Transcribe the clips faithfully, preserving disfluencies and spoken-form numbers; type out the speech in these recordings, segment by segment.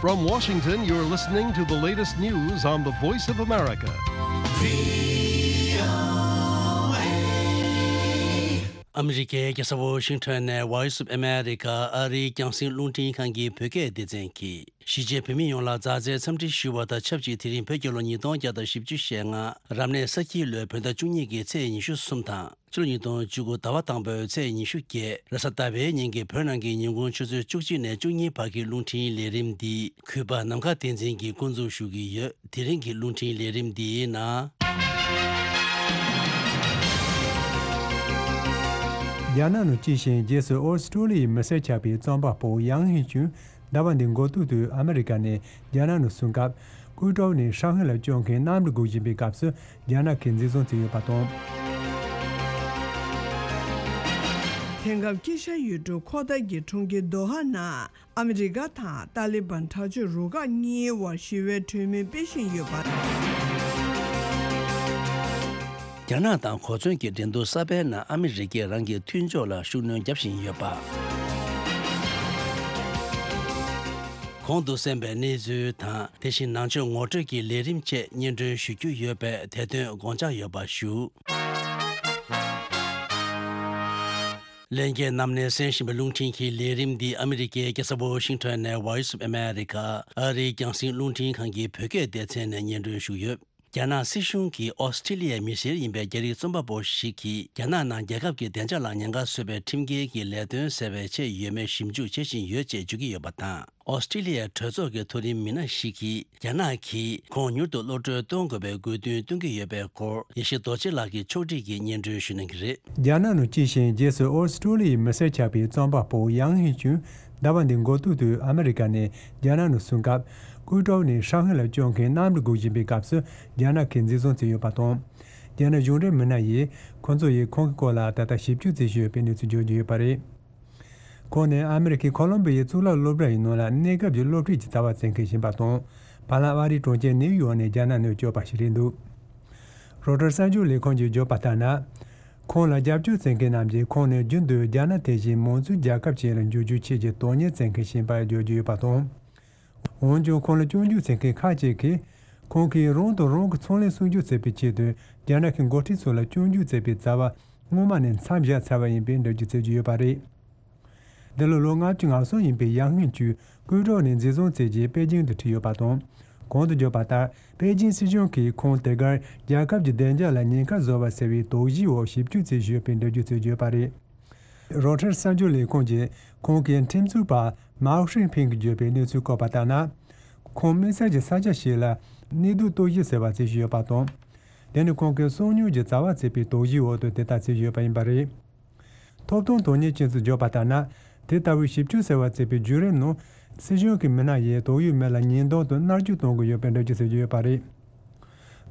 From Washington, you're listening to the latest news on the Voice of America. ཨ་མི་རི་ཀའི་རྒྱལ་ས་ཝོ་ཤིང་ཊོན་ནས་Voice of America ཨ་རིའི་རྒྱང་སྲིང་རླུང་འཕྲིན་ཁང་གི་བོད་སྐད་སྡེ་ཚན་གྱིས། གཞིས་བྱེས་བོད་མི་ཡོངས་ལ་མཛའ་བརྩེའི་འཚམས་འདྲི་ཞུ་བ་དང་ཆབས་ཅིག་དེ་རིང་བོད་རྒྱལ་ལོ་ཉིས་སྟོང་བརྒྱ་དང་བཞི་བཅུ་ཞེ་ལྔ། རབ་གནས་ས་ཁྱི་ལོའི་བོད་ཟླ་བཅུ་གཉིས་ཀྱི་ཚེས་ཉི་ཤུ་གསུམ་དང་། ཕྱི་ལོ་ཉིས་སྟོང་བཅུ་དགུ་ཟླ་བ་དང་པོའི་ཚེས་ཉི་ཤུ་བརྒྱད། རེས་གཟའ་ཟླ་བའི་ཉིན་གྱི་བོད་ནང་གི་ཉིན་གུང་ཆུ་ཚོད་བཅུ་གཅིག་ནས་བཅུ་གཉིས་བར་གྱི་རླུང་འཕྲིན་ལས་རིམ་འདི་གུས་པ་ནམ་མཁའ་བསྟན་འཛིན་གྱིས་འགོ་འཛུགས་ཞུ་གི་ཡོད། དེ་རིང་གི་རླུང་འཕྲིན་ལས་རིམ་འདིའི་ནང་། རྒྱ་ནག་ནང་སྐྱེས་ཤིང་རྗེས་སུ་ཨོ་སི་ཀྲོ་ལི་ཡའི་མི་སེར་ཆགས་པའི་རྩོམ་པ་པོ་ཡང་ཧིན་ཅུན་ཟླ་བ་འདིའི་འགོ་སྟོད་དུ་ཨ་མི་རི་ཀ་ནས་རྒྱ་ནག་ནང་སོང་སྐབས། ཀུའུ་ཀྲོའུ་ནས་ཧྲང་ཧའེ་ལ་བསྐྱོད་མཁན་གནམ་གྲུ་སྒུག་བཞིན་པའི་སྐབས་སུ་རྒྱ་ནག་གིས་འཛིན་བཟུང་བྱས་ཡོད་པ་དང་། དེང་སྐབས་དཀྱིལ་ཤར་ཡུལ་གྲུ་ཁོ་ཐར་གྱི་གྲོང་ཁྱེར་དོ་ཧ་ནང་ཨ་མི་རི་ཀ་དང་ཏཱ་ལི་བན་དྲག་སྤྱོད་རུ་ཁག་གཉིས་དབར་ཞི་བའི་གྲོས་མོལ་སྤེལ་བཞིན་ཡོད་པ། རྒྱ་ནག་དང་གོ་མཚོན་གྱི་འགྲན་བསྡུར་གསར་པའི་ནང་ཨ་མི་རི་ཀས་རང་གི་མཐུན་ཕྱོགས་ལ་ཤུགས་སྣོན་རྒྱག་བཞིན་ཡོད་པ། གོང་དུ་གསན་པའི་གནས་ཚུལ་དང་། དེ་བཞིན་ནང་ཆོས་ངོ་སྤྲོད་ཀྱི་ལས་རིམ་བཅས་སྙན་སྒྲོན་ཞུ་རྒྱུ་ཡོད་པས། དེ་དོན་དགོངས་འཇགས་ཡོད་པ་ཞུ། ལྷན་རྒྱས་རྣམས་ནས་གསན་བཞིན་པའི་རླུང་འཕྲིན་གྱི་ལས་རིམ་འདི་ཨ་མི་རི་ཀའི་རྒྱལ་ས་ཝོ་ཤིང་ཊོན་ནས་Voice of America ཨ་རིའི་རྒྱང་སྲིང་རླུང་འཕྲིན་ཁང་གི་བོད་སྐད་སྡེ་ཚན་ནས་སྙན་སྒྲོན་ཞུས་ཡོད། རྒྱ་ནག་སྲིད་གཞུང་གིས་ཨོ་སི་ཀྲི་ལི་ཡའི་མི་སེར་ཡིན་པའི་རྒྱ་རིགས་རྩོམ་པ་པོ་ཞིག་གིས་རྒྱ་ནག་ནང་རྒྱལ་ཁབ་ཀྱི་བདེ་འཇགས་ལ་ཉེན་ཁ་བཟོ་བའི་ཁྲིམས་འགལ་གྱི་ལས་དོན་སེལ་བའི་ཆེད་ཡོད་མེད་ཞིབ་འཇུག་བྱེད་བཞིན་ཡོད་ཅེས་བརྗོད་ཀྱི་ཡོད་པ་དང་། ཨོ་སི་ཀྲི་ལི་ཡའི་གྲོས་ཚོགས་ཀྱི་མཐོ་རིམ་མི་སྣ་ཞིག་གིས་རྒྱ་ནག་གིས་ཁོང་མྱུར་དུ་གློད་གྲོལ་གཏོང་དགོས་པའི་དགོས་འདུན་བཏོན་གྱི་ཡོད་པའི་སྐོར་ཡེ་ཤེས་རྡོ་རྗེ་ལགས་ཀྱིས་ཕྱོགས་སྒྲིག་གིས་སྙན་སྒྲོན་ཞུ་གནང་གི་རེད། རྒྱ་ནག་ནང་སྐྱེས་ཤིང་རྗེས་སུ་ཨོ་སི་ཀྲོ་ལི་ཡའི་མི་སེར་ཆགས་པའི་རྩོམ་པ་པོ་ཡང་ཧིན་ཅུན་ཟླ་བ་འདིའི་འགོ་སྟོད་དུ་ཨ་མི་རི་ཀ་ནས་རྒྱ་ནག་ནང་སོང་སྐབས། ཀུའུ་ཀྲོའུ་ནས་ཧྲང་ཧའེ་ལ་བསྐྱོད་མཁན་གནམ་གྲུ་སྒུག་བཞིན་པའི་སྐབས་སུ་རྒྱ་ནག་གིས་འཛིན་བཟུང་བྱས་ཡོད་པ་དང་། རྒྱ་ནག་གཞུང་འབྲེལ་མི་སྣ་ཡིས་ཁོ་ཚོ་ཡིས་ཁོང་གི་སྐོར་ལ་ད་ལྟ་ཞིབ་འཇུག་བྱེད་བཞིན་ཡོད་པའི་གནས་ཚུལ་བརྗོད་ཀྱི་ཡོད་པ་རེད། ཁོང་ནི་ཨ་མི་རི་ཀའི་ཁོ་ལོམ་བི་ཡའི་གཙུག་ལག་སློབ་གྲྭ་ཡི་ནང་ལ་གནས་སྐབས་ཀྱི་སློབ་ཁྲིད་ཀྱི་རྩ་བ་བྱེད་མཁན་ཞིག་ཡིན་པ་དང་། བར་ལམ་ཨ་རིའི་གྲོང་ཁྱེར་ནེའུ་ཡོག་ནས་རྒྱ་ནག་ནང་བསྐྱོད་པ་ཞིག་རེད་འདུག་རོ་ཊར་གསར་འགྱུར་ལས་ཁང་གིས་བརྗོད་པ་ལྟར་ན། ཁོང་ལ་རྒྱབ་སྐྱོར་བྱེད་མཁན་རྣམས་ཀྱིས་ཁོང་ནི་རྒྱུན་དུ་རྒྱ་ནག་དེ་བཞིན་མང་གཙོའི་རྒྱལ་ཁབ་ཅིག་ལ་འགྱུར་རྒྱུའི་ཆེད་ཀྱི་དོན་གཉེར་བྱེད་མཁན་ཞིག་ཡིན་པར་བརྗོད་ཀྱི་ཡོད་པ་དང་། འོན་ཀྱང་ཁོང་ལ་སྐྱོན་བརྗོད་བྱེད་མཁན་ཁག་ཅིག་གིས། ཁོང་གིས་རང་དང་རང་གི་ཚོང་ལས་སྲུང་སྐྱོབ་བྱེད་པའི་ཆེད་དུ་རྒྱ་ནག་གི་འགོ་ཁྲིད་ཚོ་ལ་སྐྱོན་བརྗོད་བྱེད་པའི་རྩ་བ་སྔོན་མ་ནས་མཚམས་བཞག་ཚར་བ་ཡིན་པའི་འགྲེལ་བརྗོད་བྱེད་ཀྱི་ཡོད་པ་རེད། འདི་ལོ་ལོ་ལྔ་བཅུ་ང་གསུམ་ཡིན་པའི་ཡང་ཧིན་ཅུས་ཀུའུ་ཀྲོའུ་ནས་འཛིན་བཟུང་བྱས་རྗེས་པེ་ཅིང་དུ་ཁྲིད་ཡོད་པ་དང་། གོང་དུ་བརྗོད་པ་ལྟར་པེ་ཅིང་སྲིད་གཞུང་གིས་ཁོང་དེ་གར་རྒྱལ་ཁབ་ཀྱི་བདེ་འཇགས་ལ་ཉེན་ཁ་བཟོ་བ་ཟེར་བའི་དོགས་གཞིའི་འོག་ཞིབ་འཇུག་བྱེད་བཞིན་ཡོད་པའི་འགྲེལ་བརྗོད་བྱས་ཡོད་པ་རེད། རོ་ཊར་གསར་འགྱུར་ལས་ཁུངས་ཀྱིས་ཁོང་གི་ཁྲིམས་རྩོད་པ་མའོ་ཧྲིན་ཕིང་གིས་བརྗོད་པའི་གནས་ཚུལ་བཀོད་པ་ལྟར་ན། ཁོང་དམིགས་བསལ་གྱི་ས་ཆ་ཞིག་ལ་གནས་སྡོད་གཏོར་བཤིག་ཟེར་བ་བྱེད་བཞིན་ཡོད་པ་དང་། དེ་ནི་ཁོང་གི་སང་ཉིན་གྱི་རྩ་བ་བྱེད་པའི་དོགས་གཞིའི་འོག་ཏུ་དེ་ལྟར་བྱེད་བཞིན་ཡོད་པ་ཡིན་པ་རེད། ཐོབ་ཐང་དོན་གཉེར་ཅན་ཚོས་བརྗོད་པ་ལྟར་ན། དེ་ལྟ་བུའི་ཞིབ་འཇུག་ཟེར་བ་བྱེད་པའི་བརྒྱུད་རིམ་ནང་། སྲིད་གཞུང་གི་མི་སྣ་ཡིས་དོགས་ཡོད་མི་ལ་ཉེས་རྡུང་དང་མནར་གཅོད་གཏོང་གི་ཡོད་པའི་འགྲེལ་བརྗོད་བྱེད་ཀྱི་ཡོད་པ་རེད།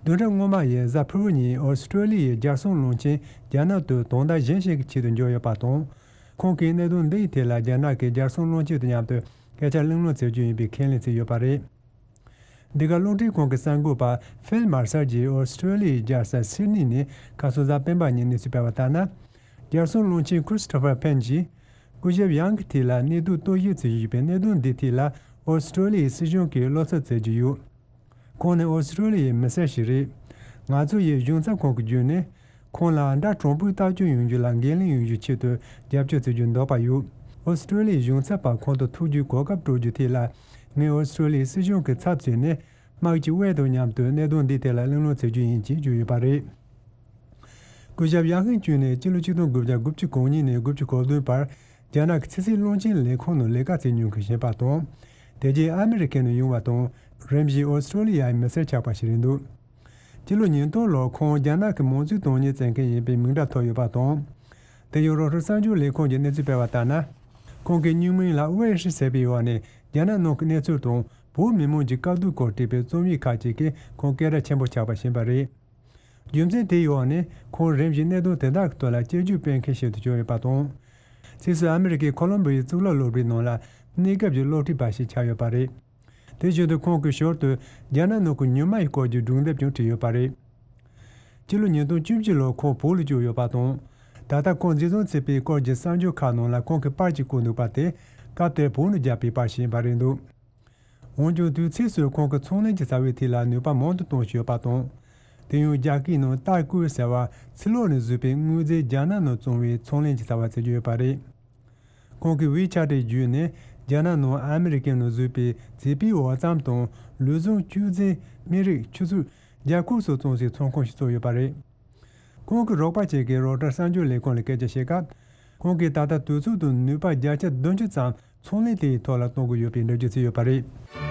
བདུན་ཕྲག་སྔོན་མ་ཡི་གཟའ་ཕུར་བུ་ཉིན་ཨོ་སི་ཀྲོ་ལི་ཡའི་རྒྱལ་སྲུང་བློན་ཆེན་རྒྱ་ནག་ཏུ་དོན་དག་གཞན་ཞིག་གི་ཆེད་དུ་འབྱོར་ཡོད་པ་དང་། ཁོང་གིས་གནད་དོན་འདིའི་ཐད་ལ་རྒྱ་ནག་གི་རྒྱལ་སྲུང་བློན་ཆེན་དང་མཉམ་དུ་སྐད་ཆ་གླེང་སློང་བྱེད་རྒྱུ་ཡིན་པའི་ཁས་ལེན་བྱས་ཡོད་པ་རེད། འདི་ག་རླུང་འཕྲིན་ཁང་གི་གསར་འགོད་པ་ཕིལ་མར་སལ་གྱིས་ཨོ་སི་ཀྲོ་ལི་ཡའི་རྒྱལ་ས་སིད་ནི་ནས་ཁ་སང་གཟའ་སྤེན་པ་ཉིན་གནས་ཚུལ་སྤེལ་བ་ལྟར་ན། རྒྱལ་སྲུང་བློན་ཆེན་ཁྲི་སི་ཊོ་ཕར་ཕེན་གྱིས། སྐུ་ཞབས་ཡང་གི་ཐད་ལ་གནས་སྡོད་གཏོར་བཤིག་བྱེད་བཞིན་པའི་གནད་དོན་འདིའི་ཐད་ལ་ཨོ་སི་ཀྲོ་ལི་ཡའི་སྲིད་གཞུང་གིས་བློ་འཚབ་བྱེད་ཀྱི་ཡོད། ཁོང་ནི་ཨོ་སི་ཀྲོ་ལི་ཡའི་མི་སེར་ཞིག་རེད། ང་ཚོ་ཡི་གཞུང་ཚབ་ཁང་གི་བརྒྱུད་ནས། ཁོང་ལ་དགྲ་དྲང་པོའི་ལྟ་སྐྱོང་ཡོང་རྒྱུ་ལ་འགན་ལེན་ཡོང་རྒྱུའི་ཆེད་དུ་རྒྱབ་སྐྱོར་བྱེད་རྒྱུའི་འདོད་པ་ཡོད། ཨོ་སི་ཀྲོ་ལི་ཡའི་གཞུང་ཚབ་པ་ཁོང་དུ་ཐུག་རྒྱུའི་གོ་སྐབས་སྤྲོད་རྒྱུའི་ཐད་ལ། ངས་ཨོ་སི་ཀྲོ་ལི་ཡའི་སྲིད་གཞུང་གི་ཚབ་བྱས་ནས། དམག་སྤྱི་ཝེ་དང་མཉམ་དུ་གནད་དོན་འདིའི་ཐད་ལ་གླེང་སློང་བྱེད་རྒྱུ་ཡིན་ཅེས་བརྗོད་ཡོད་པ་རེད། སྐུ་ཞབས་ཡང་ཧིན་ཅུན་ནི་སྤྱི་ལོ་ཆིག་སྟོང་དགུ་བརྒྱ་དགུ་བཅུ་གོ་གཉིས་ནས་དགུ་བཅུ་གོ་བདུན་བར་རྒྱ་ནག་གི་ཕྱི་སྲིད་བློན་ཆེན་ལས་ཁུངས་ནང་ལས་ཀ་བྱེད་མྱོང་མཁན་ཞིག་ཡིན་པ་དང་། དེ་རྗེས་ཨ་མི་རི་ཀའི་ནང་ཡོང་བ་དང་། རིམ་བཞིན་ཨོ་སི་ཀྲོ་ལི་ཡའི་མི་སེར་ཆགས་པ་ཞིག་རེད་འདུག་སྤྱི་ལོ་ཉིས་སྟོང་ལོར་ཁོང་རྒྱ་ནག་གི་མང་གཙོའི་དོན་གཉེར་བྱེད་མཁན་ཡིན་པའི་མིང་གྲགས་ཐོབ་ཡོད་པ་དང་། དེ་ཡང་རོ་ཊར་གསར་འགྱུར་ལས་ཁུངས་ཀྱིས་གནས་ཚུལ་སྤེལ་བ་ལྟར་ན། ཁོང་གི་སྨྱུག་མིང་ལ་ཝེ་ཧྲི་ཟེར་བའི་འོག་ནས་རྒྱ་ནག་ནང་གི་གནས་ཚུལ་དང་བོད་མི་མང་གི་དཀའ་སྡུག་སྐོར་བྲིས་པའི་རྩོམ་ཡིག་ཁག་ཅིག་གིས་ཁོང་སྐད་གྲགས་ཆེན་པོ་ཆགས་པ་ཞིག་ཡིན་པ་རེད། རྒྱུ་མཚན་དེའི་འོག་ནས་ཁོང་རིམ་བཞིན་གནད་དོན་དེ་དག་གི་ཐོག་ལ་དཔྱད་བརྗོད་སྤེལ་མཁན་ཞིག་ཏུ་གྱུར་ཡོད་པ་དང་། ཕྱིས་སུ་ཨ་མི་རི་ཀའི་ཁོ་ལོམ་བི་ཡའི་གཙུག་ལག་སློབ་གྲྭའི་ནང་ལ་གནས་སྐབས་ཀྱི་སློབ་ཁྲིད་པ་ཞིག་ཆགས་ཡོད་པ་རེད། དེ་བཞིན་དུ་ཁོང་གིས་ཞོར་དུ་རྒྱ་ནག་ནང་གི་ཉི་མ་ཡི་སྐོར་གྱི་སྒྲུང་དེབ་ཀྱང་བྲིས་ཡོད་པ་རེད། སྤྱི་ལོ་ཉིས་སྟོང་བཅུ་གཅིག་ལོར་ཁོང་བོད་ལ་བསྐྱོད་ཡོད་པ་དང་། ད་ལྟ་ཁོང་འཛིན་བཟུང་བྱས་པའི་སྐོར་གྱི་གསར་འགྱུར་ཁག་ནང་ལ་ཁོང་གིས་པར་གཅིག་བཀོད་འདུག་པ་དེ་སྐབས་དེར་བོད་ནང་བརྒྱབ་པའི་པར་ཞིག་ཡིན་པ་རེད་འདུག་འོན་ཀྱང་དུས་ཚོད་སུ་ཁོང་གི་ཚོང་ལས་ཀྱི་རྩ་བའི་ཐད་ལ་ནུས་པ་མང་དུ་གཏོང་བཞིན་ཡོད་པ་དང་། དེ་ཡང་རྒྱ་སྐད་ནང་ཏཱ་ཀུའེ་ཟེར་བ་ཕྱི་ལོགས་ནས་བཟོས་པའི་དངོས་རྫས་རྒྱ་ནག་ནང་བཙོང་བའི་ཚོང་ལས་ཀྱི་རྩ་བ་བརྩི་གི་ཡོད་པ་རེད། ཁོང་གིས་ཝེ་ཆ་ཊི་བརྒྱུད་ནས་རྒྱ་ནག་ནང་ཨ་མི་རི་ཀའི་ནང་བཟོས་པའི་བྱིས་པའི་འོ་རྩམ་དང་ལུས་ཟུངས་བཅོས་རྫས། སྨན་རིགས། ཆུ་ཚོད། རྒྱ་ཁོག་སོགས་བཙོང་སའི་ཚོང་ཁང་ཞིག་བཙུགས་ཡོད་པ་རེད། ཁོང་གི་རོགས་པ་ཅིག་གིས་རོའི་ཊར་གསར་འགྱུར་ལས་ཁང་ལ་སྐད་ཆ་བཤད་སྐབས། ཁོང་གིས་ད་ལྟ་དུས་ཚོད་དང་ནུས་པ་བརྒྱ་ཆ་བདུན་ཅུ་ཙམ་ཚོང་ལས་དེའི་ཐོག་ལ་གཏོང་གི་ཡོད་པའི་འགྲེལ་བརྗོད་བྱས་ཡོད་པ་རེད།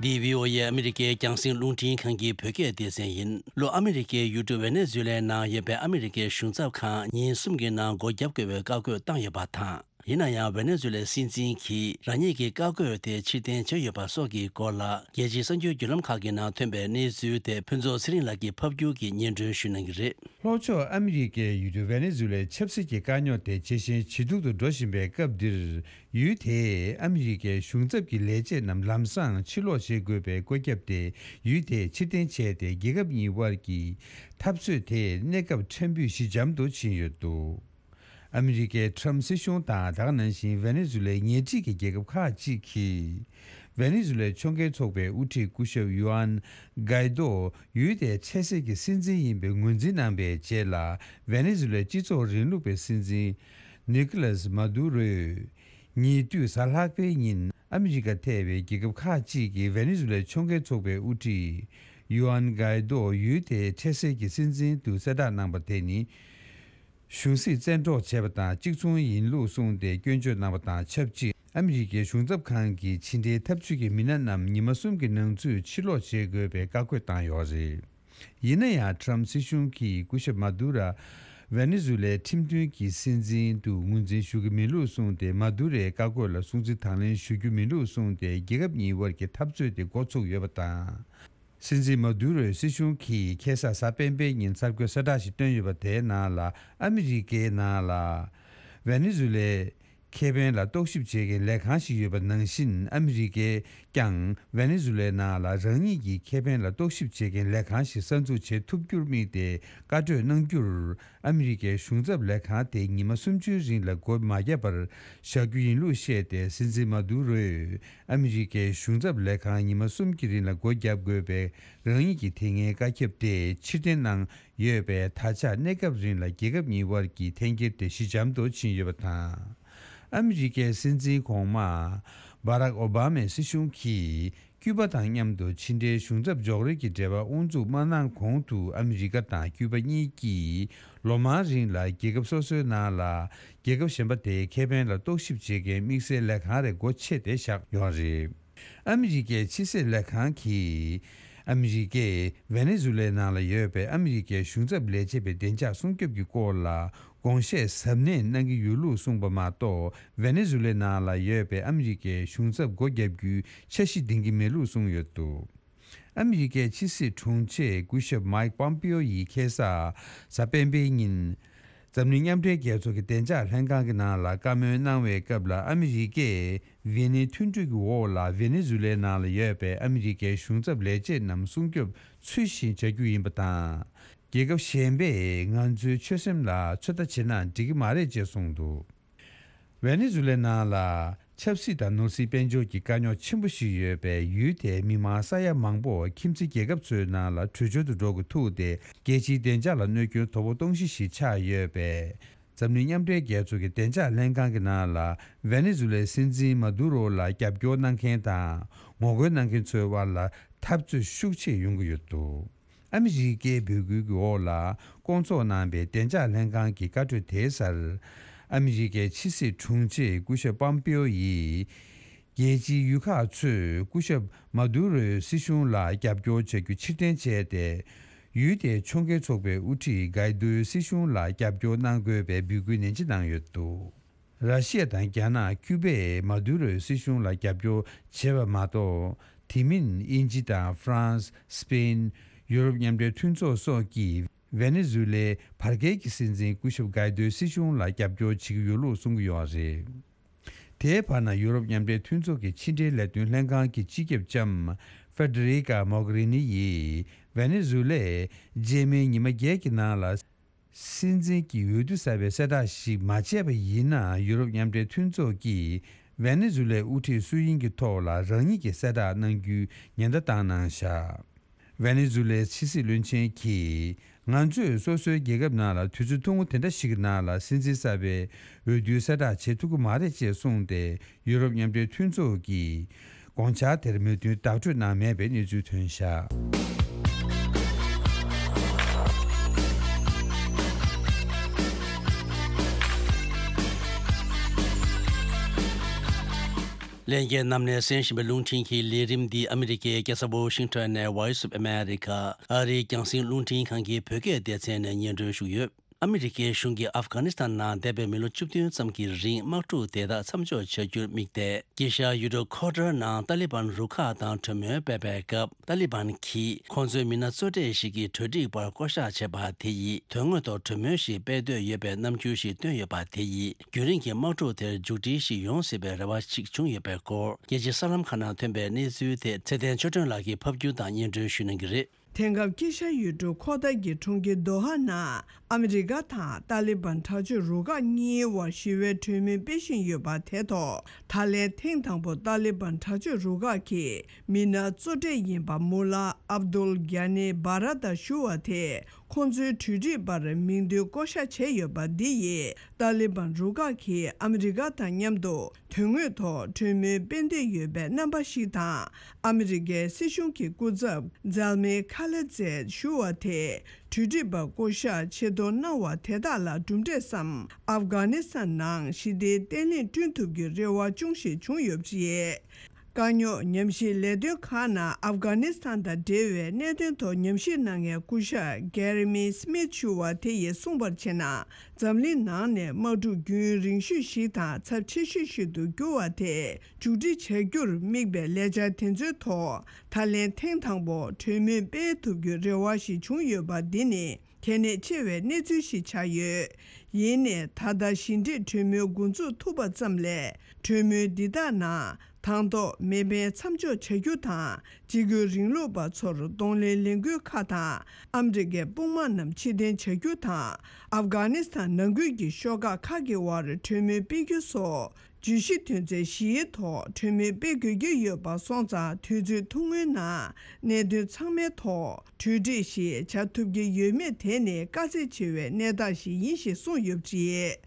འདི་བྷི་ཨོ་ཨེ་ཨ་མི་རི་ཀའི་རྒྱང་སྲིང་རླུང་འཕྲིན་ཁང་གི་བོད་སྐད་སྡེ་ཚན་ཡིན། ལྷོ་ཨ་མི་རི་ཀའི་ཡུལ་གྲུ་ཝེ་ནེ་ཛུ་ལའི་ནང་ཡོད་པའི་ཨ་མི་རི་ཀའི་གཞུང་ཚབ་ཁང་ཉིན་གསུམ་གྱི་ནང་སྒོ་བརྒྱབ་དགོས་པའི་བཀའ་བཀོད་བཏང་ཡོད་པ་དང་། ཡིན་ན་ཡང་ཝེ་ནེ་ཛུ་ལའི་སྲིད་འཛིན་གྱིས་རང་ཉིད་ཀྱི་བཀའ་བཀོད་དེ་ཕྱིར་འཐེན་བྱས་ཡོད་པ་སོགས་ཀྱི་སྐོར་ལ། རྒྱལ་སྤྱིའི་གསར་འགྱུར་བརྒྱུད་ལམ་ཁག་གི་ནང་ཐོན་པའི་གནས་ཚུལ་དེ་ཕུན་ཚོགས་ཚེ་རིང་ལགས་ཀྱིས་ཕབ་སྒྱུར་གྱིས་སྙན་སྒྲོན་ཞུ་གནང་གི་རེད། ལྷོ་ཕྱོགས་ཨ་མི་རི་ཀའི་ཡུལ་གྲུ་ཝེ་ནེ་ཛུ་ལའི་ཆབ་སྲིད་ཀྱི་དཀའ་རྙོག་དེ་ཇེ་ཞན་ཇེ་སྡུག་ཏུ་འགྲོ་བཞིན་པའི་སྐབས་འདིར། ཡུལ་དེས་ཨ་མི་རི་ཀའི་གཞུང་ཚབ་ཀྱི་ལས་བྱེད་རྣམས་ལམ་སང་ཕྱིར་ལོག་བྱེད་དགོས་པའི་བཀོད་ཁྱབ་དེ། ཡུལ་དེས་ཕྱིར་འཐེན་བྱས་ཏེ། རྒྱལ་ཁབ་གཉིས་དབར་གྱི་འཐབ་རྩོད་དེ་གནས་སྐབས་ཕྲན་བུ་ཞི་འཇམ་དུ་ཕྱིན་ཡོད་འདུག་ཨ་མི་རི་ཀའི་ཁྲམ་སྲིད་གཞུང་དང་། ད་ག་ནང་བཞིན་ཝེ་ནེ་ཛུ་ལའི་ཉེ་འཁྲིས་ཀྱི་རྒྱལ་ཁབ་ཁག་ཅིག་གིས། ཝེ་ནེ་ཛུ་ལའི་ཕྱོགས་འགལ་ཚོགས་པའི་དབུ་ཁྲིད་སྐུ་ཞབས་ཡུ་ཨན་གའི་རྡོ་ཡུལ་དེའི་འཕྲལ་སེལ་གྱི་སྲིད་འཛིན་ཡིན་པའི་ངོས་འཛིན་གནང་པའི་རྗེས་ལ། ཝེ་ནེ་ཛུ་ལའི་སྤྱི་ཚོགས་རིང་ལུགས་པའི་སྲིད་འཛིན་ནི་ཀོ་ལཱས་མཱ་དུ་རོས། ཉེ་དུས་གཟའ་ལྷག་པའི་ཉིན། ཨ་མི་རི་ཀ་ཐེ་བའི་རྒྱལ་ཁབ་ཁག་ཅིག་གིས་ཝེ་ནེ་ཛུ་ལའི་ཕྱོགས་འགལ་ཚོགས་པའི་དབུ་ཁྲིད་ཡུ་ཨན་གའི་རྡོ་ཡུལ་དེའི་འཕྲལ་སེལ་གྱི་སྲིད་འཛིན་དུ་གསལ་བསྒྲགས་གནང་པ་དེ་ནི། གཞུང་སྲིད་བཙན་འཕྲོག་བྱས་པ་དང་གཅིག་མཚུངས་ཡིན་ལུགས་གསུངས་ཏེ་སྐྱོན་བརྗོད་གནང་བ་དང་ཆབས་ཅིག་ཨ་མི་རི་ཀའི་གཞུང་ཚབ་ཁང་གིས་ཕྱི་འབྲེལ་འཐབ་ཇུས་ཀྱི་མི་སྣ་རྣམས་ཉི་མ་གསུམ་གྱི་ནང་ཚུད་ཕྱིར་ལོག་བྱེད་དགོས་པའི་བཀའ་བཀོད་བཏང་ཡོད་རེད། ཡིན་ན་ཡང་ཁྲམ་སྲིད་གཞུང་གིས་སྐུ་ཞབས་མཱ་དུ་ར་ཝེ་ནེ་ཛུ་ལའི་ཁྲིམས་མཐུན་གྱི་སྲིད་འཛིན་དུ་ངོས་འཛིན་ཞུ་གི་མེད་ལུགས་གསུངས་ཏེ། མཱ་དུ་རའི་བཀའ་བཀོད་ལ་སྲུང་བརྩི་དང་ལེན་ཞུ་རྒྱུ་མེད་ལུགས་གསུངས་ཏེ། རྒྱལ་ཁབ་གཉིས་དབར་གྱི་འཐབ་རྩོད་དེ་འགོ་ཚུགས་ཡོད་པ་དང་། སྲིད་འཛིན་མཱ་དུ་རོའི་སྲིད་གཞུང་གིས་ཁ་སང་གཟའ་སྤེན་པའི་ཉིན་གསར་འགོད་གསལ་བསྒྲགས་ཤིག་བཏོན་ཡོད་པ་དེའི་ནང་ལ། ཨ་མི་རི་ཀའི་ནང་ལ་ཝེ་ནེ་ཛུ་ལའི་ཁེ་ཕན་ལ་རྟོག་ཞིབ་བྱེད་མཁན་ལས་ཁང་ཞིག་ཡོད་པ་ནང་བཞིན། ཨ་མི་རི་ཀས་ཀྱང་ཝེ་ནེ་ཛུ་ལའི་ནང་ལ་རང་ཉིད་ཀྱི་ཁེ་ཕན་ལ་རྟོག་ཞིབ་བྱེད་མཁན་ལས་ཁང་ཞིག་གསར་འཛུགས་བྱེད་ཐུབ་རྒྱུར་དམིགས་ཏེ་བཀའ་གྲོས་གནང་རྒྱུར། ཨ་མི་རི་ཀའི་གཞུང་ཚབ་ལས་ཁང་དེ་ཉི་མ་སུམ་ཅུའི་རིང་ལ་སྒོ་མ་བརྒྱབ་པར་བཞག་རྒྱུ་ཡིན་ལུགས་བཤད་དེ། སྲིད་འཛིན་མཱ་དུ་རོས་ཨ་མི་རི་ཀའི་གཞུང་ཚབ་ལས་ཁང་ཉི་མ་གསུམ་གྱི་རིང་ལ་སྒོ་བརྒྱབ་དགོས་པའི་རང་ཉིད་ཀྱི་དེ་སྔའི་བཀའ་ཁྱབ་དེ་ཕྱིར་འཐེན་གནང་ཡོད་པས། ད་ཆ་གནས་སྐབས་རིང་ལ་རྒྱལ་ཁབ་གཉིས་དབར་གྱི་འཐེན་འཁྱེར་དེ་ཞི་འཇམ་དུ་ཕྱིན་ཡོད་པ་དང་། ཨ་མི་རི་ཀའི་སྲིད་འཛིན་གོང་མ་བྷ་རག་ཨོ་བྷ་མའི་སྲིད་གཞུང་གིས། ཀྱུ་པ་དང་མཉམ་དུ་ཕྱི་འབྲེལ་གཞུང་ཚབ་འཇོག་རེས་ཀྱི་འབྲེལ་བ་དབུ་འཛུགས་མ་གནང་གོང་དུ། ཨ་མི་རི་ཀ་དང་ཀྱུ་པ་གཉིས་ཀྱིས་ལོ་མང་རིང་ལ་རྒྱལ་ཁབ་སོ་སོའི་ནང་ལ་རྒྱལ་ཁབ་གཞན་པ་དེའི་ཁེ་ཕན་ལ་རྟོག་ཞིབ་བྱེད་མཁན་དམིགས་བསལ་ལས་ཁང་རེ་སྒོ་ཕྱེ་སྟེ་བཞག་ཡོད་རེད། ཨ་མི་རི་ཀའི་ཕྱི་སྲིད་ལས་ཁང་གིས། ཨ་མི་རི་ཀས་ཝེ་ནེ་ཛུ་ལའི་ནང་ལ་ཡོད་པའི་ཨ་མི་རི་ཀའི་གཞུང་ཚབ་ལས་བྱེད་པའི་བདེ་འཇགས་སྲུང་སྐྱོབ་ཀྱི་སྐོར་ལ། དགོངས་བཞེས་གཟབ་ནན་གནང་གི་ཡོད་ལུགས་གསུངས་པ་མ་གཏོགས། ཝེ་ནེ་ཛུ་ལའི་ནང་ལ་ཡོད་པའི་ཨ་མི་རི་ཀའི་གཞུང་ཚབ་སྒོ་བརྒྱབ་རྒྱུའི་འཆར་གཞི་འདིང་གི་མེད་ལུགས་གསུངས་ཡོད་འདུག་ཨ་མི་རི་ཀའི་ཕྱི་སྲིད་དྲུང་ཆེ་སྐུ་ཞབས་མའིག་པོམ་པིའོ་ཡིས་ཁ་སང་གཟའ་སྤེན་པའི་ཉིན། འཛམ་གླིང་མཉམ་འབྲེལ་རྒྱལ་ཚོགས་ཀྱི་བདེ་འཇགས་ལྷན་ཁང་གི་ནང་ལ་བཀའ་མོལ་གནང་བའི་སྐབས་ལ། ཨ་མི་རི་ཀས་ཝི་ནི་མཐུན་གྲོས་ཀྱི་འོག་ལ་ཝེ་ནེ་ཛུ་ལའི་ནང་ལ་ཡོད་པའི་ཨ་མི་རི་ཀའི་གཞུང་ཚབ་ལས་བྱེད་རྣམས་སྲུང་སྐྱོབ་ཚུལ་བཞིན་བྱ་རྒྱུ་ཡིན་པ་དང་། རྒྱལ་ཁབ་གཞན་པས་ང་ཚོའི་ཆོད་སེམས་ལ་ཚོད་ལྟ་བྱེད་ན་འགྲིག་གི་མ་རེད་ཅེས་གསུངས་འདུག་ཝེ་ནེ་ཛུ་ལའི་ནང་ལ་ཆབ་སྲིད་དང་ནོར་སྲིད་དཔལ་འབྱོར་གྱི་དཀའ་རྙོག་ཆེན་པོ་ཞིག་ཡོད་པས། ཡུལ་དེའི་མི་མང་ས་ཡ་མང་པོ་ཁྱིམ་མཚེས་རྒྱལ་ཁབ་ཚོའི་ནང་ལ་བྲོས་བྱོལ་དུ་འགྲོ་དགོས་ཐུག་སྟེ། རྒྱལ་སྤྱིའི་བདེ་འཇགས་ལ་གནོད་སྐྱོན་དོ་ཕོག་གཏོང་གཞི་ཞིག་ཆགས་ཡོད་པས། འཛམ་གླིང་མཉམ་འབྲེལ་རྒྱལ་ཚོགས་ཀྱི་བདེ་འཇགས་ལྷན་ཁང་གི་ནང་ལ་ཝེ་ནེ་ཛུ་ལའི་སྲིད་འཛིན་མཱ་དུ་རོ་ལ་རྒྱབ་སྐྱོར་གནང་མཁན་དང་ངོ་རྒོལ་གནང་མཁན་ཚོའི་དབར་ལ་འཐབ་རྩོད་ཤུགས་ཆེ་ཡོང་གི་ཡོད་འདུག་ཨ་མི་རི་ཀའི་འབོད་སྐུལ་གྱི་འོག་ལ་བསྐོང་ཚོགས་གནང་པའི་བདེ་འཇགས་ལྷན་ཁང་གི་བཀའ་གྲོས་དེའི་སར། ཨ་མི་རི་ཀའི་ཕྱི་སྲིད་དྲུང་ཆེ་སྐུ་ཞབས་པམ་པེའོ་ཡིས། རྒྱལ་སྤྱིའི་ཡུལ་ཁག་ཚོས་སྐུ་ཞབས་མཱ་དུ་རོའི་སྲིད་གཞུང་ལ་རྒྱབ་སྐྱོར་བྱ་རྒྱུ་ཕྱིར་འཐེན་བྱས་ཏེ། ཡུལ་དེའི་ཕྱོགས་འགལ་ཚོགས་པའི་དབུ་ཁྲིད་གའི་རྡོའི་སྲིད་གཞུང་ལ་རྒྱབ་སྐྱོར་གནང་དགོས་པའི་འབོད་སྐུལ་ནན་ཆེ་གནང་ཡོད་འདུག་ར་ཤི་ཡ་དང་རྒྱ་ནག་ཀྱུ་པས་མཱ་དུ་རོའི་སྲིད་གཞུང་ལ་རྒྱབ་སྐྱོར་བྱས་པ་མ་གཏོགས། དེ་མིན་དབྱིན་ཇི་དང་ཧྥ་རན་སི། སི་པེན། ཡུ་རོབ་མཉམ་འབྲེལ་མཐུན་ཚོགས་སོགས་ཀྱིས་ཝེ་ནེ་ཛུ་ལའི་བར་བརྒལ་གྱི་སྲིད་འཛིན་སྐུ་ཞབས་གའི་རྡོའི་སྲིད་གཞུང་ལ་རྒྱབ་སྐྱོར་བྱེད་ཀྱི་ཡོད་ལུགས་གསུང་གི་ཡོད་རེད། དེའི་བར་ན། ཡུ་རོབ་མཉམ་འབྲེལ་མཐུན་ཚོགས་ཀྱི་ཕྱི་འབྲེལ་ལས་དོན་ལྷན་ཁང་གི་སྤྱི་ཁྱབ་ལྕམ་ཧྥེ་ཌེ་རི་ཀ་མོག་རི་ནི་ཡིས་ ཝེ་ནེ་ཛུ་ལས་རྗེས་མའི་ཉི་མ་བརྒྱད་ཀྱི་ནང་ལ། སྲིད་འཛིན་གྱི་འོས་བསྡུ་གསར་པའི་གསལ་བསྒྲགས་ཤིག་མ་བྱས་པ་ཡིན་ན། ཡུ་རོབ་མཉམ་འབྲེལ་མཐུན་ཚོགས་ཀྱིས་ཝེ་ནེ་ཛུ་ལའི་དབུ་ཁྲིད་སུ་ཡིན་གྱི་ཐོག་ལ་རང་ཉིད་ཀྱི་གསལ་བསྒྲགས་གནང་རྒྱུའི་ཉེན་བརྡ་བཏང་གནང་བཞག་ཝེ་ནེ་ཛུ་ལའི་ཕྱི་སྲིད་བློན་ཆེན་གྱིས། ང་ཚོས་སོ་སོའི་རྒྱལ་ཁབ་ནང་ལ་དུས་ཚོད་ཐུང་ངུ་དེ་འདྲ་ཞིག་གི་ནང་ལ་སྲིད་འཛིན་གསར་པའི་འོས་བསྡུའི་གསལ་བསྒྲགས་བྱེད་ཐུབ་ཀྱི་མ་རེད་ཅེས་གསུངས་ཏེ། ཡུ་རོབ་མཉམ་འབྲེལ་མཐུན་ཚོགས་ཀྱིས་དགོངས་འཆར་དེར་མོས་མཐུན་བདག་སྤྲོད་གནང་མེད་པའི་གནས་ཚུལ་ཐོན་བཞག་ལྷན་རྒྱས་རྣམས་ནས་གསན་བཞིན་པའི་རླུང་འཕྲིན་གྱི་ལས་རིམ་འདི་ཨ་མི་རི་ཀའི་རྒྱལ་ས་ཝོ་ཤིང་ཊོན་ནས་Voice of America ཨ་རིའི་རྒྱང་སྲིང་རླུང་འཕྲིན་ཁང་གི་བོད་སྐད་སྡེ་ཚན་ནས་སྙན་སྒྲོན་ཞུས་ཡོད། ཨ་མི་རི་ཀའི་གཞུང་གིས་ཨབ་གྷ་ནི་སི་ཐན་ནང་འདས་པའི་མི་ལོ་བཅུ་བདུན་ཙམ་གྱི་རིང་དམག་འཁྲུག་དེ་དག་མཚམས་འཇོག་བྱ་རྒྱུར་དམིགས་ཏེ། དཀྱིལ་ཤར་ཡུལ་གྲུ་ཁོ་ཊར་ནང་ཏཱ་ལི་བན་རུ་ཁག་དང་གྲོས་མོལ་སྤེལ་བའི་སྐབས། ཏཱ་ལི་བན་གྱིས་ཁོང་ཚོའི་མི་སྣ་གཙོ་གྲས་ཤིག་གི་གྲོས་སྒྲིག་པར་བསྐོ་གཞག་བྱས་པ་དེ་ཡིས་དོན་དངོས་ཐོག་གྲོས་མོལ་ཞིག་སྤེལ་འདོད་ཡོད་པའི་རྣམ་འགྱུར་ཞིག་བཏོན་ཡོད་པ་དེ་ཡིས། རྒྱུན་རིང་གི་དམག་འཁྲུག་དེར་མཇུག་སྒྲིལ་ཞིག་ཡོང་སྲིད་པའི་རེ་བ་ཞིག་བྱུང་ཡོད་པའི་སྐོར། རྒྱལ་སྤྱིའི་གསར་ལམ་ཁག་ནང་ཐོན་པའི་གནས་ཚུལ་དེ་ཚེ་བརྟན་ཆོས་སྒྲོན་ལགས་ཀྱིས་ཕབ་སྒྱུར་དང་སྙན་སྒྲོན་ཞུ་གནང་གི་རེད། དེང་སྐབས་དཀྱིལ་ཤར་ཡུལ་གྲུ་ཁོ་ཐར་གྱི་གྲོང་ཁྱེར་དོ་ཧ་ནང་ཨ་མི་རི་ཀ་དང་ཏཱ་ལི་བན་དྲག་སྤྱོད་རུ་ཁག་གཉིས་དབར་ཞི་བའི་གྲོས་མོལ་སྤེལ་བཞིན་ཡོད་པ་དེ་ཐོག་ད་ལན་ཐེངས་དང་པོ་ཏཱ་ལི་བན་དྲག་སྤྱོད་རུ་ཁག་གི་མི་སྣ་གཙོ་གྲས་ཡིན་པ་མུ་ལ་ཨབ་དུལ་གྷ་ནི་བྷ་ར་ཏར་ཞུ་བ་དེ། ཁོང་ཚོའི་གྲོས་སྒྲིག་པར་མིང་འདོན་བསྐོ་གཞག་བྱས་ཡོད་པ་འདི་ཡིས་ཏཱ་ལི་བན་རུ་ཁག་གིས་ཨ་མི་རི་ཀ་དང་མཉམ་དུ་དོན་དངོས་ཐོག་གྲོས་མོལ་སྤེལ་འདོད་ཡོད་པའི་རྣམ་པ་ཞིག་དང་། ཨ་མི་རི་ཀའི་སྲིད་གཞུང་གི་སྐུ་ཚབ་ཛལ་མེ་ཁ་ལེ་ཛེད་ཞུ་བ་དེས་གྲོས་སྒྲིག་པར་བསྐོ་གཞག་ཆེད་གཏོང་གནང་བ་དེ་དག་ལ་གྲུབ་འབྲས་སམ། ཨབ་གྷ་ནི་སི་ཐན་ནང་ཞི་བདེའི་བརྟན་ལྷིང་བསྐྲུན་ཐུབ་རྒྱུའི་རེ་བ་ཅུང་ཞིག་བྱུང་ཡོད་པ་རེད། དཀའ་རྙོག་ཉམས་ཞིབ་ལས་དོན་ཁག་ནང་ཨབ་གྷ་ནི་སི་ཐན་དང་འབྲེལ་བའི་གནད་དོན་ཐོག་ཉམས་ཞིབ་གནང་མཁན་སྐུ་ཞབས་གྷེ་རེ་མི་སི་མིད་ཞུ་བ་དེ་ཡིས་གསུངས་པར་བྱས་ན། འཛམ་གླིང་ནང་ནས་དམག་འཁྲུག་རྒྱུན་རིང་ཤོས་ཤིག་དང་ཚབས་ཆེ་ཤོས་ཤིག་ཏུ་གྱུར་བ་དེ་མཇུག་སྒྲིལ་བྱ་རྒྱུར་དམིགས་པའི་ལས་འཆར་དེ་ཚོའི་ཐོག་ད་ལན་ཐེངས་དང་པོ་གྲོས་མོལ་སྤེལ་ཐུབ་རྒྱུའི་རེ་བ་ཞིག་བྱུང་ཡོད་པ་འདི་ནི་གལ་གནད་ཆེ་བའི་གནས་ཚུལ་ཞིག་ཆགས་ཡོད། ཡིན་ནའི་ད་ལྟ་ཞི་འགྲིག་གྲོས་མོལ་འགོ་འཛུགས་ཐུབ་པ་ཙམ་ལས། གྲོས་མོལ་འདི་དག་ནང་དང་ཐོག་མེ་འཕེན་མཚམས་འཇོག་བྱ་རྒྱུ་དང་། གཅིག་གྱུར་རིང་ལུགས་པ་ཚོར་གདོང་ལེན་ལས་འགུལ་ཁག་དང་། ཨ་མི་རི་ཀའི་དཔུང་དམག་རྣམས་ཕྱིར་འཐེན་བྱ་རྒྱུ་དང་། ཨབ་གྷ་ནི་སི་ཐན་ནང་ཁུལ་གྱི་ཤོག་ཁག་ཁག་གི་དབར་གྲོས་མོལ་སྤེལ་རྒྱུ་སོགས། བརྗོད་གཞི་དོན་ཚན་བཞིའི་ཐོག་གྲོས་མོལ་སྤེལ་དགོས་ཀྱི་ཡོད་པ་སོང་ཙང་། དུས་ཚོད་ཐུང་ངུའི་ནང་གནད་དོན་ཚང་མའི་ཐོག་གྲོས་འགྲིག་ཞིག་བྱ་ཐུབ་ཀྱི་ཡོད་མེད་དེ་ནི་དཀའ་ཚེགས་ཆེ་བའི་གནས་སྟངས་ཤིག་ཡིན་ཞེས་གསུངས་ཡོད་པ་རེད།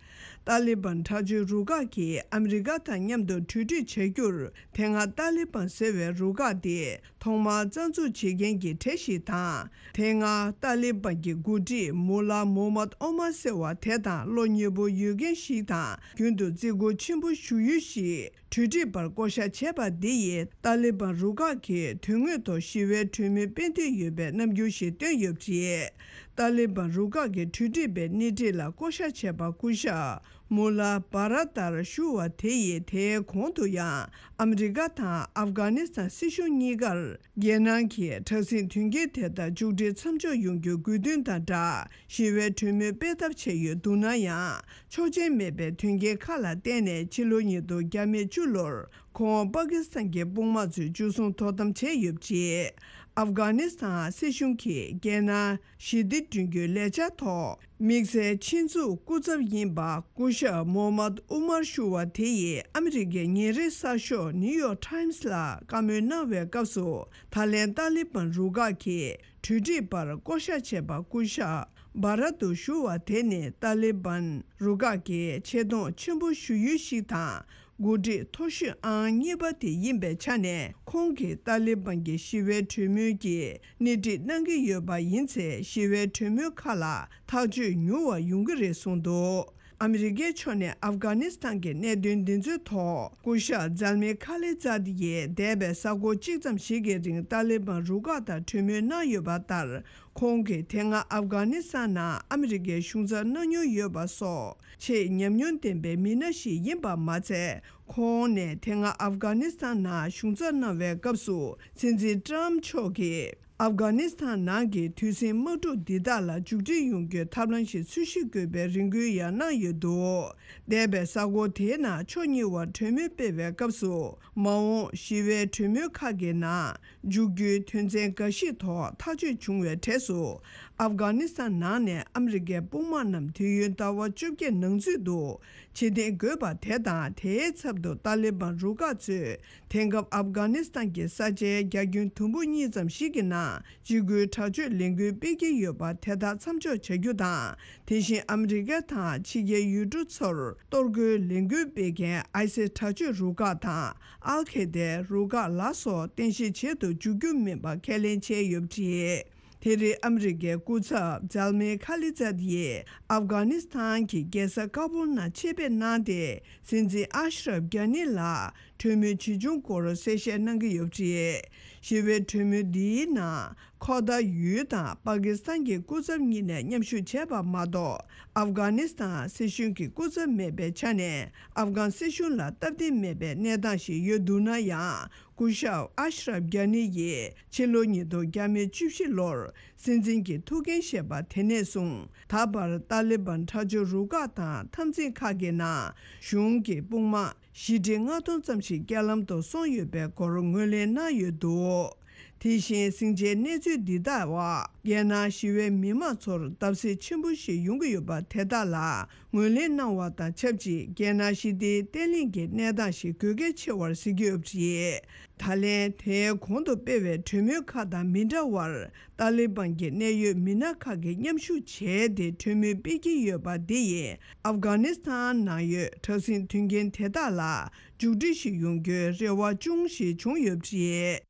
ཏཱ་ལི་བན་དྲག་སྤྱོད་རུ་ཁག་གིས་ཨ་མི་རི་ཀ་དང་མཉམ་དུ་གྲོས་སྒྲིག་བྱ་རྒྱུར། དེ་སྔ་ཏཱ་ལི་བན་ཟེར་བའི་རུ་ཁག་དེ་ཐོག་མར་རྩ་འཛུགས་བྱེད་མཁན་གྱི་གྲས་ཤིག་དང་། དེ་སྔ་ཏཱ་ལི་བན་གྱི་འགོ་ཁྲིད་མུ་ལ་མོ་མད་ཨོ་མར་ཟེར་བ་དེ་དང་བློ་ཉེ་པོ་ཡོད་མཁན་ཞིག་དང་། རྒྱུན་དུ་བརྩི་བཀུར་ཆེན་པོ་ཞུ་ཡུལ་ཞིག་གྲོས་སྒྲིག་པར་བསྐོ་གཞག་བྱས་པ་འདི་ཡིས་ཏཱ་ལི་བན་རུ་ཁག་གིས་དོན་དངོས་ཐོག་ཞི་བའི་གྲོས་མོལ་སྤེལ་འདོད་ཡོད་པའི་རྣམ་འགྱུར་ཞིག་བཏོན་ཡོད་པ་རེད། ཏཱ་ལི་བན་རུ་ཁག་གི་གྲོས་སྒྲིག་པའི་སྣེ་ཁྲིད་ལ་བསྐོ་གཞག་བྱས་པ་སྐུ་ཞབས་མུ་ལ་བྷ་ར་ཏར་ཞུ་བ་དེ་ཡིས་དེའི་གོང་དུ་ཡང་ཨ་མི་རི་ཀ་དང་ཨབ་གྷ་ནི་སི་ཐན་སྲིད་གཞུང་གཉིས་ཀར། རྒྱལ་ནང་གི་དྲག་ཟིང་དོན་རྐྱེན་དེ་དག་མཇུག་སྒྲིལ་མཚམས་འཇོག་ཡོང་རྒྱུའི་དགོས་འདུན་དང་སྦྲགས། ཞི་བའི་གྲོས་མོལ་སྤེལ་ཐབས་བྱས་ཡོད་འདུག་ན་ཡང་། ཆོག་མཆན་མེད་པའི་དོན་རྐྱེན་ཁག་ལ་བརྟེན་ནས་ཕྱི་ལོ་ཉིས་སྟོང་བརྒྱ་མེད་བཅུ་ལོར་ཁོང་པ་ཀི་སི་ཐན་གྱི་དཔུང་དམག་ཚོས་འཇུ་བཟུང་དོ་དམ་བྱས་ཡོད་པ་རེད། ཨབ་གྷ་ནི་སི་ཐན་སྲིད་གཞུང་གིས་རྒྱལ་ནང་ཞི་བདེ་བསྐྲུན་རྒྱུའི་ལས་འཆར་ཐོག་དམིགས་བསལ་ཆེད་འཛུགས་སྐུ་ཚབ་ཡིན་པ་སྐུ་ཞབས་མོ་མད་ཨུ་མར་ཞུ་བ་དེ་ཡིས་ཨ་མི་རི་ཀའི་ཉིན་རེའི་གསར་ཤོག་ནིའུ་ཡོག་ཊའིམ་སི་ལ་བཀའ་མོལ་གནང་བའི་སྐབས་སུ། ད་ལན་ཏཱ་ལི་བན་རུ་ཁག་གིས་གྲོས་སྒྲིག་པར་བསྐོ་གཞག་བྱས་པ་སྐུ་ཞབས་བྷ་ར་ཏུ་ཞུ་བ་དེ་ནི་ཏཱ་ལི་བན་རུ་ཁག་གི་ཆེ་མཐོང་ཆེན་པོ་ཞུ་ཡུལ་ཞིག་དང་། འགོ་ཁྲིད་མཐོ་ཤོས་ཨང་གཉིས་པ་དེ་ཡིན་པའི་ཆ་ནས། ཁོང་གིས་ཏཱ་ལི་བན་གྱི་ཞི་བའི་གྲོས་མོལ་གྱི་སྣེ་ཁྲིད་གནང་གི་ཡོད་པ་ཡིན་ཚེ། ཞི་བའི་གྲོས་མོལ་ཁག་ལ་ཐག་གཅོད་མྱུར་བ་ཡོང་གི་རེད་གསུངས་འདུག་ཨ་མི་རི་ཀའི་ཕྱོགས་ནས་ཨབ་གྷ་ནི་སི་ཐན་གྱི་གནད་དོན་འདི་ཚོའི་ཐོག་སྐུ་ཞབས་ཛལ་མི་ཁ་ལི་ཛཱད་ཡིས་འདས་པའི་གཟའ་འཁོར་གཅིག་ཙམ་ཞིག་གི་རིང་ཏཱ་ལི་བན་རུ་ཁག་དང་གྲོས་མོལ་གནང་ཡོད་པ་ལྟར། ཁོང་གིས་དེ་སྔ་ཨབ་གྷ་ནི་སི་ཐན་ནང་ཨ་མི་རི་ཀའི་གཞུང་ཚབ་གནང་མྱོང་ཡོད་པ་སོགས་ཆེས་ཉམས་མྱོང་ལྡན་པའི་མི་སྣ་ཞིག་ཡིན་པ་མ་ཚད། ཁོང་ནས་དེ་སྔ་ཨབ་གྷ་ནི་སི་ཐན་ནང་གཞུང་ཚབ་གནང་བའི་སྐབས་སུ་སྲིད་འཛིན་ཏྲམ་མཆོག་གིས། ཨབ་གྷ་ནི་སི་ཐན་ནང་གི་དུས་ཟིང་དམག་འཁྲུག་འདི་དག་ལ་མཇུག་སྒྲིལ་ཡོང་རྒྱུའི་ཐབས་ལམ་ཞིག་འཚོལ་ཞིབ་དགོས་པའི་རེ་སྐུལ་ཡང་གནང་ཡོད་འདུག་འདས་པའི་གཟའ་འཁོར་དེའི་ནང་ཕྱོགས་གཉིས་བར་གྲོས་མོལ་སྤེལ་བའི་སྐབས་སུ། མ་འོངས་ཞི་བའི་གྲོས་མོལ་ཁག་གི་ནང་འཇུག་རྒྱུའི་དོན་ཚན་འགའ་ཞིག་ཐོག་ཐག་གཅོད་བྱུང་བའི་གྲས་སུ། ཨབ་གྷ་ནི་སི་ཐན་ནང་ནས་ཨ་མི་རི་ཀའི་དཔུང་དམག་རྣམས་དུས་ཡུན་ཟླ་བ་བཅོ་བརྒྱད་ནང་ཚུད་དུ་ཕྱིར་འཐེན་དགོས་པ་དེ་དང་། དེའི་ཚབ་ཏུ་ཏཱ་ལི་བན་རུ་ཁག་ཚོས་དེང་སྐབས་ཨབ་གྷ་ནི་སི་ཐན་གྱི་ས་ཆའི་བརྒྱ་ཁྱོན་དུམ་བུ་གཉིས་ཙམ་ཞིག་གི་ནང་། གཅིག་གྱུར་དྲག་སྤྱོད་ལས་འགུལ་སྤེལ་གྱི་ཡོད་པ་དེ་དག་མཚམས་འཇོག་བྱ་རྒྱུ་དང་། དེ་བཞིན་ཨ་མི་རི་ཀ་དང་ཕྱི་རྒྱལ་ཡུལ་གྲུ་ཚོར་གཏོར་རྒོལ་ལས་འགུལ་སྤེལ་མཁན་ཨའི་སི་དྲག་སྤྱོད་རུ་ཁག་དང་ཨལ་ཁེ་དའི་རུ་ཁག་ལ་སོགས་རྟེན་གཞི་བྱེད་དུ་འཇུག་རྒྱུ་མིན་པ་ཁས་ལེན་བྱས་ཡོད་པ་རེད། དེ་རིང་ཨ་མི་རི་ཀའི་སྐུ་ཚབ་ཛལ་མེ་ཁ་ལི་ཛད་ཡིས་ཨབ་གྷ་ནི་སི་ཐན་གྱི་རྒྱལ་ས་ཀ་བུལ་ནང་ཆེད་ཕེབས་གནང་སྟེ། སྲིད་འཛིན་ཨ་ཤ་རབ་གྷ་ནི་ལ། གྲོས་མོལ་ཇི་བྱུང་སྐོར་གསལ་བཤད་གནང་གི་ཡོད་པ་རེད། ཞི་བའི་གྲོས་མོལ་འདིའི་ནང་ཁོ་ཐར་ཡུལ་དང་པ་ཀི་སི་ཐན་གྱི་སྐུ་ཚབ་གཉིས་ནས་མཉམ་ཞུགས་བྱས་པ་མ་གཏོགས། ཨབ་གྷ་ནི་སི་ཐན་སྲིད་གཞུང་གི་སྐུ་ཚབ་མེད་པའི་ཆ་ནས། ཨབ་གྷན་སྲིད་གཞུང་ལ་སྟབས་བདེ་མེད་པའི་གནས་སྟངས་ཤིག་ཡོད་འདུག་ན་ཡང་། སྐུ་ཞབས་ཨ་ཤ་རབ་གྷ་ནི་ཡིས་ཕྱི་ལོ་ཉིས་སྟོང་བརྒྱ་མེད་བཅུ་བཞི་ལོར་སྲིད་འཛིན་གྱི་ཐུགས་འགན་བཞེས་པ་དེ་ནས་བཟུང་། ད་བར་ཏཱ་ལི་བན་དྲག་སྤྱོད་རུ་ཁག་དང་འཐབ་འཛིང་ཁག་གི་ནང་གཞུང་གི་དཔུང་དམག་བཞི་ཁྲི་ལྔ་སྟོང་ཙམ་ཞིག་རྐྱེན་ལམ་དུ་སོང་ཡོད་པའི་སྐོར་ངོས་ལེན་གནང་ཡོད་འདུག་དེ་བཞིན་ཟིང་ཆའི་གནས་ཚུལ་འདི་དག་བ། རྒྱལ་ནང་ཞི་བའི་མི་མང་ཚོར་བརྡབ་གསིག་ཆེན་པོ་ཞིག་ཡོང་གི་ཡོད་པ་དེ་དག་ལ་ངོས་ལེན་གནང་བ་དང་ཆབས་ཅིག་རྒྱལ་ནང་ཞི་བདེའི་བརྟན་ལྷིང་གི་གནས་སྟངས་ཤིག་དགོས་གལ་ཆེ་བར་གཟིགས་ཀྱི་ཡོད་པ་རེད། ད་ལན་དེའི་གོང་དུ་སྤེལ་བའི་གྲོས་མོལ་ཁག་དང་མི་འདྲ་བར། ཏཱ་ལི་བན་གྱི་གནད་ཡོད་མི་སྣ་ཁག་གིས་མཉམ་ཞུགས་བྱས་ཏེ་གྲོས་མོལ་སྤེལ་གྱི་ཡོད་པ་འདི་ཡིས་ཨབ་གྷ་ནི་སི་ཐན་ནང་ཡོད་དྲག་ཟིང་དོན་རྐྱེན་དེ་དག་ལ་མཇུག་སྒྲིལ་ཞིག་ཡོང་རྒྱུའི་རེ་བ་ཅུང་ཞིག་བྱུང་ཡོད་པ་རེད།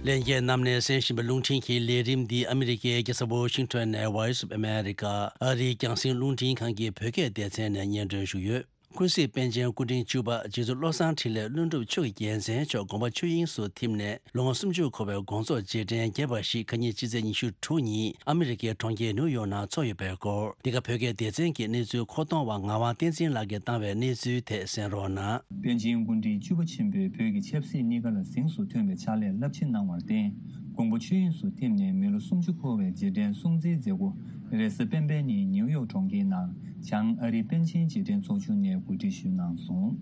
ལྷན་རྒྱས་རྣམས་ནས་གསན་བཞིན་པའི་རླུང་འཕྲིན་གྱི་ལས་རིམ་འདི་ཨ་མི་རི་ཀའི་རྒྱལ་ས་ཝོ་ཤིང་ཊོན་ནས་Voice of America ཨ་རིའི་རྒྱང་སྲིང་རླུང་འཕྲིན་ཁང་གི་བོད་སྐད་སྡེ་ཚན་ནས་སྙན་སྒྲོན་ཞུས་ཡོད། ཀུན་གཟིགས་པཎ་ཆེན་སྐུ་ཕྲེང་བཅུ་པ་རྗེ་བཙུན་བློ་བཟང་འཕྲིན་ལས་ཀླུ་སྒྲུབ་མཆོག་གི་རྒྱལ་མཚན་མཆོག་དགོངས་པ་ཆོས་དབྱིངས་སུ་ཐིམ་ནས་ལོ་ངོ་སུམ་ཅུ་འཁོར་བའི་དགོངས་རྫོགས་རྗེས་དྲན་རྒྱས་པ་ཞིག་ཁ་ཉིན་ཕྱི་ཚེས་ཉི་ཤུ་དྲུག་ཉིན་ཨ་མི་རི་ཀའི་གྲོང་ཁྱེར་ནིའུ་ཡོག་ནང་འཚོགས་ཡོད་པའི་སྐོར། འདི་ག་བོད་སྐད་སྡེ་ཚན་གྱི་གནས་ཚུལ་མཁོ་གཏོང་བ་ངག་དབང་བསྟན་འཛིན་ལགས་ཀྱིས་བཏང་བའི་གནས་ཚུལ་ཐད་གསན་རོགས་གནང་། པཎ་ཆེན་སྐུ་ཕྲེང་བཅུ་པ་ཆེན་པོས་བོད་ཀྱི་ཆབ་སྲིད་གཉིས་ཀ་ལ་གཟེངས་སུ་ཐོན་པའི་ཕྱག་ལས་རླབས་ཆེན་གནང་བར་བརྟེན། དགོངས་པ་ཆོས་དབྱིངས་སུ་ཐིམ་ནས་མི་ལོ་སུམ་ཅུ་འཁོར་བའི་རྗེས་དྲན་སྲུང་བརྩིའི་མཛད་སྒོ་རེས་གཟའ་སྤེན་པའི་ཉིན་ནིའུ་ཡོག་གྲོང་ཁྱེར་ནང་བྱང་ཨ་རིའི་པཎ་ཆེན་རྗེས་དྲན་ཚོགས་ཆུང་ནས་གོ་སྒྲིག་ཞུས་གནང་སོང་།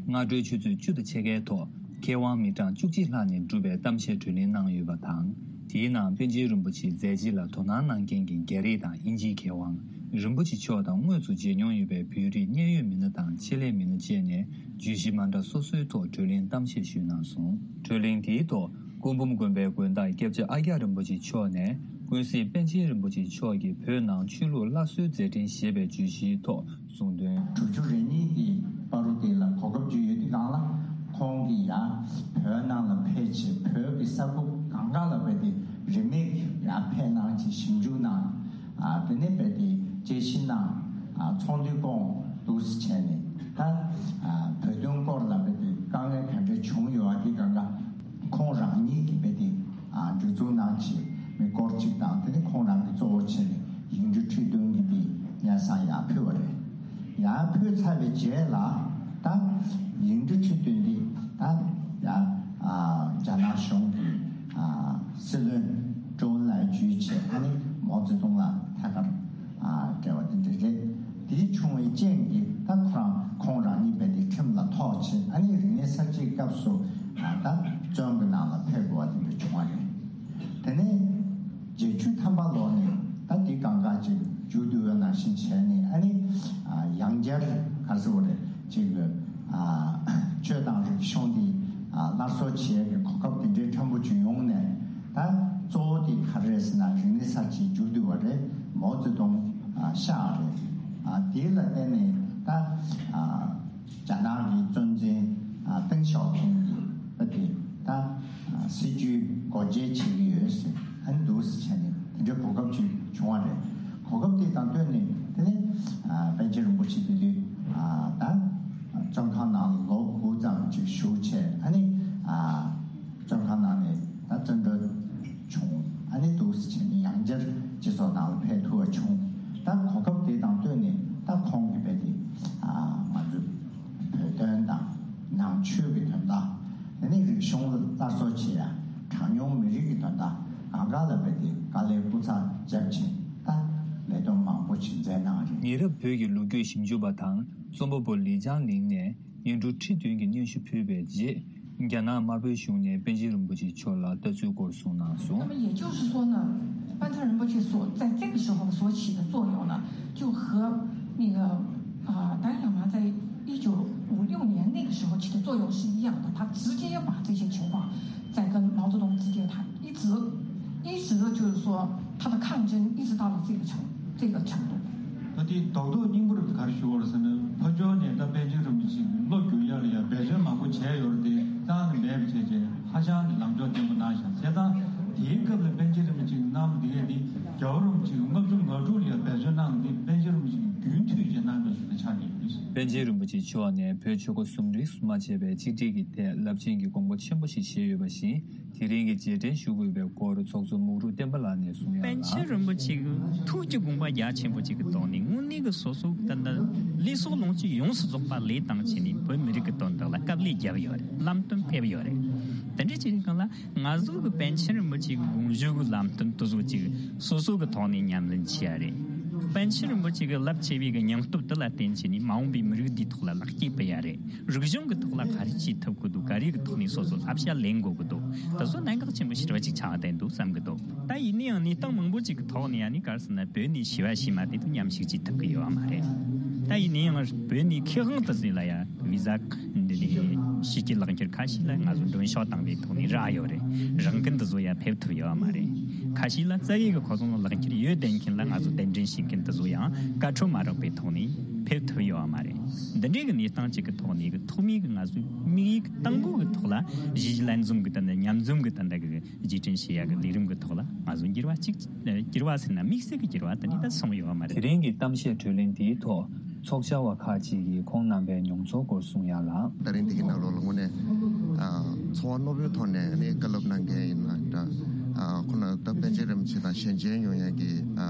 སྔ་དྲོའི་ཆུ་ཚོད་བཅུ་དང་ཕྱེད་ཀའི་ཐོག་མཁས་དབང་མི་གྲངས་བཅུ་གཅིག་ལྷག་ནས་གྲུབ་པའི་གཏམ་བཤད་གྲོས་གླེང་གནང་ཡོད་པ་དང་། དེའི་ནང་པཎ་ཆེན་རིན་པོ་ཆེའི་མཛད་རྗེས་ལ་དོ་སྣང་གནང་མཁན་གྱི་རྒྱ་རིགས་དང་དབྱིན་ཇིའི་མཁས་དབང་། རིན་པོ་ཆེ་མཆོག་དང་དངོས་སུ་མཇལ་མྱོང་ཡོད་པའི་བོད་རིགས་གནད་ཡོད་མི་སྣ་དང་ཆེད་ལས་མི་སྣ་བཅས་ནས་བརྗོད་གཞི་མ་འདྲ་སོ་སོའི་ཐོག་གྲོས་གླེང་གཏམ་བཤད་ཞུས་གནང་སོང་། གྲོས་གླེང་དེའི་ཐོག་སྐུ་འབུམ་དགོན་པའི་དགོན་བདག་སྐྱབས་རྗེ་ཨ་ཀྱ་རིན་པོ་ཆེ་མཆོག་ནས་ཀུན་གཟིགས་པཎ་ཆེན་རིན་པོ་ཆེ་མཆོག་གིས་བོད་ནང་ཆོས་ལུགས་སླར་གསོའི་མཛད་འཕྲིན་ཞེས་པའི་བརྗོད་གཞིའི་ཐོག་གསུང་དོན། དྲུག་ཅུ་རེ་གཉིས་ཀྱི་བར་དུ་དེ་ལ་གོ་སྐབས་ཅིག་ཡོད་དུས་སྒང་ལ་ཁོང་གིས་ཡང་བོད་ནང་ལ་ཕེབས་བྱས་བོད་ཀྱི་ས་ཁུལ་གང་ག་ལ་རྦད་དེ་རིན་མེད་ཀྱི་ཡང་ཕེབས་གནང་བྱས་ཞིབ་འཇུག་གནང་། ཨ་དེ་ནས་རྦད་དེ་དཔྱད་ཞིབ་གནང་། ཨ་ཚོགས་འདུའི་སྐོར་འདུག་སེ་བྱས་ནས་ད་ཨ་བོད་དོན་སྐོར་ལ་རྦད་དེ་དཀའ་ངལ་ག་འདྲ་བྱུང་ཡོད་ཨ་དེ་སྒང་ག་ཁོང་རང་ཉིད་ཀྱིས་རྦད་དེ་ཨ་སྒྲིག་འཛུགས་གནང་བྱས་མི་སྐོར་གཅིག་དང་དེ་ནས་ཁོང་རང་གིས་གཙོ་བོ་བྱས་ནས་ཡིག་འབྲུ་ཁྲི་བདུན་གྱི་དེ་སྙན་སེང་ཡར་ཕུལ་བ་རེད། ཡར་ཕུལ་ཚར་བའི་རྗེས་ལ་ད་ཡིག་འབྲུ་ཁྲི་བདུན་འདི་ད་ཡར་ཨ་རྒྱ་ནག་གཞུང་གི་ཨ་སྲིད་བློན་ཀྲོའུ་ཨིན་ལའེ་བརྒྱུད་བྱས་ཨ་ནི་མའོ་ཙེ་ཏུང་ལ་ཐད་ཀར་ཨ་འབྲེལ་བ་དེ་འདྲ་རེད། དེ་བྱུང་བའི་རྐྱེན་གྱིས་ད་ཁོ་རང་ཁོང་རང་ཉིད་རྦད་དེ་ཁྲིམས་ལ་ཐོགས་བྱས་ཨ་ནི་རིག་གནས་གསར་བརྗེའི་སྐབས་སུ་ཨ་ད་བཙོན་གྱི་ནང་ལ་ཕེབས་དགོས་པ་དེ་འདྲ་བྱུང་བ་རེད། དེ་ནས་བརྒྱད་ཅུ་ཐམ་པ་ལོ་ནས་ད་འདི་གང་ག་ཅིག་མཇུག་བསྡུ་བ་ནང་བཞིན་བྱས་ནས་ཨ་ནི་ཡང་བསྐྱར་ག་རེ་ཟེར་དགོས་རེད་ཅིག་ཆོས་དང་རིག་གཞུང་འདི་སླར་གསོ་བྱེད་ཡག་གི་གོ་སྐབས་དེ་འདྲའི་ཕྲན་བུ་ཅིག་ཡོང་ནས་ད་གཙོ་བོ་དེ་ག་རེ་རེད་ཟེར་ན་རིག་གནས་གསར་བརྗེ་མཇུག་བསྡུ་བ་རེད། མའོ་ཙེ་ཏུང་གཤེགས་རེད། དེ་ལ་བརྟེན་ནས་ད། རྒྱ་ནག་གི་གཙོ་འཛིན་ཏེང་ཞའོ་ཕིང་གིས་ད་དེ་ད་སྲིད་ཇུས་སྒོ་འབྱེད་བྱེད་ཀྱི་ཡོད་ཟེར་ཨ་ནི་འདུག་སེ་བྱས་ནས་དེ་འདྲའི་གོ་སྐབས་ཅིག་བྱུང་བ་རེད། གོ་སྐབས་དེ་དང་བསྟུན་ནས་དེ་ནས་པཎ་ཆེན་རིན་པོ་ཆེ་དེ་དུས་ད་བཙོན་ཁང་ནང་ལ་ལོ་དགུ་ཙམ་ཅིག་བཞུགས་བྱས་ཨ་ནི། བཙོན་ཁང་ནང་ནས་ད་བཙོན་གྲོལ་བྱུང་ཨ་ནི་འདུག་སེ་བྱས་ནས་ཡང་བསྐྱར་སྤྱི་ཚོགས་ནང་ལ་ཕེབས་ཐུབ་པ་བྱུང་། ད་གོ་སྐབས་དེ་དང་བསྟུན་ནས་ མི་རབས་བོད་ཀྱི་ལོ་རྒྱུས་ཞིབ་འཇུག་པ་དང་རྩོམ་པ་པོ་ལི་ཅང་ལིང་ནས་ཉིན་དྲུག་ཁྲི་བདུན་གྱི་སྙན་ཞུ་ཕུལ་བའི་རྗེས། རྒྱ་ནག་དམར་པོའི་གཞུང་ནས་པཎ་ཆེན་རིན་པོ་ཆེ་མཆོག་ལ་ལྟ་ཚུལ་སྐོར་གསུངས་གནང་སོང་། 那么也就是说呢，班禅仁波切所在这个时候所起的作用呢，就和那个啊达赖喇嘛在一九五六年那个时候起的作用是一样的，他直接把这些情况在跟毛泽东直接谈，一直一直就是说他的抗争一直到了这个程这个程度。 ད་དེ་རྡོག་རྡོག་སྙིང་པོར་ག་རེ་ཞུ་བར་ཟེར་ན། ཕར་ཕྱོགས་ནས་ད་པཎ་ཆེན་རིན་པོ་ཆེ་གི་བློ་བསྒྱུར་ཡག་ལ་ཡང་འབད་བརྩོན་མང་པོ་བྱས་ཡོད་རེད་དེ། རྩ་ནས་མེད་པ་བྱས་རྗེས་ཧ་ཅང་གི་ལངས་ཕྱོགས་བརྟན་པོ་གནང་ཤག་བྱས་ཙང་དེའི་སྐབས་ལ་པཎ་ཆེན་རིན་པོ་ཆེ་གི་གནང་བ་དེ་གས་དེ་རྒྱལ་བ་རིན་པོ་ཆེ་གི་ལྔ་བཅུ་ང་དྲུག་ལ་ཡང་འབད་བརྩོན་གནང་དེ་པཎ་ཆེན་རིན་པོ་ཆེ་གི་རྒྱུན་མཐུད་བྱས་གནང་བའི་ཞུ་ན་ཆགས་ཀྱི་ཡོད་རེད། པཎ་ཆེན་རིན་པོ་ཆེ་མཆོག་ནས་བོད་ཆོལ་ཁ་གསུམ་རིས་སུ་མ་ཆད་པའི་ཆིག་སྒྲིལ་གྱི་ཐད་རླབས་ཆེན་གྱི་དགོངས་པ་ཆེན་པོ་ཞིག་བཞེས་ཡོད་པ་བཞིན། དེ་རིང་གི་རྗེས་དྲན་ཞུ་དགོས་པའི་སྐོར་ཚོགས་གཙོ་མུག་རུ་བསྟན་པ་ལགས་ནས་གསུངས་ཡ་ལ། པཎ་ཆེན་རིན་པོ་ཆེ་གི་ཐུགས་ཀྱི་དགོངས་པ་རྒྱ་ཆེན་པོ་ཅིག་གི་ཐོག་ནས་དངོས་གནས་ཀྱི་སོ་སོ་ད་ལྟ་ལས་ཚོགས་ལོངས་སྤྱོད་ཡོངས་སུ་རྫོགས་པ་ལས་བཏང་བྱས་ནས་བོད་མི་རིགས་ཀྱི་དོན་དག་ལ་དཀའ་ལས་བརྒྱབ་ཡོད་རེད། ལམ་སྟོན་ཕེབས་ཡོད་རེད། དེ་འདྲ་བྱས་ནས་གང་ལ་ང་ཚོ་གི་པཎ་ཆེན་རིན་པོ་ཆེ་གི་དགོངས་ཞུ་གི་ལམ་སྟོན་དེ་ཚོ་ཅིག་སོ་སོ་གི་ཐོག་ནས་ཉམས་ལེན་བྱེད་ཡ་རེད། པཎ་ཆེན་རིན་པོ་ཆེ་གི་རླབས་ཆེ་བའི་གི་སྙིང་སྟོབས་དེ་ལ་བརྟེན་བྱས་ནས་མ་འོངས་པའི་མི་རིགས་འདིའི་ཐོག་ལ་ལེགས་སྐྱེས་ཕུལ་ཡ་རེད། རིག་གཞུང་གི་ཐོག་ལ་ག་རེ་བྱེད་ཐུབ་ཀྱི་འདུག་ག་རེ་གི་ཐོག་ནས་སོ་སོ་བསླབ་བྱ་ལེན་དགོས་ཀྱི་འདུག་དེ་ཚོ་གནད་འགག་ཆེན་པོ་ཞེ་དྲག་ཅིག་ཆགས་བསྡད་འདུག་བསམ་གྱི་འདུག་ད་ཡིན་ན་ཡང་གནས་སྟངས་མང་པོ་ཅིག་གི་ཐོག་ནས་ཡང་ནི་ག་རེ་ཟེར་ན་བོད་ནས་ཞི་བ་ཞི་མ་དེ་ཚོ་མཉམ་ཞུགས་བྱེད་ཐུབ་ཀྱི་ཡོད་མ་རེད། ད་ཡིན་ན་ཡང་བོད་ནས་མཁས་དབང་དེ་ཚོ་ལ་ཡང་བི་ཟ་འདི་ནས་ཕྱི་རྒྱལ་ལག་འཁྱེར་ཁ་ཤས་ལ་ང་ཚོ་མགྲོན་ཤོག་བཏང་བའི་ཐོག་ནས་རག་ཡོད་རེད། རང་འགན་དེ་ཚོ་ཡང་ཕེབས་ཐུབ་ཡོད་མ་རེད། ཁ་ཤས་ལ་རྩ་བའི་གི་ཁོ་ཚོ་ལ་ལག་འཁྱེར་ཡོད་བསྡད་མཁན་ལ་ང་ཚོ་གདན་འདྲེན་བྱེད་མཁན་དེ་ཚོ་ཡང་བཀའ་འཁྲོལ་མ་རག་པའི་ཐོག་ནས་ཕེབས་ཐུབ་ཡོད་མ་རེད། འདི་འདྲའི་གི་གནས་སྟངས་ཅིག་གི་ཐོག་ནས་གི་ཐོག་མའི་གི་ང་ཚོའི་དམིགས་ཡུལ་གི་དང་པོ་གི་ཐོག་ལ་གཞིས་ལྷན་འཛོམས་གི་ད་ནི་མཉམ་འཛོམས་གི་ད་ལྟ་གི་རྗེས་དྲན་བྱེད་ཡ་གི་ལས་རིམ་གི་ཐོག་ལ་ང་ཚོ་འགྱུར་བ་གཅིག་འགྱུར་བ་ཟེར་ན་དམིགས་བསལ་གི་འགྱུར་བ་དེ་ནི་ད་སོང་ཡོད་མ་རེད། དེ་རིང་གི་གཏམ་བཤད་གྲོས་གླེང་དེའི་ཐོག་ཚོགས་བཅར་བ་ཁག་ཅིག་གིས་ཁོང་རྣམ་པའི་མྱོང་ཚོར་སྐོར་གསུངས་ཡ་ལ། ད་རིང་འདི་གི་ནང་ལོགས་ལ་དངོས་གནས་ཨ་ཚོར་བ་རྣོ་པོའི་ཐོག་ནས་ནི་བཀའ་སློབ་གནང་མཁན་ཡིན་ན་འདྲ། ཨ་ཁོ་ན་ད་པཎ་ཆེན་རིན་པོ་ཆེ་དང་ཞལ་མཇལ་ཡོང་ཡ་གི་ཨ་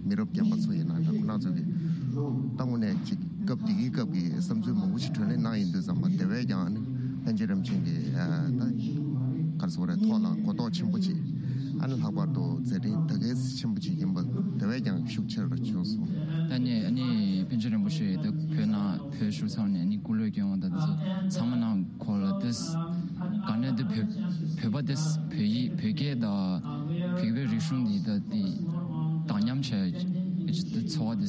མི་རབས་རྒན་པ་ཚོ་ཡིན་ན་འདྲ། ཁོ་ན་ཚོ་གི་ད་དངོས་གནས་ཅིག་སྐབས་འདི་གི་སྐབས་ཀྱི་བསམ་ཚུལ་མང་པོ་ཞིག་གྲོས་གླེང་གནང་ཡིན་དུས་ཙམ་པ་དེ་བས་ཀྱང་ནི་པཎ་ཆེན་རིན་པོ་ཆེ་གི་ཨ་ད་ག་རེ་ཟེར་དགོས་རེད། ཐོག་ལ་གོ་རྟོགས་ཆེན་པོ་ཅིག་ཨ་ནི་ལྷག་པར་དུ་མཛད་འཕྲིན་ད་གལ་ཆེན་པོ་ཅིག་ཡིན་པ་དེ་བས་ཀྱང་ཤུགས་ཆེ་རུ་བྱུང་སོང་། ད་ནི་ཨ་ནི་པཎ་ཆེན་རིན་པོ་ཆེ་ད་བོད་ནང་བོད་བཞུགས་ཚར་ནས་ཨ་ནི་སྐུ་ལས་བསྐྱོན་པ་དང་དེ་ཚོ་ཚང་མ་ནང་ཁོ་ལ་དེ་ག་ནས་དེ་བོད་བོད་པ་དེ་བོད་ཡིག་བོད་སྐད་དང་བོད་པའི་རིག་གཞུང་འདི་ད་དེ་དག་ཉམས་བྱས་ཀྱི་ཚོར་བ་དེ་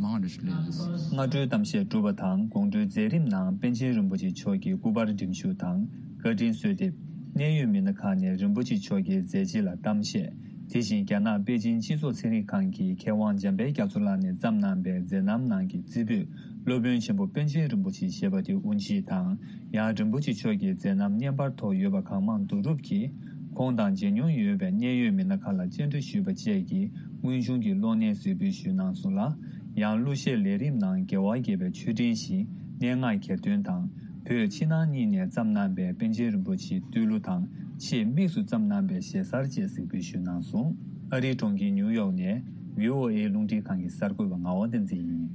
མང་རུ་སླེབས་ཡོད། སྔ་དྲོའི་གཏམ་བཤད་གྲུབ་པ་དང་དགོང་དྲོའི་མཛད་རིམ་ནང་པཎ་ཆེན་རིན་པོ་ཆེ་མཆོག་གི་སྐུ་པར་འགྲེམས་ཞུགས་དང་བཀའ་དྲིན་གསོལ་འདེབས། གནད་ཡོད་མི་སྣ་ཁག་ནས་རིན་པོ་ཆེ་མཆོག་གི་མཛད་རྗེས་ལ་གཏམ་བཤད། དེ་བཞིན་རྒྱ་ནག་པེ་ཅིན་སྤྱི་ཚོགས་ཚན་རིག་ཁང་གི་མཁས་དབང་འཇམ་དཔལ་རྒྱ་མཚོ་ལགས་ནས་བརྩམས་གནང་པའི་མཛད་རྣམ་ནང་གི་རྩེ་ཕུད་སློབ་དཔོན་ཆེན་པོ་པཎ་ཆེན་རིན་པོ་ཆེ་ཞེས་པ་དེ་དབུ་འབྱེད་དང་། ཡང་རིན་པོ་ཆེ་མཆོག་གི་མཛད་རྣམ་བརྙན་པར་ཐོག་ཡོད་པ་གང་མང་བསྡུ་རུབ་ཀྱིས། ཁོང་དང་མཇལ་མྱོང་ཡོད་པའི་གནད་ཡོད་མི་སྣ་ཁག་ལ་བཅར་འདྲི་ཞུས་པ་བཅས་ཀྱི་དངོས་བྱུང་གི་གློག་བརྙན་གཟིགས་འབུལ་ཞུས་གནང་སོང་ལ། ཡང་གླུ་གཞས་ལས་རིམ་ནང་དགེ་བ་དགེ་བའི་ཆོས་འབྲེལ་བཞིན་སྙན་ངག་གྱེར་འདོན་དང་། བོད་ཕྱི་ནང་གཉིས་ནས་བརྩམས་གནང་པའི་པཎ་ཆེན་རིན་པོ་ཆེའི་བསྟོད་གླུ་དང་ཆེས་དམིགས་སུ་བརྩམས་གནང་པའི་ཞེ་སར་བཅས་གཟིགས་འབུལ་ཞུས་གནང་སོང་། ཨ་རིའི་གྲོང་ཁྱེར་ཉིའུ་ཡོག་ནས་བྷི་ཨོ་ཨེ་རླུང་འཕྲིན་ཁང་གི་གསར་འགོད་པ་ངག་དབང་བསྟན་འཛིན་ཡིན།